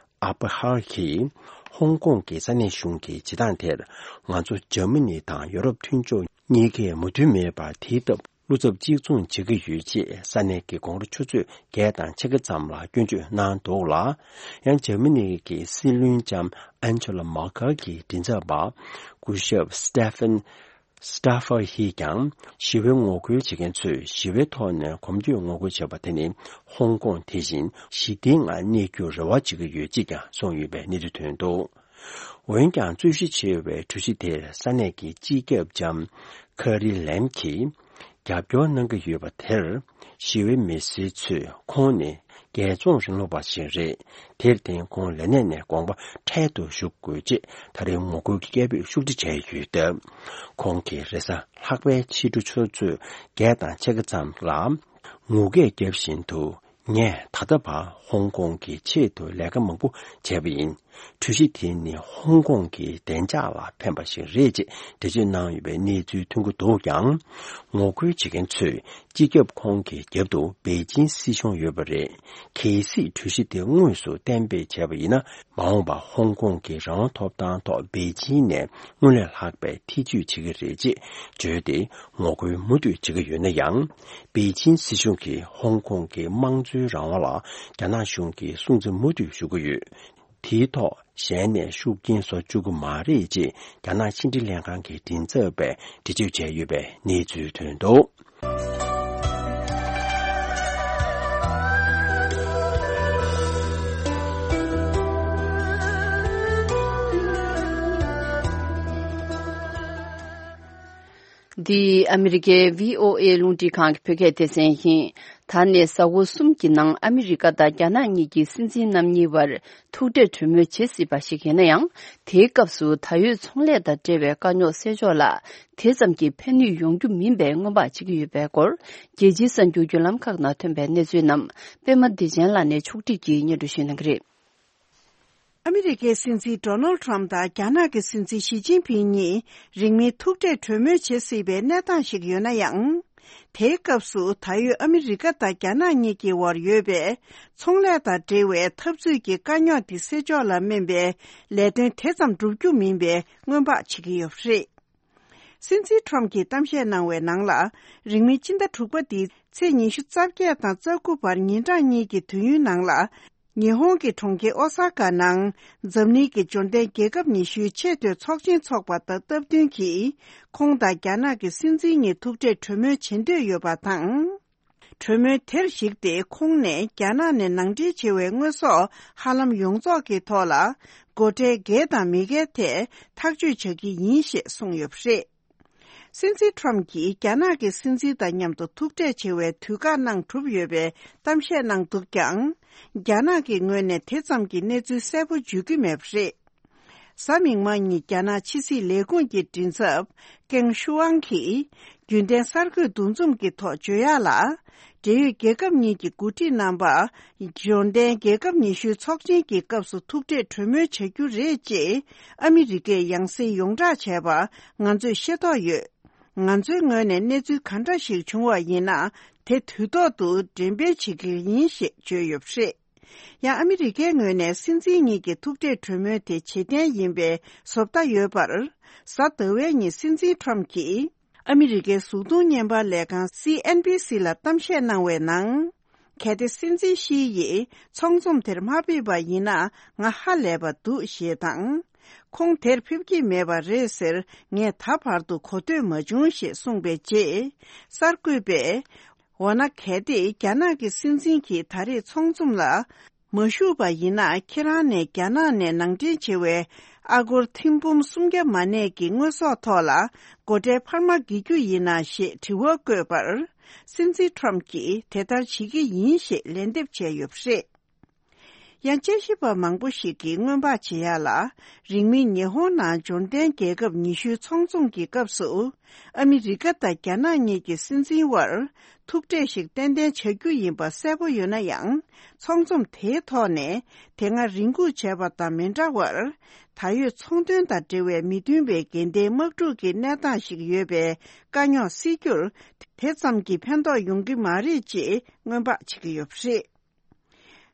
ཨ་པ་ཧར་གྱིས་ཧོང་ཀོང་གི་ས་གནས་གཞུང་གི་བྱེད་སྟངས་དེར། ང་ཚོ་འཇར་མ་ནི་དང་ཡོ་རོབ་མཐུན་ཕྱོགས་གཉིས་ཀས་མོས་མཐུན་མེད་པར། དེའི་སྟབས་བློ་འཚབ་གཅིག་མཚུངས་བྱེད་ཀྱི་ཡོད་ཅེས་ས་གནས་ཀྱི་དགོང་དྲོ་ཆུ་ཚོད་བརྒྱད་དང་ཕྱེད་ཀ་ཙམ་ལ་སྐྱོན་བརྗོད་གནང་འདུག་ལ། ཡང་འཇར་མ་ནི་གི་སྲིད་བློན་ལྕམ་ཨན་ཇེ་ལ་མར་ཀལ་གྱི་མགྲིན་ཚབ་པ་སྐུ་ཞབས་སི་ཏེ་ཕན་སི་ཏཱ་ཧྥར་ཧིས་ཀྱང་། ཞི་བའི་ངོ་རྒོལ་བྱེད་མཁན་ཚོས་ཞི་བའི་ཐོག་ནས་གོམ་བགྲོད་ངོ་རྒོལ་བྱས་པ་དེ་ནི། ཧོང་ཀོང་དེ་བཞིན་ཞི་བདེའི་ངང་གནས་རྒྱུར་རེ་བ་བྱེད་ཀྱི་ཡོད་ཅེས་ཀྱང་གསུངས་ཡོད་པའི་གནས་ཚུལ་ཐོན་འདུག་འོན་ཀྱང་། རྩོད་གཞི་ཆེ་བའི་གྲོས་གཞི་དེར་ས་གནས་ཀྱི་སྤྱི་ཁྱབ་ལྕམ་ཁ་རི་ལེམ་གྱིས། རྒྱབ་སྐྱོར་གནང་གི་ཡོད་པ་དེར། ཞི་བའི་མི་སེར་ཚོས་ཁོང་ནི་རྒྱལ་བཙོང་རིང་ལུགས་པ་ཞིག་རེད། དེར་བརྟེན་ཁོང་ལས་གནས་ནས་དགོངས་པ་འཕྲལ་དུ་ཞུ་དགོས་ཅེས་ད་རེས་ངོ་རྒོལ་གྱི་སྐད་འབོད་ཤུགས་ཆེ་བྱས་ཡོད་སྟབས། ཁོང་གིས་རེས་གཟའ་ལྷག་པའི་ཕྱི་དྲོ་ཆུ་ཚོད་བརྒྱད་དང་ཕྱེད་ཀ་ཙམ་ལ། ངུ་སྐད་བརྒྱབ་བཞིན་དུ། ངས་ད་ལྟ་བར་ཧོང་ཀོང་གི་ཆེད་དུ་ལས་ཀ་མང་པོ་བྱས་པ་ཡིན། གྲོས་གཞི་དེ་ནི་ཧོང་ཀོང་གི་བདེ་འཇགས་ལ་ཕན་པ་ཞིག་རེད་ཅེས་འགྲེལ་བརྗོད་གནང་ཡོད་པའི་གནས་ཚུལ་ཐོན་གྱི་འདུག་ཀྱང་། ངོ་རྒོལ་བྱེད་མཁན་ཚོས་སྤྱི་ཁྱབ་ཁོང་གི་རྒྱབ་ཏུ་པེ་ཅིན་སྲིད་གཞུང་ཡོད་པ་རེད། གལ་སྲིད་གྲོས་གཞི་དེ་དངོས་སུ་གཏན་འབེབས་བྱས་པ་ཡིན་ན། མ་འོངས་པར་ཧོང་ཀོང་གི་རང་དབང་ཐོབ་ཐང་ཐོག་པེ་ཅིན་ནས་སྔར་ལས་ལྷག་པའི་ཐེ་ཇུས་བྱེད་ཀྱི་རེད་ཅེས་བརྗོད་དེ། ངོ་རྒོལ་མུ་མཐུད་བྱེད་ཀྱི་ཡོད་ན་ཡང་། པེ་ཅིན་སྲིད་གཞུང་གིས་ཧོང་ཀོང་གི་དམངས་གཙོའི་རང་དབང་ལ་རྒྱ་ནག་གཞུང་གིས་སྲུང་བརྩི་མུ་མཐུད་ཞུ་གི་ཡོད། དེའི་ཐོག་གཞན་ནས་ཤུགས་རྐྱེན་བཟོ་བཅུག་གི་མ་རེད་ཅེས་རྒྱ་ནག་ཕྱི་འབྲེལ་ལྷན་ཁང་གི་མགྲིན་ཚབ་པས་འགྲེལ་བརྗོད་བྱས་ཡོད་པའི་གནས་ཚུལ་ཐོན་འདུག་འདི་ཨ་མི་རི་ཀའི་བྷི་ཨོ་ཨེ་རླུང་འཕྲིན་ཁང་གི་བོད་སྐད་སྡེ་ཚན་ཡིན། ད་ནས་གཟའ་འཁོར་གསུམ་གྱི་ནང་ཨ་མི་རི་ཀ་དང་རྒྱ་ནག་གཉིས་ཀྱི་སྲིད་འཛིན་རྣམ་གཉིས་བར་ཐུག་འཕྲད་གྲོས་མོལ་བྱེད་སྲིད་པ་ཞིག་ཡིན་ན་ཡང་། དེའི་སྐབས་སུ་ད་ཡོད་ཚོང་ལས་དང་འབྲེལ་བའི་དཀའ་རྙོག་སེལ་ཕྱོགས་ལ་དེ་ཙམ་གྱི་ཕན་ནུས་ཡོང་རྒྱུ་མིན་པའི་སྔོན་དཔག་བྱེད་ཀྱི་ཡོད་པའི་སྐོར། རྒྱལ་སྤྱིའི་གསར་འགྱུར་བརྒྱུད་ལམ་ཁག་ནང་ཐོན་པའི་གནས་ཚུལ་རྣམས་པད་མ་བདེ་ཆེན་ལགས་ནས་ཕྱོགས་སྒྲིག་གིས་སྙན་སྒྲོན་ཞུ་གནང་གི་རེད། ཨ་མི་རི་ཀའི་སྲིད་འཛིན་ཌོ་ནལ་ཌི་ཊརམ་དང་རྒྱ་ནག་གི་སྲིད་འཛིན་ཞི་ཅིན་ཕིང་གཉིས་རིང་མིན་ཐུག་འཕྲད་གྲོས་མོལ་བྱེད་སྲིད་པའི་གནས་སྟངས་ཤིག་ཡོད་ན་ཡང་། དེའི་སྐབས་སུ་ད་ཡོད་ཨ་མི་རི་ཀ་དང་རྒྱ་ནག་གཉིས་ཀྱི་དབར་ཡོད་པའི་ཚོང་ལས་དང་འབྲེལ་བའི་འཐབ་རྩོད་ཀྱི་དཀའ་རྙོག་དེ་སེལ་ཕྱོགས་ལ་སྨན་པའི་ལས་དོན་དེ་ཙམ་འགྲུབ་རྒྱུ་མིན་པའི་སྔོན་དཔག་བྱེད་ཀྱི་ཡོད་པ་རེད། སྲིད་འཛིན་ཊརམ་གྱིས་གཏམ་བཤད་གནང་བའི་ནང་ལ། རིང་མིན་སྤྱི་ཟླ་དྲུག་པ་འདིའི་ཚེས་ཉི་ཤུ་རྩ་བརྒྱད་དང་རྩ་དགུ་བར་ཉིན་གྲངས་གཉིས་ཀྱི་དུས་ཡུན་ནང་ལ། ཉི་ཧོང་གི་གྲོང་ཁྱེར་ཨོ་ས་ཀ་ནང་འཛམ་གླིང་གི་འབྱོར་ལྡན་རྒྱལ་ཁབ་ཉི་ཤུའི་ཆེས་མཐོའི་ཚོགས་ཆེན་འཚོགས་པ་དང་སྟབས་བསྟུན་གྱིས། ཁོང་དང་རྒྱ་ནག་གི་སྲིད་འཛིན་གཉིས་ཐུག་འཕྲད་གྲོས་མོལ་བྱེད་འདོད་ཡོད་པ་དང་། གྲོས་མོལ་དེར་གཞིགས་ཏེ། ཁོང་ནས་རྒྱ་ནག་ནས་ནང་འདྲེན་བྱེད་པའི་དངོས་ཟོག་ཧ་ལམ་ཡོངས་རྫོགས་ཀྱི་ཐོག་ལ། སྒོ་ཁྲལ་འགེལ་དང་མི་འགེལ་ཐད་ཐག་གཅོད་བྱ་གི་ཡིན་ཞེས་གསུངས་ཡོད་པ་རེད། སྲིད་འཛིན་ཊརམ་གྱིས་རྒྱ་ནག་གི་སྲིད་འཛིན་དང་མཉམ་དུ་ཐུག་འཕྲད་བྱེད་པའི་དུས་བཀག་གནང་གྲུབ་ཡོད་པའི་གཏམ་བཤད་གནང་འདུག་ཀྱང་། རྒྱ་ནག་གི་ངོས་ནས་དེ་ཙམ་གྱི་གནས་ཚུལ་གསལ་པོ་བརྗོད་ཀྱི་མེད་པ་རེད། གཟའ་མིག་དམར་ཉིན་རྒྱ་ནག་ཕྱི་སྲིད་ལས་ཁུངས་ཀྱི་མགྲིན་ཚབ་ཀེང་ཤུའང་གིས། རྒྱུན་ལྡན་གསར་འགོད་འདུ་འཛོམས་ཀྱི་ཐོག་བརྗོད་ཡག་ལ། འབྲེལ་ཡོད་རྒྱལ་ཁབ་གཉིས་ཀྱི་འགོ་ཁྲིད་རྣམ་པ། འབྱོར་ལྡན་རྒྱལ་ཁབ་ཉི་ཤུའི་ཚོགས་ཆེན་གྱི་སྐབས་སུ་ཐུག་འཕྲད་གྲོས་མོལ་བྱ་རྒྱུ་རེད་ཅེས། ཨ་མི་རི་ཀས་ཡང་སེ་ཡོངས་བསྒྲགས་བྱས་པ་ང་ཚོས་ཤེས་རྟོགས་ཡོད། ང་ཚོའི་ངོས་ནས་གནས་ཚུལ་ག་འདྲ་ཞིག་བྱུང་བ་ཡིན་ན། དེ་དུས་ཐོག་ཏུ་འགྲེམས་སྤེལ་བྱེད་ཀྱི་ཡིན་ཞེས་བརྗོད་ཡོད་པ་རེད། ཡང་ཨ་མི་རི་ཀའི་ངོས་ནས་སྲིད་འཛིན་གཉིས་ཀྱི་ཐུག་འཕྲད་གྲོས་མོལ་དེ་བྱེད་གཏན་ཡིན་པའི་བཟོ་ལྟ་ཡོད་པར། གཟའ་ཟླ་བའི་ཉིན་སྲིད་འཛིན་ཊརམ་གྱིས་ཨ་མི་རི་ཀའི་གཟུགས་མཐོང་བརྙན་པར་ལས་ཁང་སི་ཨེན་བི་སི་ལ་གཏམ་བཤད་གནང་བའི་ནང་། གལ་ཏེ་སྲིད་འཛིན་ཞི་ཡིས་ཚོགས་འཛོམས་དེར་མ་ཕེབས་པ་ཡིན་ན་ང་ཧ་ལས་པ་འདུག་ཞེས་དང་། ཁོང་དེར་ཕེབས་ཀྱི་མེད་པ་རེད་ཟེར་ངས་ད་བར་དུ་གོ་ཐོས་མ་བྱུང་ཞེས་གསུངས་པའི་རྗེས། གསར་འགོད་པས། འོ་ན་གལ་ཏེ་རྒྱ་ནག་གི་སྲིད་འཛིན་གྱིས་ད་རེས་ཚོགས་འཛོམས་ལ་མ་ཞུགས་པ་ཡིན་ན། ཁྱེད་རང་ནས་རྒྱ་ནག་ནས་ནང་འདྲེན་བྱེད་པའི་ཨ་སྒོར་ཐེར་འབུམ་སུམ་བརྒྱ་མ་གནས་ཀྱི་དངོས་ཟོག་ཐོག་ལ་སྒོ་ཁྲལ་འཕར་མ་འགེལ་རྒྱུ་ཡིན་ན་ཞེས་དྲི་བ་བཀོད་པར། སྲིད་འཛིན་ཊརམ་གྱིས་དེ་ལྟར་བྱེད་ཀྱི་ཡིན་ཞེས་ལན་འདེབས་བྱས་ཡོད་པ་རེད། ཡང་དཔྱད་ཞིབ་པ་མང་པོ་ཞིག་གིས་སྔོན་དཔག་བྱེད་ཡག་ལ། རིང་མིན་ཉི་ཧོང་ནང་འབྱོར་ལྡན་རྒྱལ་ཁབ་ཉི་ཤུའི་ཚོགས་འཛོམས་ཀྱི་སྐབས་སུ། ཨ་མི་རི་ཀ་དང་རྒྱ་ནག་གཉིས་ཀྱི་སྲིད་འཛིན་དབར་ཐུག་འཕྲད་ཞིག་ཏན་ཏན་བྱ་རྒྱུ་ཡིན་པ་གསལ་པོ་ཡོད་ན་ཡང་། ཚོགས་འཛོམས་དེའི་ཐོག་ནས་དེ་སྔ་རེ་སྒུག་བྱས་པ་དང་མི་འདྲ་བར། ད་ཡོད་ཚོང་དོན་དང་འབྲེལ་བའི་མི་མཐུན་པའི་འགལ་ཟླའི་དམག་འཁྲུག་གི་གནས་སྟངས་ཤིག་ཡོད་པའི་དཀའ་རྙོག་སེལ་རྒྱུར། དེ་ཙམ་གྱིས་ཕན་ཐོགས་ཡོང་གི་མ་རེད་ཅེས་སྔོན་དཔག་བྱེད་ཀྱི་ཡོད་པ་རེད།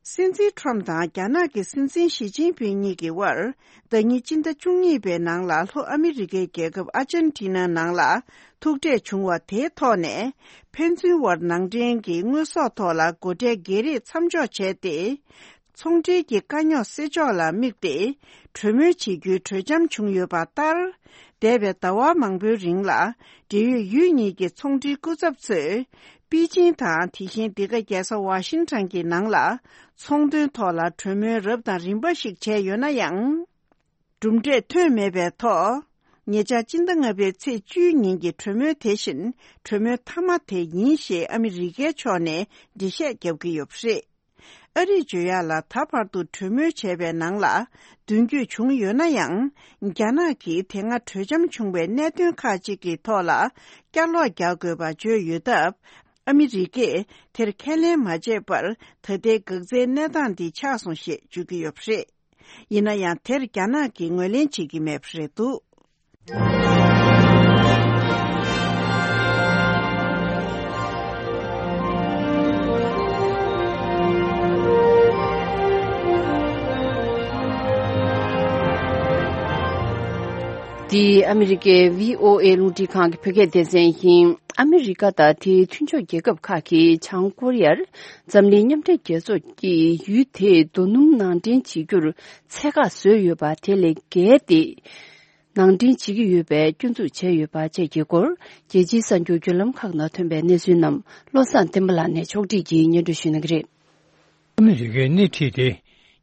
སྲིད་འཛིན་ཊརམ་དང་རྒྱ་ནག་གི་སྲིད་འཛིན་ཞི་ཅིན་ཕིང་གཉིས་ཀྱི་དབར། ཟླ་ཉིན་སྤྱི་ཟླ་བཅུ་གཉིས་པའི་ནང་ལ་ལྷོ་ཨ་མི་རི་ཀའི་རྒྱལ་ཁབ་ཨར་ཇན་ཊི་ན་ནང་ལ་ཐུག་འཕྲད་བྱུང་བ་དེའི་ཐོག་ནས། ཕན་ཚུན་དབར་ནང་འདྲེན་གྱི་དངོས་ཟོག་ཐོག་ལ་སྒོ་ཁྲལ་འགེལ་རེས་མཚམས་འཇོག་བྱས་ཏེ། ཚོང་འབྲེལ་གྱི་དཀའ་རྙོག་སེལ་ཕྱོགས་ལ་དམིགས་ཏེ། གྲོས་མོལ་བྱེད་རྒྱུའི་གྲོས་འཆམ་བྱུང་ཡོད་པ་ལྟར། འདས་པའི་ཟླ་བ་མང་པོའི་རིང་ལ། འབྲེལ་ཡོད་ཡུལ་གཉིས་ཀྱི་ཚོང་འབྲེལ་སྐུ་ཚབ་ཚོས། པེ་ཅིང་དང་། དེ་བཞིན་འདི་ག་རྒྱལ་ས་ཝ་ཤིང་ཊོན་གྱི་ནང་ལ། ཚོང་དོན་ཐོག་ལ་གྲོས་མོལ་རབ་དང་རིམ་པ་ཞིག་བྱས་ཡོད་ན་ཡང་། གྲུབ་འབྲས་ཐོན་མེད་པའི་ཐོག་ཉེ་ཆར་སྤྱི་ཟླ་ལྔ་པའི་ཚེས་བཅུའི་ཉིན་གྱི་གྲོས་མོལ་དེ་བཞིན། གྲོས་མོལ་མཐའ་མ་དེ་ཡིན་ཞེས་ཨ་མི་རི་ཀའི་ཕྱོགས་ནས་འགྲེལ་བཤད་བརྒྱབ་ཀྱི་ཡོད་པ་རེད། ཨ་རིས་བརྗོད་ཡག་ལ། ད་བར་དུ་གྲོས་མོལ་བྱས་པའི་ནང་ལ། མདུན་སྐྱོད་བྱུང་ཡོད་ན་ཡང་། རྒྱ་ནག་གིས་དེ་སྔ་གྲོས་འཆམ་བྱུང་བའི་གནད་དོན་ཁག་ཅིག་གི་ཐོག་ལ། བསྐྱར་ལོག་རྒྱག་དགོས་པ་བརྗོད་ཡོད་སྟབས། ཨ་མི་རི་ཀས་དེར་ཁས་ལེན་མ་བྱས་པར། ད་ལྟའི་འགག་རྩའི་གནས་སྟངས་འདི་ཆགས་སོང་ཞེས་བརྗོད་ཀྱི་ཡོད་པ་རེད། ཡིན་ན་ཡང་། དེར་རྒྱ་ནག་གིས་ངོས་ལེན་བྱེད་ཀྱི་མེད་པ་རེད་འདུག་འདི་ཨ་མི་རི་ཀའི་བྷི་ཨོ་ཨེ་རླུང་འཕྲིན་ཁང་གི་བོད་སྐད་སྡེ་ཚན་ཡིན། ཨ་མི་རི་ཀ་དང་དེའི་མཐུན་ཕྱོགས་རྒྱལ་ཁབ་ཁག་གིས་བྱང་ཀོ་རི་ཡར་འཛམ་གླིང་མཉམ་འབྲེལ་རྒྱལ་ཚོགས་ཀྱིས་ཡུལ་དེའི་རྡོ་སྣུམ་ནང་འདྲེན་བྱེད་རྒྱུར་ཚད་བཀག་བཟོས་ཡོད་པ་དེ་ལས་བརྒལ་ཏེ། ནང་འདྲེན་བྱེད་ཀྱི་ཡོད་པའི་སྐྱོན་འཛུགས་བྱས་ཡོད་པ་བཅས་ཀྱི་སྐོར། རྒྱལ་སྤྱིའི་གསར་འགྱུར་བརྒྱུད་ལམ་ཁག་ནང་ཐོན་པའི་གནས་ཚུལ་རྣམས་བློ་བཟང་བསྟན་པ་ལགས་ནས་ཕྱོགས་སྒྲིག་གིས་སྙན་སྒྲོན་ཞུ་གནང་གི་རེད། ཨ་མི་རི་ཀས་སྣེ་ཁྲིད་དེ་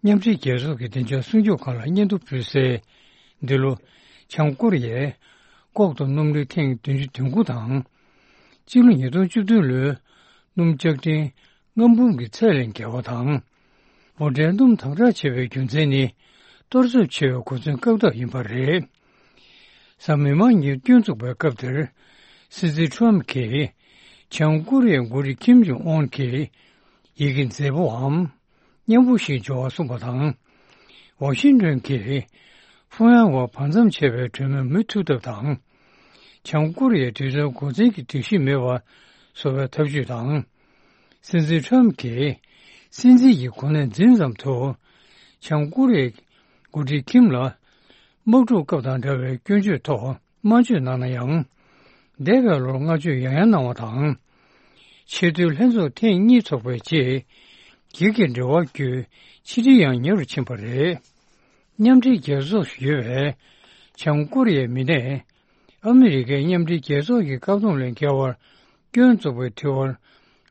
མཉམ་འབྲེལ་རྒྱལ་ཚོགས་ཀྱི་བདེ་འཇགས་སྲུང་སྐྱོབ་ཁང་ལ་སྙན་ཐོ་ཕུལ་སའི། འདི་ལོ་བྱང་ཀོ་རི་ཡས་ལྐོག་ཏུ་སྣུམ་རིན་ཐེངས་བདུན་ཅུ་དོན་དགུ་དང་། སྤྱི་ལོ་ཉིས་སྟོང་བཅུ་བདུན་ལོའི་སྣུམ་ལྕགས་ཀྲན་ལྔ་འབུམ་གྱི་ཚད་ལས་བརྒལ་བ་དང་། འབོར་འདྲེན་སྣུམ་དམ་དྲག་ཆེ་བའི་རྒྱུ་མཚན་ནི། གཏོར་ཚབས་ཆེ་བའི་གོ་མཚོན་བཀག་ཐབས་ཡིན་པ་རེད། གཟའ་མིག་དམར་ཉིན་སྐྱོན་འཛུགས་པའི་སྐབས་དེར། སྲིད་འཛིན་ཁྲོམ་གྱིས། བྱང་ཀོ་རི་ཡའི་འགོ་ཁྲིད་ཁིམ་ཇོང་ཨོན་གྱིས། ཡི་གེ་མཛེས་པོའམ། སྙན་པོ་ཞིག་འབྱོར་བ་གསུངས་པ་དང་། ཝ་ཤིང་ཏོན་གྱིས་ཕུང་ཡང་བར་བར་མཚམས་ཆད་པའི་གྲོས་མོལ་མུ་མཐུད་ཐབས་དང་། བྱང་ཀོ་རི་ཡའི་དུས་ཚོད་འགོ་འཛིན་གྱི་སྒྲིག་གཞི་མེད་པ་བཟོ་བའི་ཐབས་ཇུས་དང་། སྲིད་འཛིན་ཁྲམ་གྱིས་སྲིད་འཛིན་གྱི་གོ་གནས་འཛིན་ཙམ་དུ། བྱང་ཀོ་རི་ཡའི་འགོ་ཁྲིད་ཁིམ་ལ་དམག་འཁྲུག་སྐབས་དང་འདྲ་བའི་སྐྱོན་བརྗོད་ཐོག་དམར་མཆོད་གནང་ན་ཡང་། འདས་པའི་ལོར་བསྔགས་བརྗོད་ཡང་ཡང་གནང་བ་དང་། ཆེས་མཐོའི་ལྷན་ཚོགས་ཐེངས་གཉིས་ཚོགས་པའི་རྗེས། སྒེར་གྱི་འབྲེལ་བ་བརྒྱུད་ཕྱི་འབྲེལ་ཡང་ཉེ་རུ་ཕྱིན་པ་རེད། མཉམ་འབྲེལ་རྒྱལ་ཚོགས་སུ་ཡོད་པའི་བྱང་ཀོ་རི་ཡའི་མི་སྣས། ཨ་མི་རི་ཀས་མཉམ་འབྲེལ་རྒྱལ་ཚོགས་ཀྱི་བཀག་སྡོམ་ལས་འགལ་བར་སྐྱོན་བཙུགས་པའི་དྲི་བར་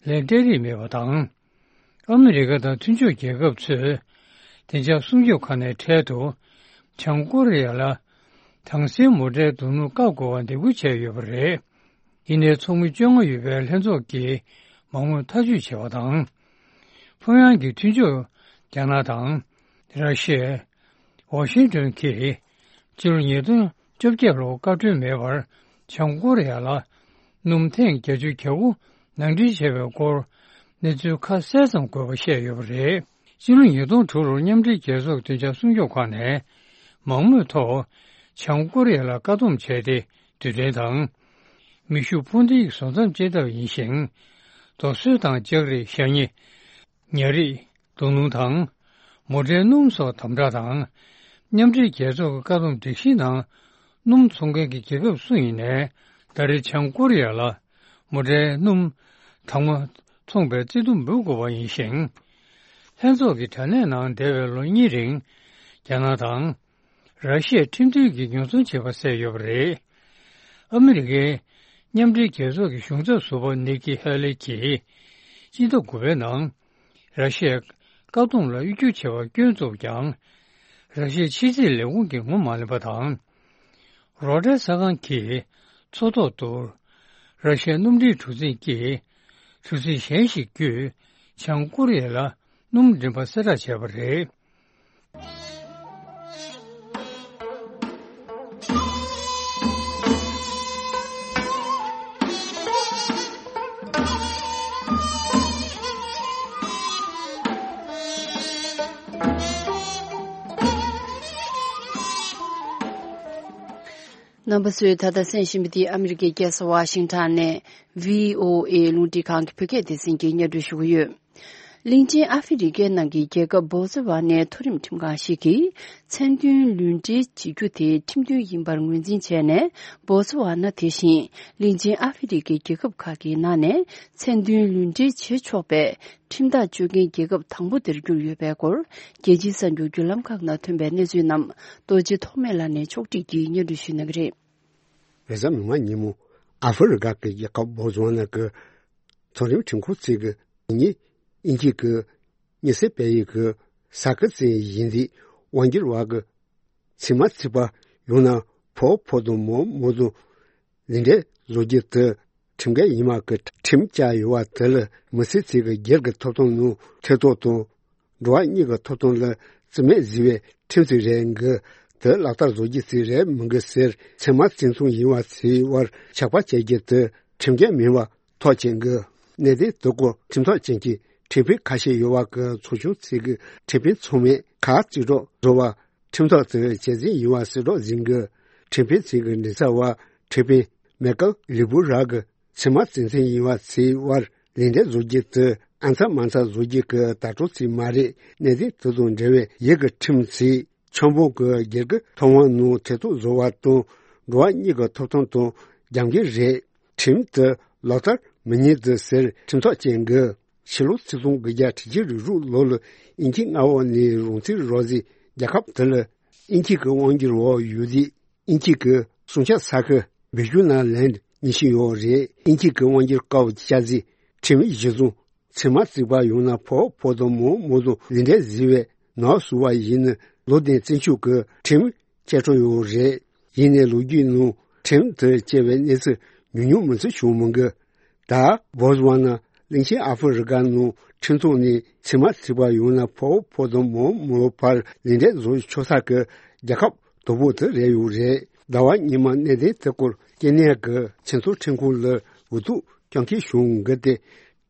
ལན་སྤྲད་རིན་མེད་པ་དང་། ཨ་མི་རི་ཀ་དང་མཐུན་ཕྱོགས་རྒྱལ་ཁབ་ཚོས་བདེ་འཇགས་སྲུང་སྐྱོབ་ཁང་ནས་འཕྲལ་དུ་བྱང་ཀོ་རི་ཡ་ལ་དྭངས་གསལ་མོ་ཊའི་རྡུལ་སྣུམ་བཀག་དགོས་པ་འདེད་སྐུལ་བྱས་ཡོད་པ་རེད། ཡིན་ནའི་ཚོགས་མི་བཅོ་ལྔ་ཡོད་པའི་ལྷན་ཚོགས་ཀྱིས་མང་མོས་ཐག་གཅོད་བྱས་པ་དང་། ཕུང་ཡང་གི་མཐུན་ཕྱོགས་རྒྱ་ནག་དང་། ར་ཤི་ཡ། ཝ་ཤིང་ཏོན་གྱིས་ཕྱི་ལོ་ཉིས་སྟོང་བཅོ་བརྒྱད་ལོར་བཀའ་འཁྲོལ་མེད་པར་བྱང་ཀོ་རི་ཡ་ལ་སྣུམ་ཐེངས་བརྒྱད་ཅུ་གྱ་དགུ་ནང་འདྲེན་བྱས་པའི་སྐོར་གནས་ཚུལ་ཁ་གསལ་ཙམ་འགོད་པ་བཤད་ཡོད་པ་རེད། ཕྱི་ལོ་ཉིས་སྟོང་དྲུག་ལོར་མཉམ་འབྲེལ་རྒྱལ་ཚོགས་བདེ་འཇགས་སྲུང་སྐྱོབ་ཁང་ནས་མང་མོས་ཐོག་བྱང་ཀོ་རི་ཡ་ལ་བཀག་སྡོམ་བྱས་ཏེ་རྡུལ་ཕྲན་དང་། མེ་ཤུགས་འཕུར་མདེལ་བཟོ་མཚམས་བཅད་ཐབས་ཡིན་ཞིང་། རྡོ་སོལ་དང་ལྕགས་རིགས་ཤ་ཉེ། ཉ་རིགས། རྡོ་སྣུམ་དང་། མོ་ཊའི་སྣུམ་སོགས་དམ་དྲག་དང་། མཉམ་འབྲེལ་རྒྱལ་ཚོགས་ཀྱི་བཀག་སྡོམ་སྒྲིག་གཞི་ནང་སྣུམ་འཚོང་མཁན་གྱི་རྒྱལ་ཁབ་སུ་ཡིན་ནའི་ད་རེས་བྱང་ཀོ་རི་ཡ་ལ་མོ་ཊའི་སྣུམ་དྭངས་མ་འཚོང་པའི་བརྩེ་དུང་འབུལ་དགོས་པ་ཡིན་ཞིང་། ལྷན་ཚོགས་ཀྱི་དྲ་གནས་ནང་འདས་པའི་ལོ་གཉིས་རིང་རྒྱ་ནག་དང་། ར་ཤི་ཡས་ཁྲིམས་མཐུན་གྱི་ཉེས་རྡུང་བྱས་པ་གསལ་ཡོད་པ་རེད། ཨ་མི་རི་ཀའི་མཉམ་འབྲེལ་རྒྱལ་ཚོགས་ཀྱི་གཞུང་ཚབ་ཟུར་པ་ནིག་ཀི་ཧེ་ལི་གྱིས་སྤྱི་ཟླ་དགུ་པའི་ནང་ར་ཤི་ཡས་བཀག་སྡོམ་ལ་དབྱུག་སྐྱོར་བྱས་པར་སྐྱོན་བཙུགས་ཀྱང་། ར་ཤི་ཡའི་ཕྱི་སྲིད་ལས་ཁུངས་ཀྱིས་ངོ་མ་ལེན་པ་དང་། རོའི་ཊར་གསར་ཁང་གིས་མཚོ་ཐོག་ཏུ་ར་ཤི་ཡའི་སྣུམ་འདྲེན་གྲུ་གཟིངས་ཀྱིས་གྲུ་གཟིངས་གཞན་ཞིག་བརྒྱུད་བྱང་ཀོ་རི་ཡ་ལ་སྣུམ་འདྲེན་པ་གསལ་བསྒྲགས་བྱས་པ་རེད། རྣམ་པ་ཚོས་ད་ལྟ་གསན་བཞིན་པ་འདི་ཨ་མི་རི་ཀའི་རྒྱལ་ས་ཝ་ཤིང་ཊོན་ནས་བྷི་ཨོ་ཨེ་རླུང་འཕྲིན་ཁང་གི་བོད་སྐད་སྡེ་ཚན་གྱིས་སྙན་སྒྲོན་ཞུ་གི་ཡོད། གླིང་ཆེན་ཨ་ཧྥེ་རི་ཁའི་ནང་གི་རྒྱལ་ཁབ་བོ་ཙི་ཝ་ནའི་མཐོ་རིམ་ཁྲིམས་ཁང་ཞིག་གིས་མཚན་མཐུན་ལུས་འབྲེལ་བྱེད་རྒྱུ་དེ་ཁྲིམས་མཐུན་ཡིན་པར་ངོས་འཛིན་བྱས་ནས། བོ་ཙི་ཝ་ན་དེ་བཞིན་གླིང་ཆེན་ཨ་ཧྥེ་རི་ཁའི་རྒྱལ་ཁབ་ཁག་གི་ནང་ནས་མཚན་མཐུན་ལུས་འབྲེལ་བྱེད་ཆོག་པའི་ཁྲིམས་ཐག་གཅོད་མཁན་རྒྱལ་ཁབ་དང་པོ་དེར་གྱུར་ཡོད་པའི་སྐོར། རྒྱལ་སྤྱིའི་གསར་འགྱུར་བརྒྱུད་ལམ་ཁག་ནང་ཐོན་པའི་གནས་ཚུལ་རྣམས་རྡོ་རྗེ་ཐོགས་མེད་ལགས་ནས་ཕྱོགས་སྒྲིག་གིས་སྙན་སྒྲོན་ཞུ་གནང་གི་རེད། རེས་གཟའ་མིག་དམར་ཉིན་མོ་ཨ་ཧྥེ་རི་ཁ་གི་རྒྱལ་ཁབ་བོ་ཙི་ཝ་ན་གི་མཐོ་རིམ་ཁྲིམས་ཁང་ཚོས་ཀྱི་ཉིན་ཉིན་གཅིག་གི་ཉི་ཟེར་སྤེལ་ཡིག་གི་ས་ཁུལ་ཚན་ཡིན་དེ་དབང་སྒྱུར་བ་གི་ཚད་མ་བརྩིས་པ་ཡོང་ན་ཕོ་ཕོ་དང་མོ་མོ་དང་ལུས་འབྲེལ་བཟོ་རྒྱུ་དེ་ཁྲིམས་འགལ་ཡིན་པ་གི་ཁྲིམས་བཅའ་ཡོད་པ་དེ་ལ་མི་སེར་ཚོས་ཀྱི་སྒེར་གྱི་ཐོབ་ཐང་ནང་ཐེ་གཏོགས་དང་འགྲོ་བ་གཉིས་ཀྱི་ཐོབ་ཐང་ལ་བརྩི་མེད་བཟོས་པའི་ཁྲིམས་ཅིག་རེད་གི། དེ་ལག་བསྟར་བཟོ་རྒྱུ་ཅིག་རེད་མིན་གི་ཟེར་ཚད་མ་བརྩི་མཐོང་ཡིན་པ་ཚོའི་དབར་ཆགས་པ་བཅད་རྒྱུ་དེ་ཁྲིམས་འགལ་མིན་པ་ཐག་བཅད་གི། གནད་དོན་དེ་སྐོར་ཁྲིམས་ཐག་ཅན་གྱི་ཁྲིམས་དཔོན་ཁ་ཤས་ཡོད་པ་གི་ཚོགས་ཆུང་ཅིག་གི་ཁྲིམས་དཔོན་ཚང་མས་ཁ་གཅིག་གྲོགས་བཟོ་བ་ཁྲིམས་ཐག་དེ་གཅེས་འཛིན་ཡིན་པ་གསལ་སྒྲོག་ཟིན་གི། ཁྲིམས་དཔོན་ཚོས་ཀྱི་མགྲིན་ཚབ་པ་ཁྲིམས་དཔོན་མེ་ཀལ་ལི་བུ་རག་གི་ཚད་མ་བརྩི་མཐོང་ཡིན་པ་ཚོའི་དབར་ལུས་འབྲེལ་བཟོ་རྒྱུ་དེ་ཨ་མཚར་མ་མཚར་བཟོ་རྒྱུ་གི་ལྟ་གྲུབ་ཅིག་མ་རེད། གནད་དོན་དེ་དང་འབྲེལ་བའི་ཡུལ་གྱི་ཁྲིམས་ཚོས་ཆབ་འབངས་ཀྱི་སྒེར་གྱི་ཐོབ་དབང་ནང་ཐེ་གཏོགས་བཟོ་བ་དང་འགྲོ་བ་གཉིས་ཀྱི་ཐོབ་ཐང་དང་རྒྱབ་འགལ་རེད། ཁྲིམས་དེ་ལག་བསྟར་མི་ཉན་དེ་ཟེར་ཁྲིམས་ཐག་བཅད་གི། ཕྱི་ལོ་ཆིག་སྟོང་དགུ་བརྒྱ་དྲུག་ཅུ་རེ་དྲུག་ལོ་ལ་དབྱིན་ཇིའི་མངའ་འོག་ནས་རང་བཙན་རག་རྗེས་རྒྱལ་ཁབ་དེ་ལ་དབྱིན་ཇི་གི་དབང་སྒྱུར་འོག་ཡོད་དུས། དབྱིན་ཇི་གི་སྲུང་སྐྱོབ་ས་ཁུལ་བི་ཇུ་ན་ལན་ཉེར་བཞི་ཡོད་རེད། དབྱིན་ཇི་གི་དབང་སྒྱུར་བཀའ་བཅག་རྗེས་ཁྲིམས་གཞི་བཟུང་ཚད་མ་བརྩིས་པ་ཡོང་ན་ཕོ་ཕོ་དང་མོ་མོ་དང་ལུས་འབྲེལ་བཟོས་པའི་ནང་བཟོ་བ་ཡིན་ན་ལོ་ལྡན་བཙན་བྱོལ་གྱི་ཁྲིམས་བཅད་ཁྲིམས་ཡོད་རེད། ཡིན་ནའི་ལོ་རྒྱུས་ནང་ཁྲིམས་དེ་བཅད་པའི་གནས་ཚུལ་ཉུང་ཉུང་མིན་ཚུལ་བྱུང་མི་འགི། ད་བོ་ཙི་ཝ་ན་གླིང་ཆེན་ཨ་ཧྥེ་རི་ཁ་ནང་ཁྲིམས་ཐོག་ནས་ཚད་མ་བརྩིས་པ་ཡོང་ན་ཕོ་ཕོ་དང་མོ་མོ་བར་ལུས་འབྲེལ་བཟོ་ཆོག་ས་གི་རྒྱལ་ཁབ་དོ་པོ་དེ་རེད་ཡོད་རེད། ཟླ་བ་སྔོན་མ་གནད་དོན་དེ་སྐོར་སྐྱེ་གནས་ཀྱི་ཁྲིམས་ཐོག་ཁྲིམས་ཁང་ལ་འུ་ཐུག་སྐྱོན་འཁེལ་བྱུང་གི་སྟེ།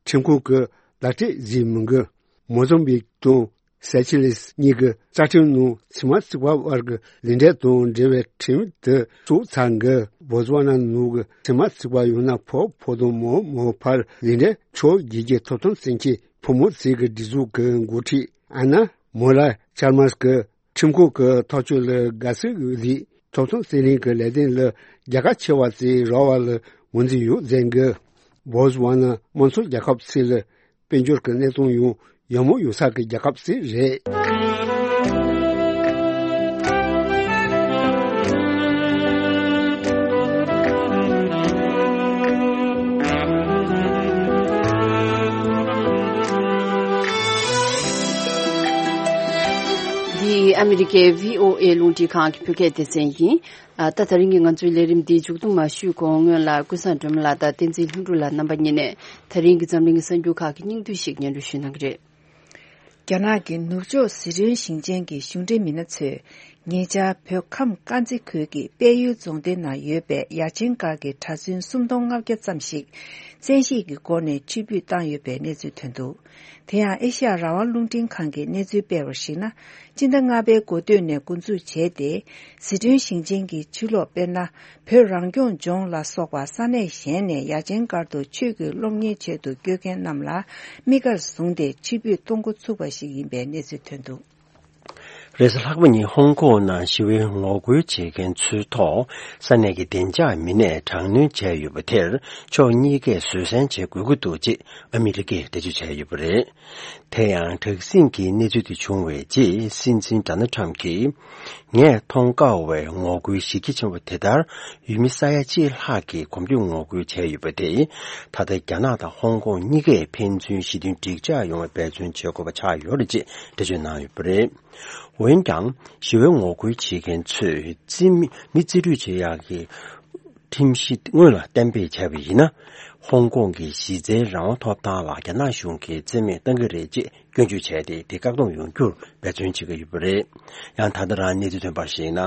ཁྲིམས་ཁང་གི་བརྡ་སྤྲོད་ཟིན་མི་འགི། མོ་ཟམ་བིག་དང་ སེ་ཆེ་ལེས་གཉིས་ཀྱི་རྩ་ཁྲིམས་ནང་ཕྱི་མ་ཚིག་པ་བར་གྱི་ལུས་འབྲེལ་དང་འབྲེལ་བའི་ཁྲིམས་དེ་བཙུགས་ཚར་གི། བོ་ཙི་ཝ་ན་ནང་གི་ཕྱི་མ་ཚིག་པ་ཡང་ན་ཕོ་ཕོ་དང་མོ་མོ་བར་ལུས་འབྲེལ་ཆོག་བྱེད་ཀྱི་ཐོབ་ཐང་བཙན་གྱི་ཕོ་མོ་རྩིས་ཀྱི་སྒྲིག་འཛུགས་ཀྱི་འགོ་ཁྲིད་ཨ་ན་མོ་ལ་ཅར་མར་གྱི་ཁྲིམས་ཁང་གི་ཐག་གཅོད་ལ་དགའ་བསུ་ཡོད་ལུགས་ཐོབ་ཐང་རྩོད་ལེན་གྱི་ལས་དོན་ལ་རྒྱལ་ཁ་ཆེ་བ་ཙམ་རག་པ་ལ་ངོས་འཛིན་ཡོད་ཟེར་གི། བོ་ཙི་ཝ་ན་དམངས་གཙོ་རྒྱལ་ཁབ་ཚིག་ལ་དཔལ་འབྱོར་གྱི་གནས་སྟངས་ཡང་ཡག་མོ་ཡོད་ས་གི་རྒྱལ་ཁབ་ཅིག་རེད། འདི་ཨ་མི་རི་ཀའི་བྷི་ཨོ་ཨེ་རླུང་འཕྲིན་ཁང་གི་བོད་སྐད་སྡེ་ཚན་ཡིན། ཨ། ད། ད་རིང་གི་ང་ཚོའི་ལས་རིམ་འདི་མཇུག་བསྡོམས་མ་ཞུས་གོང་སྔོན་ལ་ཀུན་བཟང་སྒྲོལ་མ་ལགས་དང་བསྟན་འཛིན་ལྷུན་གྲུབ་ལགས་རྣམ་པ་གཉིས་ནས་ད་རིང་གི་འཛམ་གླིང་གི་གསར་འགྱུར་ཁག་གི་སྙིང་བསྡུས་ཤིག་སྙན་སྒྲོན་ཞུ་གནང་གི་རེད། རྒྱ་ནག་གི་ནུབ་ཕྱོགས་ཟི་ཁྲོན་ཞིང་ཆེན་གྱི་གཞུང་འབྲེལ་མི་སྣ་ཚོས་ཉེ་ཆར་བོད་ཁམས་དཀར་མཛེས་ཁུལ་གྱི་དཔལ་ཡུལ་རྫོང་སྡེ་ནང་ཡོད་པའི་ཡ་ཆེན་སྒར་གྱི་གྲྭ་བཙུན་སུམ་སྟོང་ལྔ་བརྒྱ་ཙམ་ཞིག་བཙན་ཤེད་ཀྱི་སྒོ་ནས་ཕྱིར་འབུད་བཏང་ཡོད་པའི་གནས་ཚུལ་ཐོན་འདུག། དེ་ཡང་ཨེ་ཤི་ཡ་རང་དབང་རླུང་འཕྲིན་ཁང་གིས་གནས་ཚུལ་སྤེལ་བར་གཞིགས་ན། སྤྱི་ཟླ་ལྔ་པའི་འགོ་སྟོད་ནས་འགོ་འཛུགས་བྱས་ཏེ། ཟི་ཁྲོན་ཞིང་ཆེན་གྱི་ཕྱི་ལོགས་དཔེར་ན། བོད་རང་སྐྱོང་ལྗོངས་ལ་སོགས་པ་ས་གནས་གཞན་ནས་ཡ་ཆེན་སྒར་དུ་ཆོས་ཀྱི་སློབ་གཉེར་ཆེད་དུ་བསྐྱོད་མཁན་རྣམས་ལ་དམིགས་བཀར་བཟུང་སྟེ་ཕྱིར་འབུད་གཏོང་འགོ་ཚུགས་པ་ཞིག་ཡིན་པའི་གནས་ཚུལ་ཐོན་འདུག། རེས་གཟའ་ལྷག་པ་ཉིན་ཧོང་ཀོང་ནང་ཞི་བའི་ངོ་རྒོལ་བྱེད་མཁན་ཚོའི་ཐོག་ས་གནས་ཀྱི་བདེ་འཇགས་མི་སྣས་དྲག་གནོན་བྱས་ཡོད་པ་དེར་ཕྱོགས་གཉིས་ཀས་བཟོད་བསྲན་བྱེད་དགོས་ཀྱི་འདུག་ཅེས་ཨ་མི་རི་ཀས་འགྲེལ་བརྗོད་བྱས་ཡོད་པ་རེད། དེ་ཡང་དྲག་ཟིང་གི་གནས་ཚུལ་དེ་བྱུང་བའི་རྗེས་སྲིད་འཛིན་ཌོ་ནལ་ཊམ་གྱིས། ངས་མཐོང་དཀའ་བའི་ངོ་རྒོལ་གཞི་རྒྱ་ཆེན་པོ་དེ་ལྟར་ཡུལ་མི་ས་ཡ་གཅིག་ལྷག་གིས་གོམ་བགྲོད་ངོ་རྒོལ་བྱས་ཡོད་པ་དེས། ད་ལྟ་རྒྱ་ནག་དང་ཧོང་ཀོང་གཉིས་ཀས་ཕན་ཚུན་ཞི་མཐུན་འགྲིག་འཇགས་ཡོང་བར་འབད་བརྩོན་བྱེད་དགོས་པ་ཆགས་ཡོད་རེད་ཅེས་འགྲེལ་བརྗོད་གནང་ཡོད་པ་རེད། འོན་ཀྱང་ཞི་བའི་ངོ་རྒོལ་བྱེད་མཁན་ཚོས་རྩིས་མི་མི་རྩིས་སྤྲོད་བྱེད་ཡག་གི་ཁྲིམས་གཞི་སྔོན་ལ་གཏན་འབེབས་བྱས་པ་ཡིན་ན། ཧོང་ཀོང་གི་གཞི་རྩའི་རང་དབང་ཐོབ་ཐང་ལ་རྒྱ་ནག་གཞུང་གིས་རྩིས་མེད་གཏང་གི་རེད་ཅེས་སྐྱོན་བརྗོད་བྱས་ཏེ། དེ་བཀག་སྡོམ་ཡོང་རྒྱུར་འབད་བརྩོན་བྱེད་ཀྱི་ཡོད་པ་རེད། ཡང་ད་ལྟ་རང་གནས་ཚུལ་ཐོན་པར་གཞིགས་ན།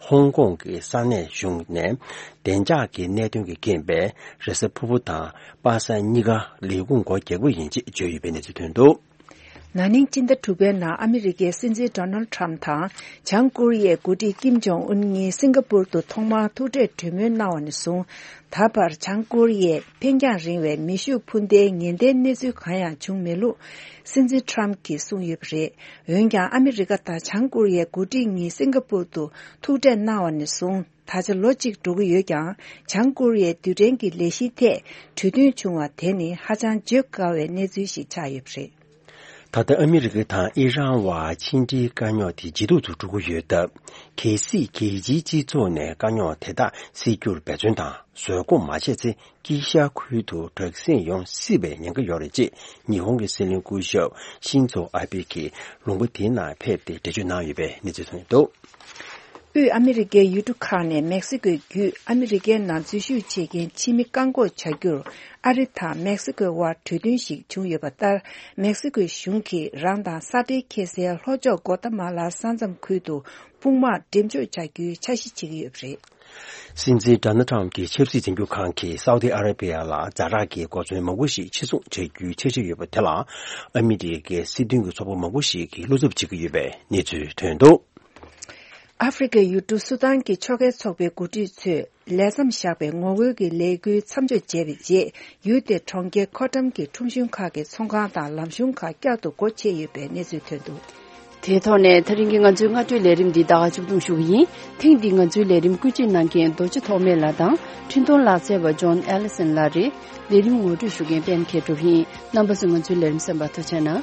ཧོང་ཀོང་གི་ས་གནས་གཞུང་ནས་བདེ་འཇགས་ཀྱི་གནད་དོན་གྱི་རྐྱེན་པས་རེས་གཟའ་ཕུར་བུ་དང་པ་སངས་གཉིས་ཀ་ལས་ཁུངས་སྒོ་རྒྱག་གི་ཡིན་ཅེས་བརྗོད་ཡོད་པའི་གནས་ཚུལ་ཐོན་འདུག། ན་ནིང་སྤྱི་ཟླ་དྲུག་པའི་ནང་ཨ་མི་རི་ཀའི་སྲིད་འཛིན་ཌོ་ནལ་ཊམ་དང་བྱང་ཀོ་རི་ཡའི་འགོ་ཁྲིད་ཀིམ་ཇོང་ཨུན་གཉིས་སིང་ག་པུར་དུ་ཐོག་མར་ཐུག་འཕྲད་གྲོས་མོལ་གནང་བ་ནས་བཟུང་། ད་བར་བྱང་ཀོ་རི་ཡས་འཕེན་རྒྱང་རིང་བའི་མེ་ཤུགས་འཕུར་མདེལ་ཉེན་བརྡའི་གནས་ཚུལ་གང་ཡང་བྱུང་མེད་ལུགས་སྲིད་འཛིན་ཊམ་གྱིས་གསུངས་ཡོད་པ་རེད། འོན་ཀྱང་ཨ་མི་རི་ཀ་དང་བྱང་ཀོ་རི་ཡའི་འགོ་ཁྲིད་གཉིས་སིང་ག་པུར་དུ་ཐུག་འཕྲད་གནང་བ་ནས་བཟུང་ད་ཆ་ལོ་གཅིག་འགྲོ་གི་ཡོད་ཀྱང་། བྱང་ཀོ་རི་ཡའི་རྡུལ་ཕྲན་གྱི་ལས་གཞིའི་ཐད་གྲོས་མཐུན་བྱུང་བ་དེ་ནི་ཧ་ཅང་བརྗོད་དཀའ་བའི་གནས་ཚུལ་ཞིག་ཆགས་ཡོད་པ་རེད། ད་ལྟ་ཨ་མི་རི་ཀ་དང་ཨི་རན་བར་ཕྱི་འབྲེལ་དཀའ་རྙོག་དེ་ཇེ་སྡུག་ཏུ་འགྲོ་གི་ཡོད་སྟབས། གལ་སྲིད་རྒྱལ་སྤྱིའི་སྤྱི་ཚོགས་ནས་དཀའ་རྙོག་དེ་དག་སེལ་རྒྱུར་འབད་བརྩོན་དང་བཟོད་སྒོམ་མ་བྱས་ཚེ། དཀྱིལ་ཤར་ཁུལ་དུ་དྲག་ཟིང་ཡོང་སྲིད་པའི་ཉེན་ཁ་ཡོད་རེད་ཅེས་ཉི་ཧོང་གི་སྲིད་བློན་སྐུ་ཞབས་ཤིན་ཛོ་ཨ་བྷེ་གིས་ལུང་པ་དེའི་ནང་ཕེབས་ཏེ་འགྲེལ་བརྗོད་གནང་ཡོད་པའི་གནས་ཚུལ་ཐོན་འདུག། དབུས་ཨ་མི་རི་ཀའི་ཡུལ་གྲུ་ཁག་ནས་མེག་སི་ཀོའི་བརྒྱུད་ཨ་མི་རི་ཀའི་ནང་འཛུལ་ཞུགས་བྱེད་མཁན་ཕྱི་མི་བཀག་འགོག་བྱ་རྒྱུར་ཨ་རི་དང་མེག་སི་ཀོའི་དབར་གྲོས་མཐུན་ཞིག་བྱུང་ཡོད་པ་ལྟར། མེག་སི་ཀོའི་གཞུང་གིས་རང་དང་ས་འབྲེལ་འཁེལ་སའི་ལྷོ་ཕྱོགས་གོ་ཏ་མ་ལ་ས་མཚམས་ཁུལ་དུ་དཔུང་དམག་འགྲེམས་འཇོག་བྱ་རྒྱུའི་འཆར་གཞི་བྱེད་ཀྱི་ཡོད་པ་རེད། སྲིད་འཛིན་ཌོ་ནལ་ཊམ་གྱི་ཆབ་སྲིད་འཛིན་སྐྱོང་ཁང་གིས་སའུ་ཏི་ཨ་ར་བི་ཡ་ལ་ཛ་དྲག་གི་གོ་མཚོན་མང་པོ་ཞིག་ཕྱིར་ཚོང་བྱ་རྒྱུའི་འཆར་གཞི་ཡོད་པ་དེ་ལ། ཨ་མི་རི་ཀའི་སྲིད་དོན་གྱི་ཚོགས་པ་མང་པོ་ཞིག་གིས་བློ་འཚབ་བྱེད་ཀྱི་ཡོད་པའི་གནས་ཚུལ་ཐོན་འདུག། ཨ་ཧྥེ་རི་ཁའི་ཡུལ་གྲུ་སུ་དཱན་གྱི་ཕྱོགས་འགལ་ཚོགས་པའི་འགོ་ཁྲིད་ཚོས་ལས་མཚམས་བཞག་པའི་ངོ་རྒོལ་གྱི་ལས་འགུལ་མཚམས་འཇོག་བྱས་པའི་རྗེས། ཡུལ་དེའི་གྲོང་ཁྱེར་ཁོ་ཊམ་གྱི་ཁྲོམ་གཞུང་ཁག་གི་ཚོང་ཁང་དང་ལམ་གཞུང་ཁག་བསྐྱར་དུ་སྒོ་ཕྱེ་ཡོད་པའི་གནས་ཚུལ་ཐོན་འདུག། དེའི་ཐོག་ནས་ད་རིང་གི་ང་ཚོའི་སྔ་དྲོའི་ལས་རིམ་འདི་ད་ག་མཇུག་བསྡོམས་ཞུ་གི་ཡིན། ཐེངས་འདིའི་ང་ཚོའི་ལས་རིམ་བཀོད་སྒྲིག་གནང་མཁན་རྡོ་རྗེ་ཐོགས་མེད་ལགས་དང་འཕྲིན་གཏོང་ལག་རྩལ་བ་ཇོན་ཨེ་ལི་སན་ལགས་རེད། ལས་རིམ་ངོ་སྤྲོད་ཞུ་མཁན་པད་མ་མཁས་གྲུབ་ཡིན། རྣམ་པ་ཚོས་ང་ཚོའི་ལས་རིམ་གསན་པར་ཐུགས་རྗེ་གནང་།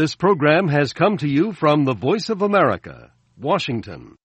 This program has come to you from the Voice of America, Washington.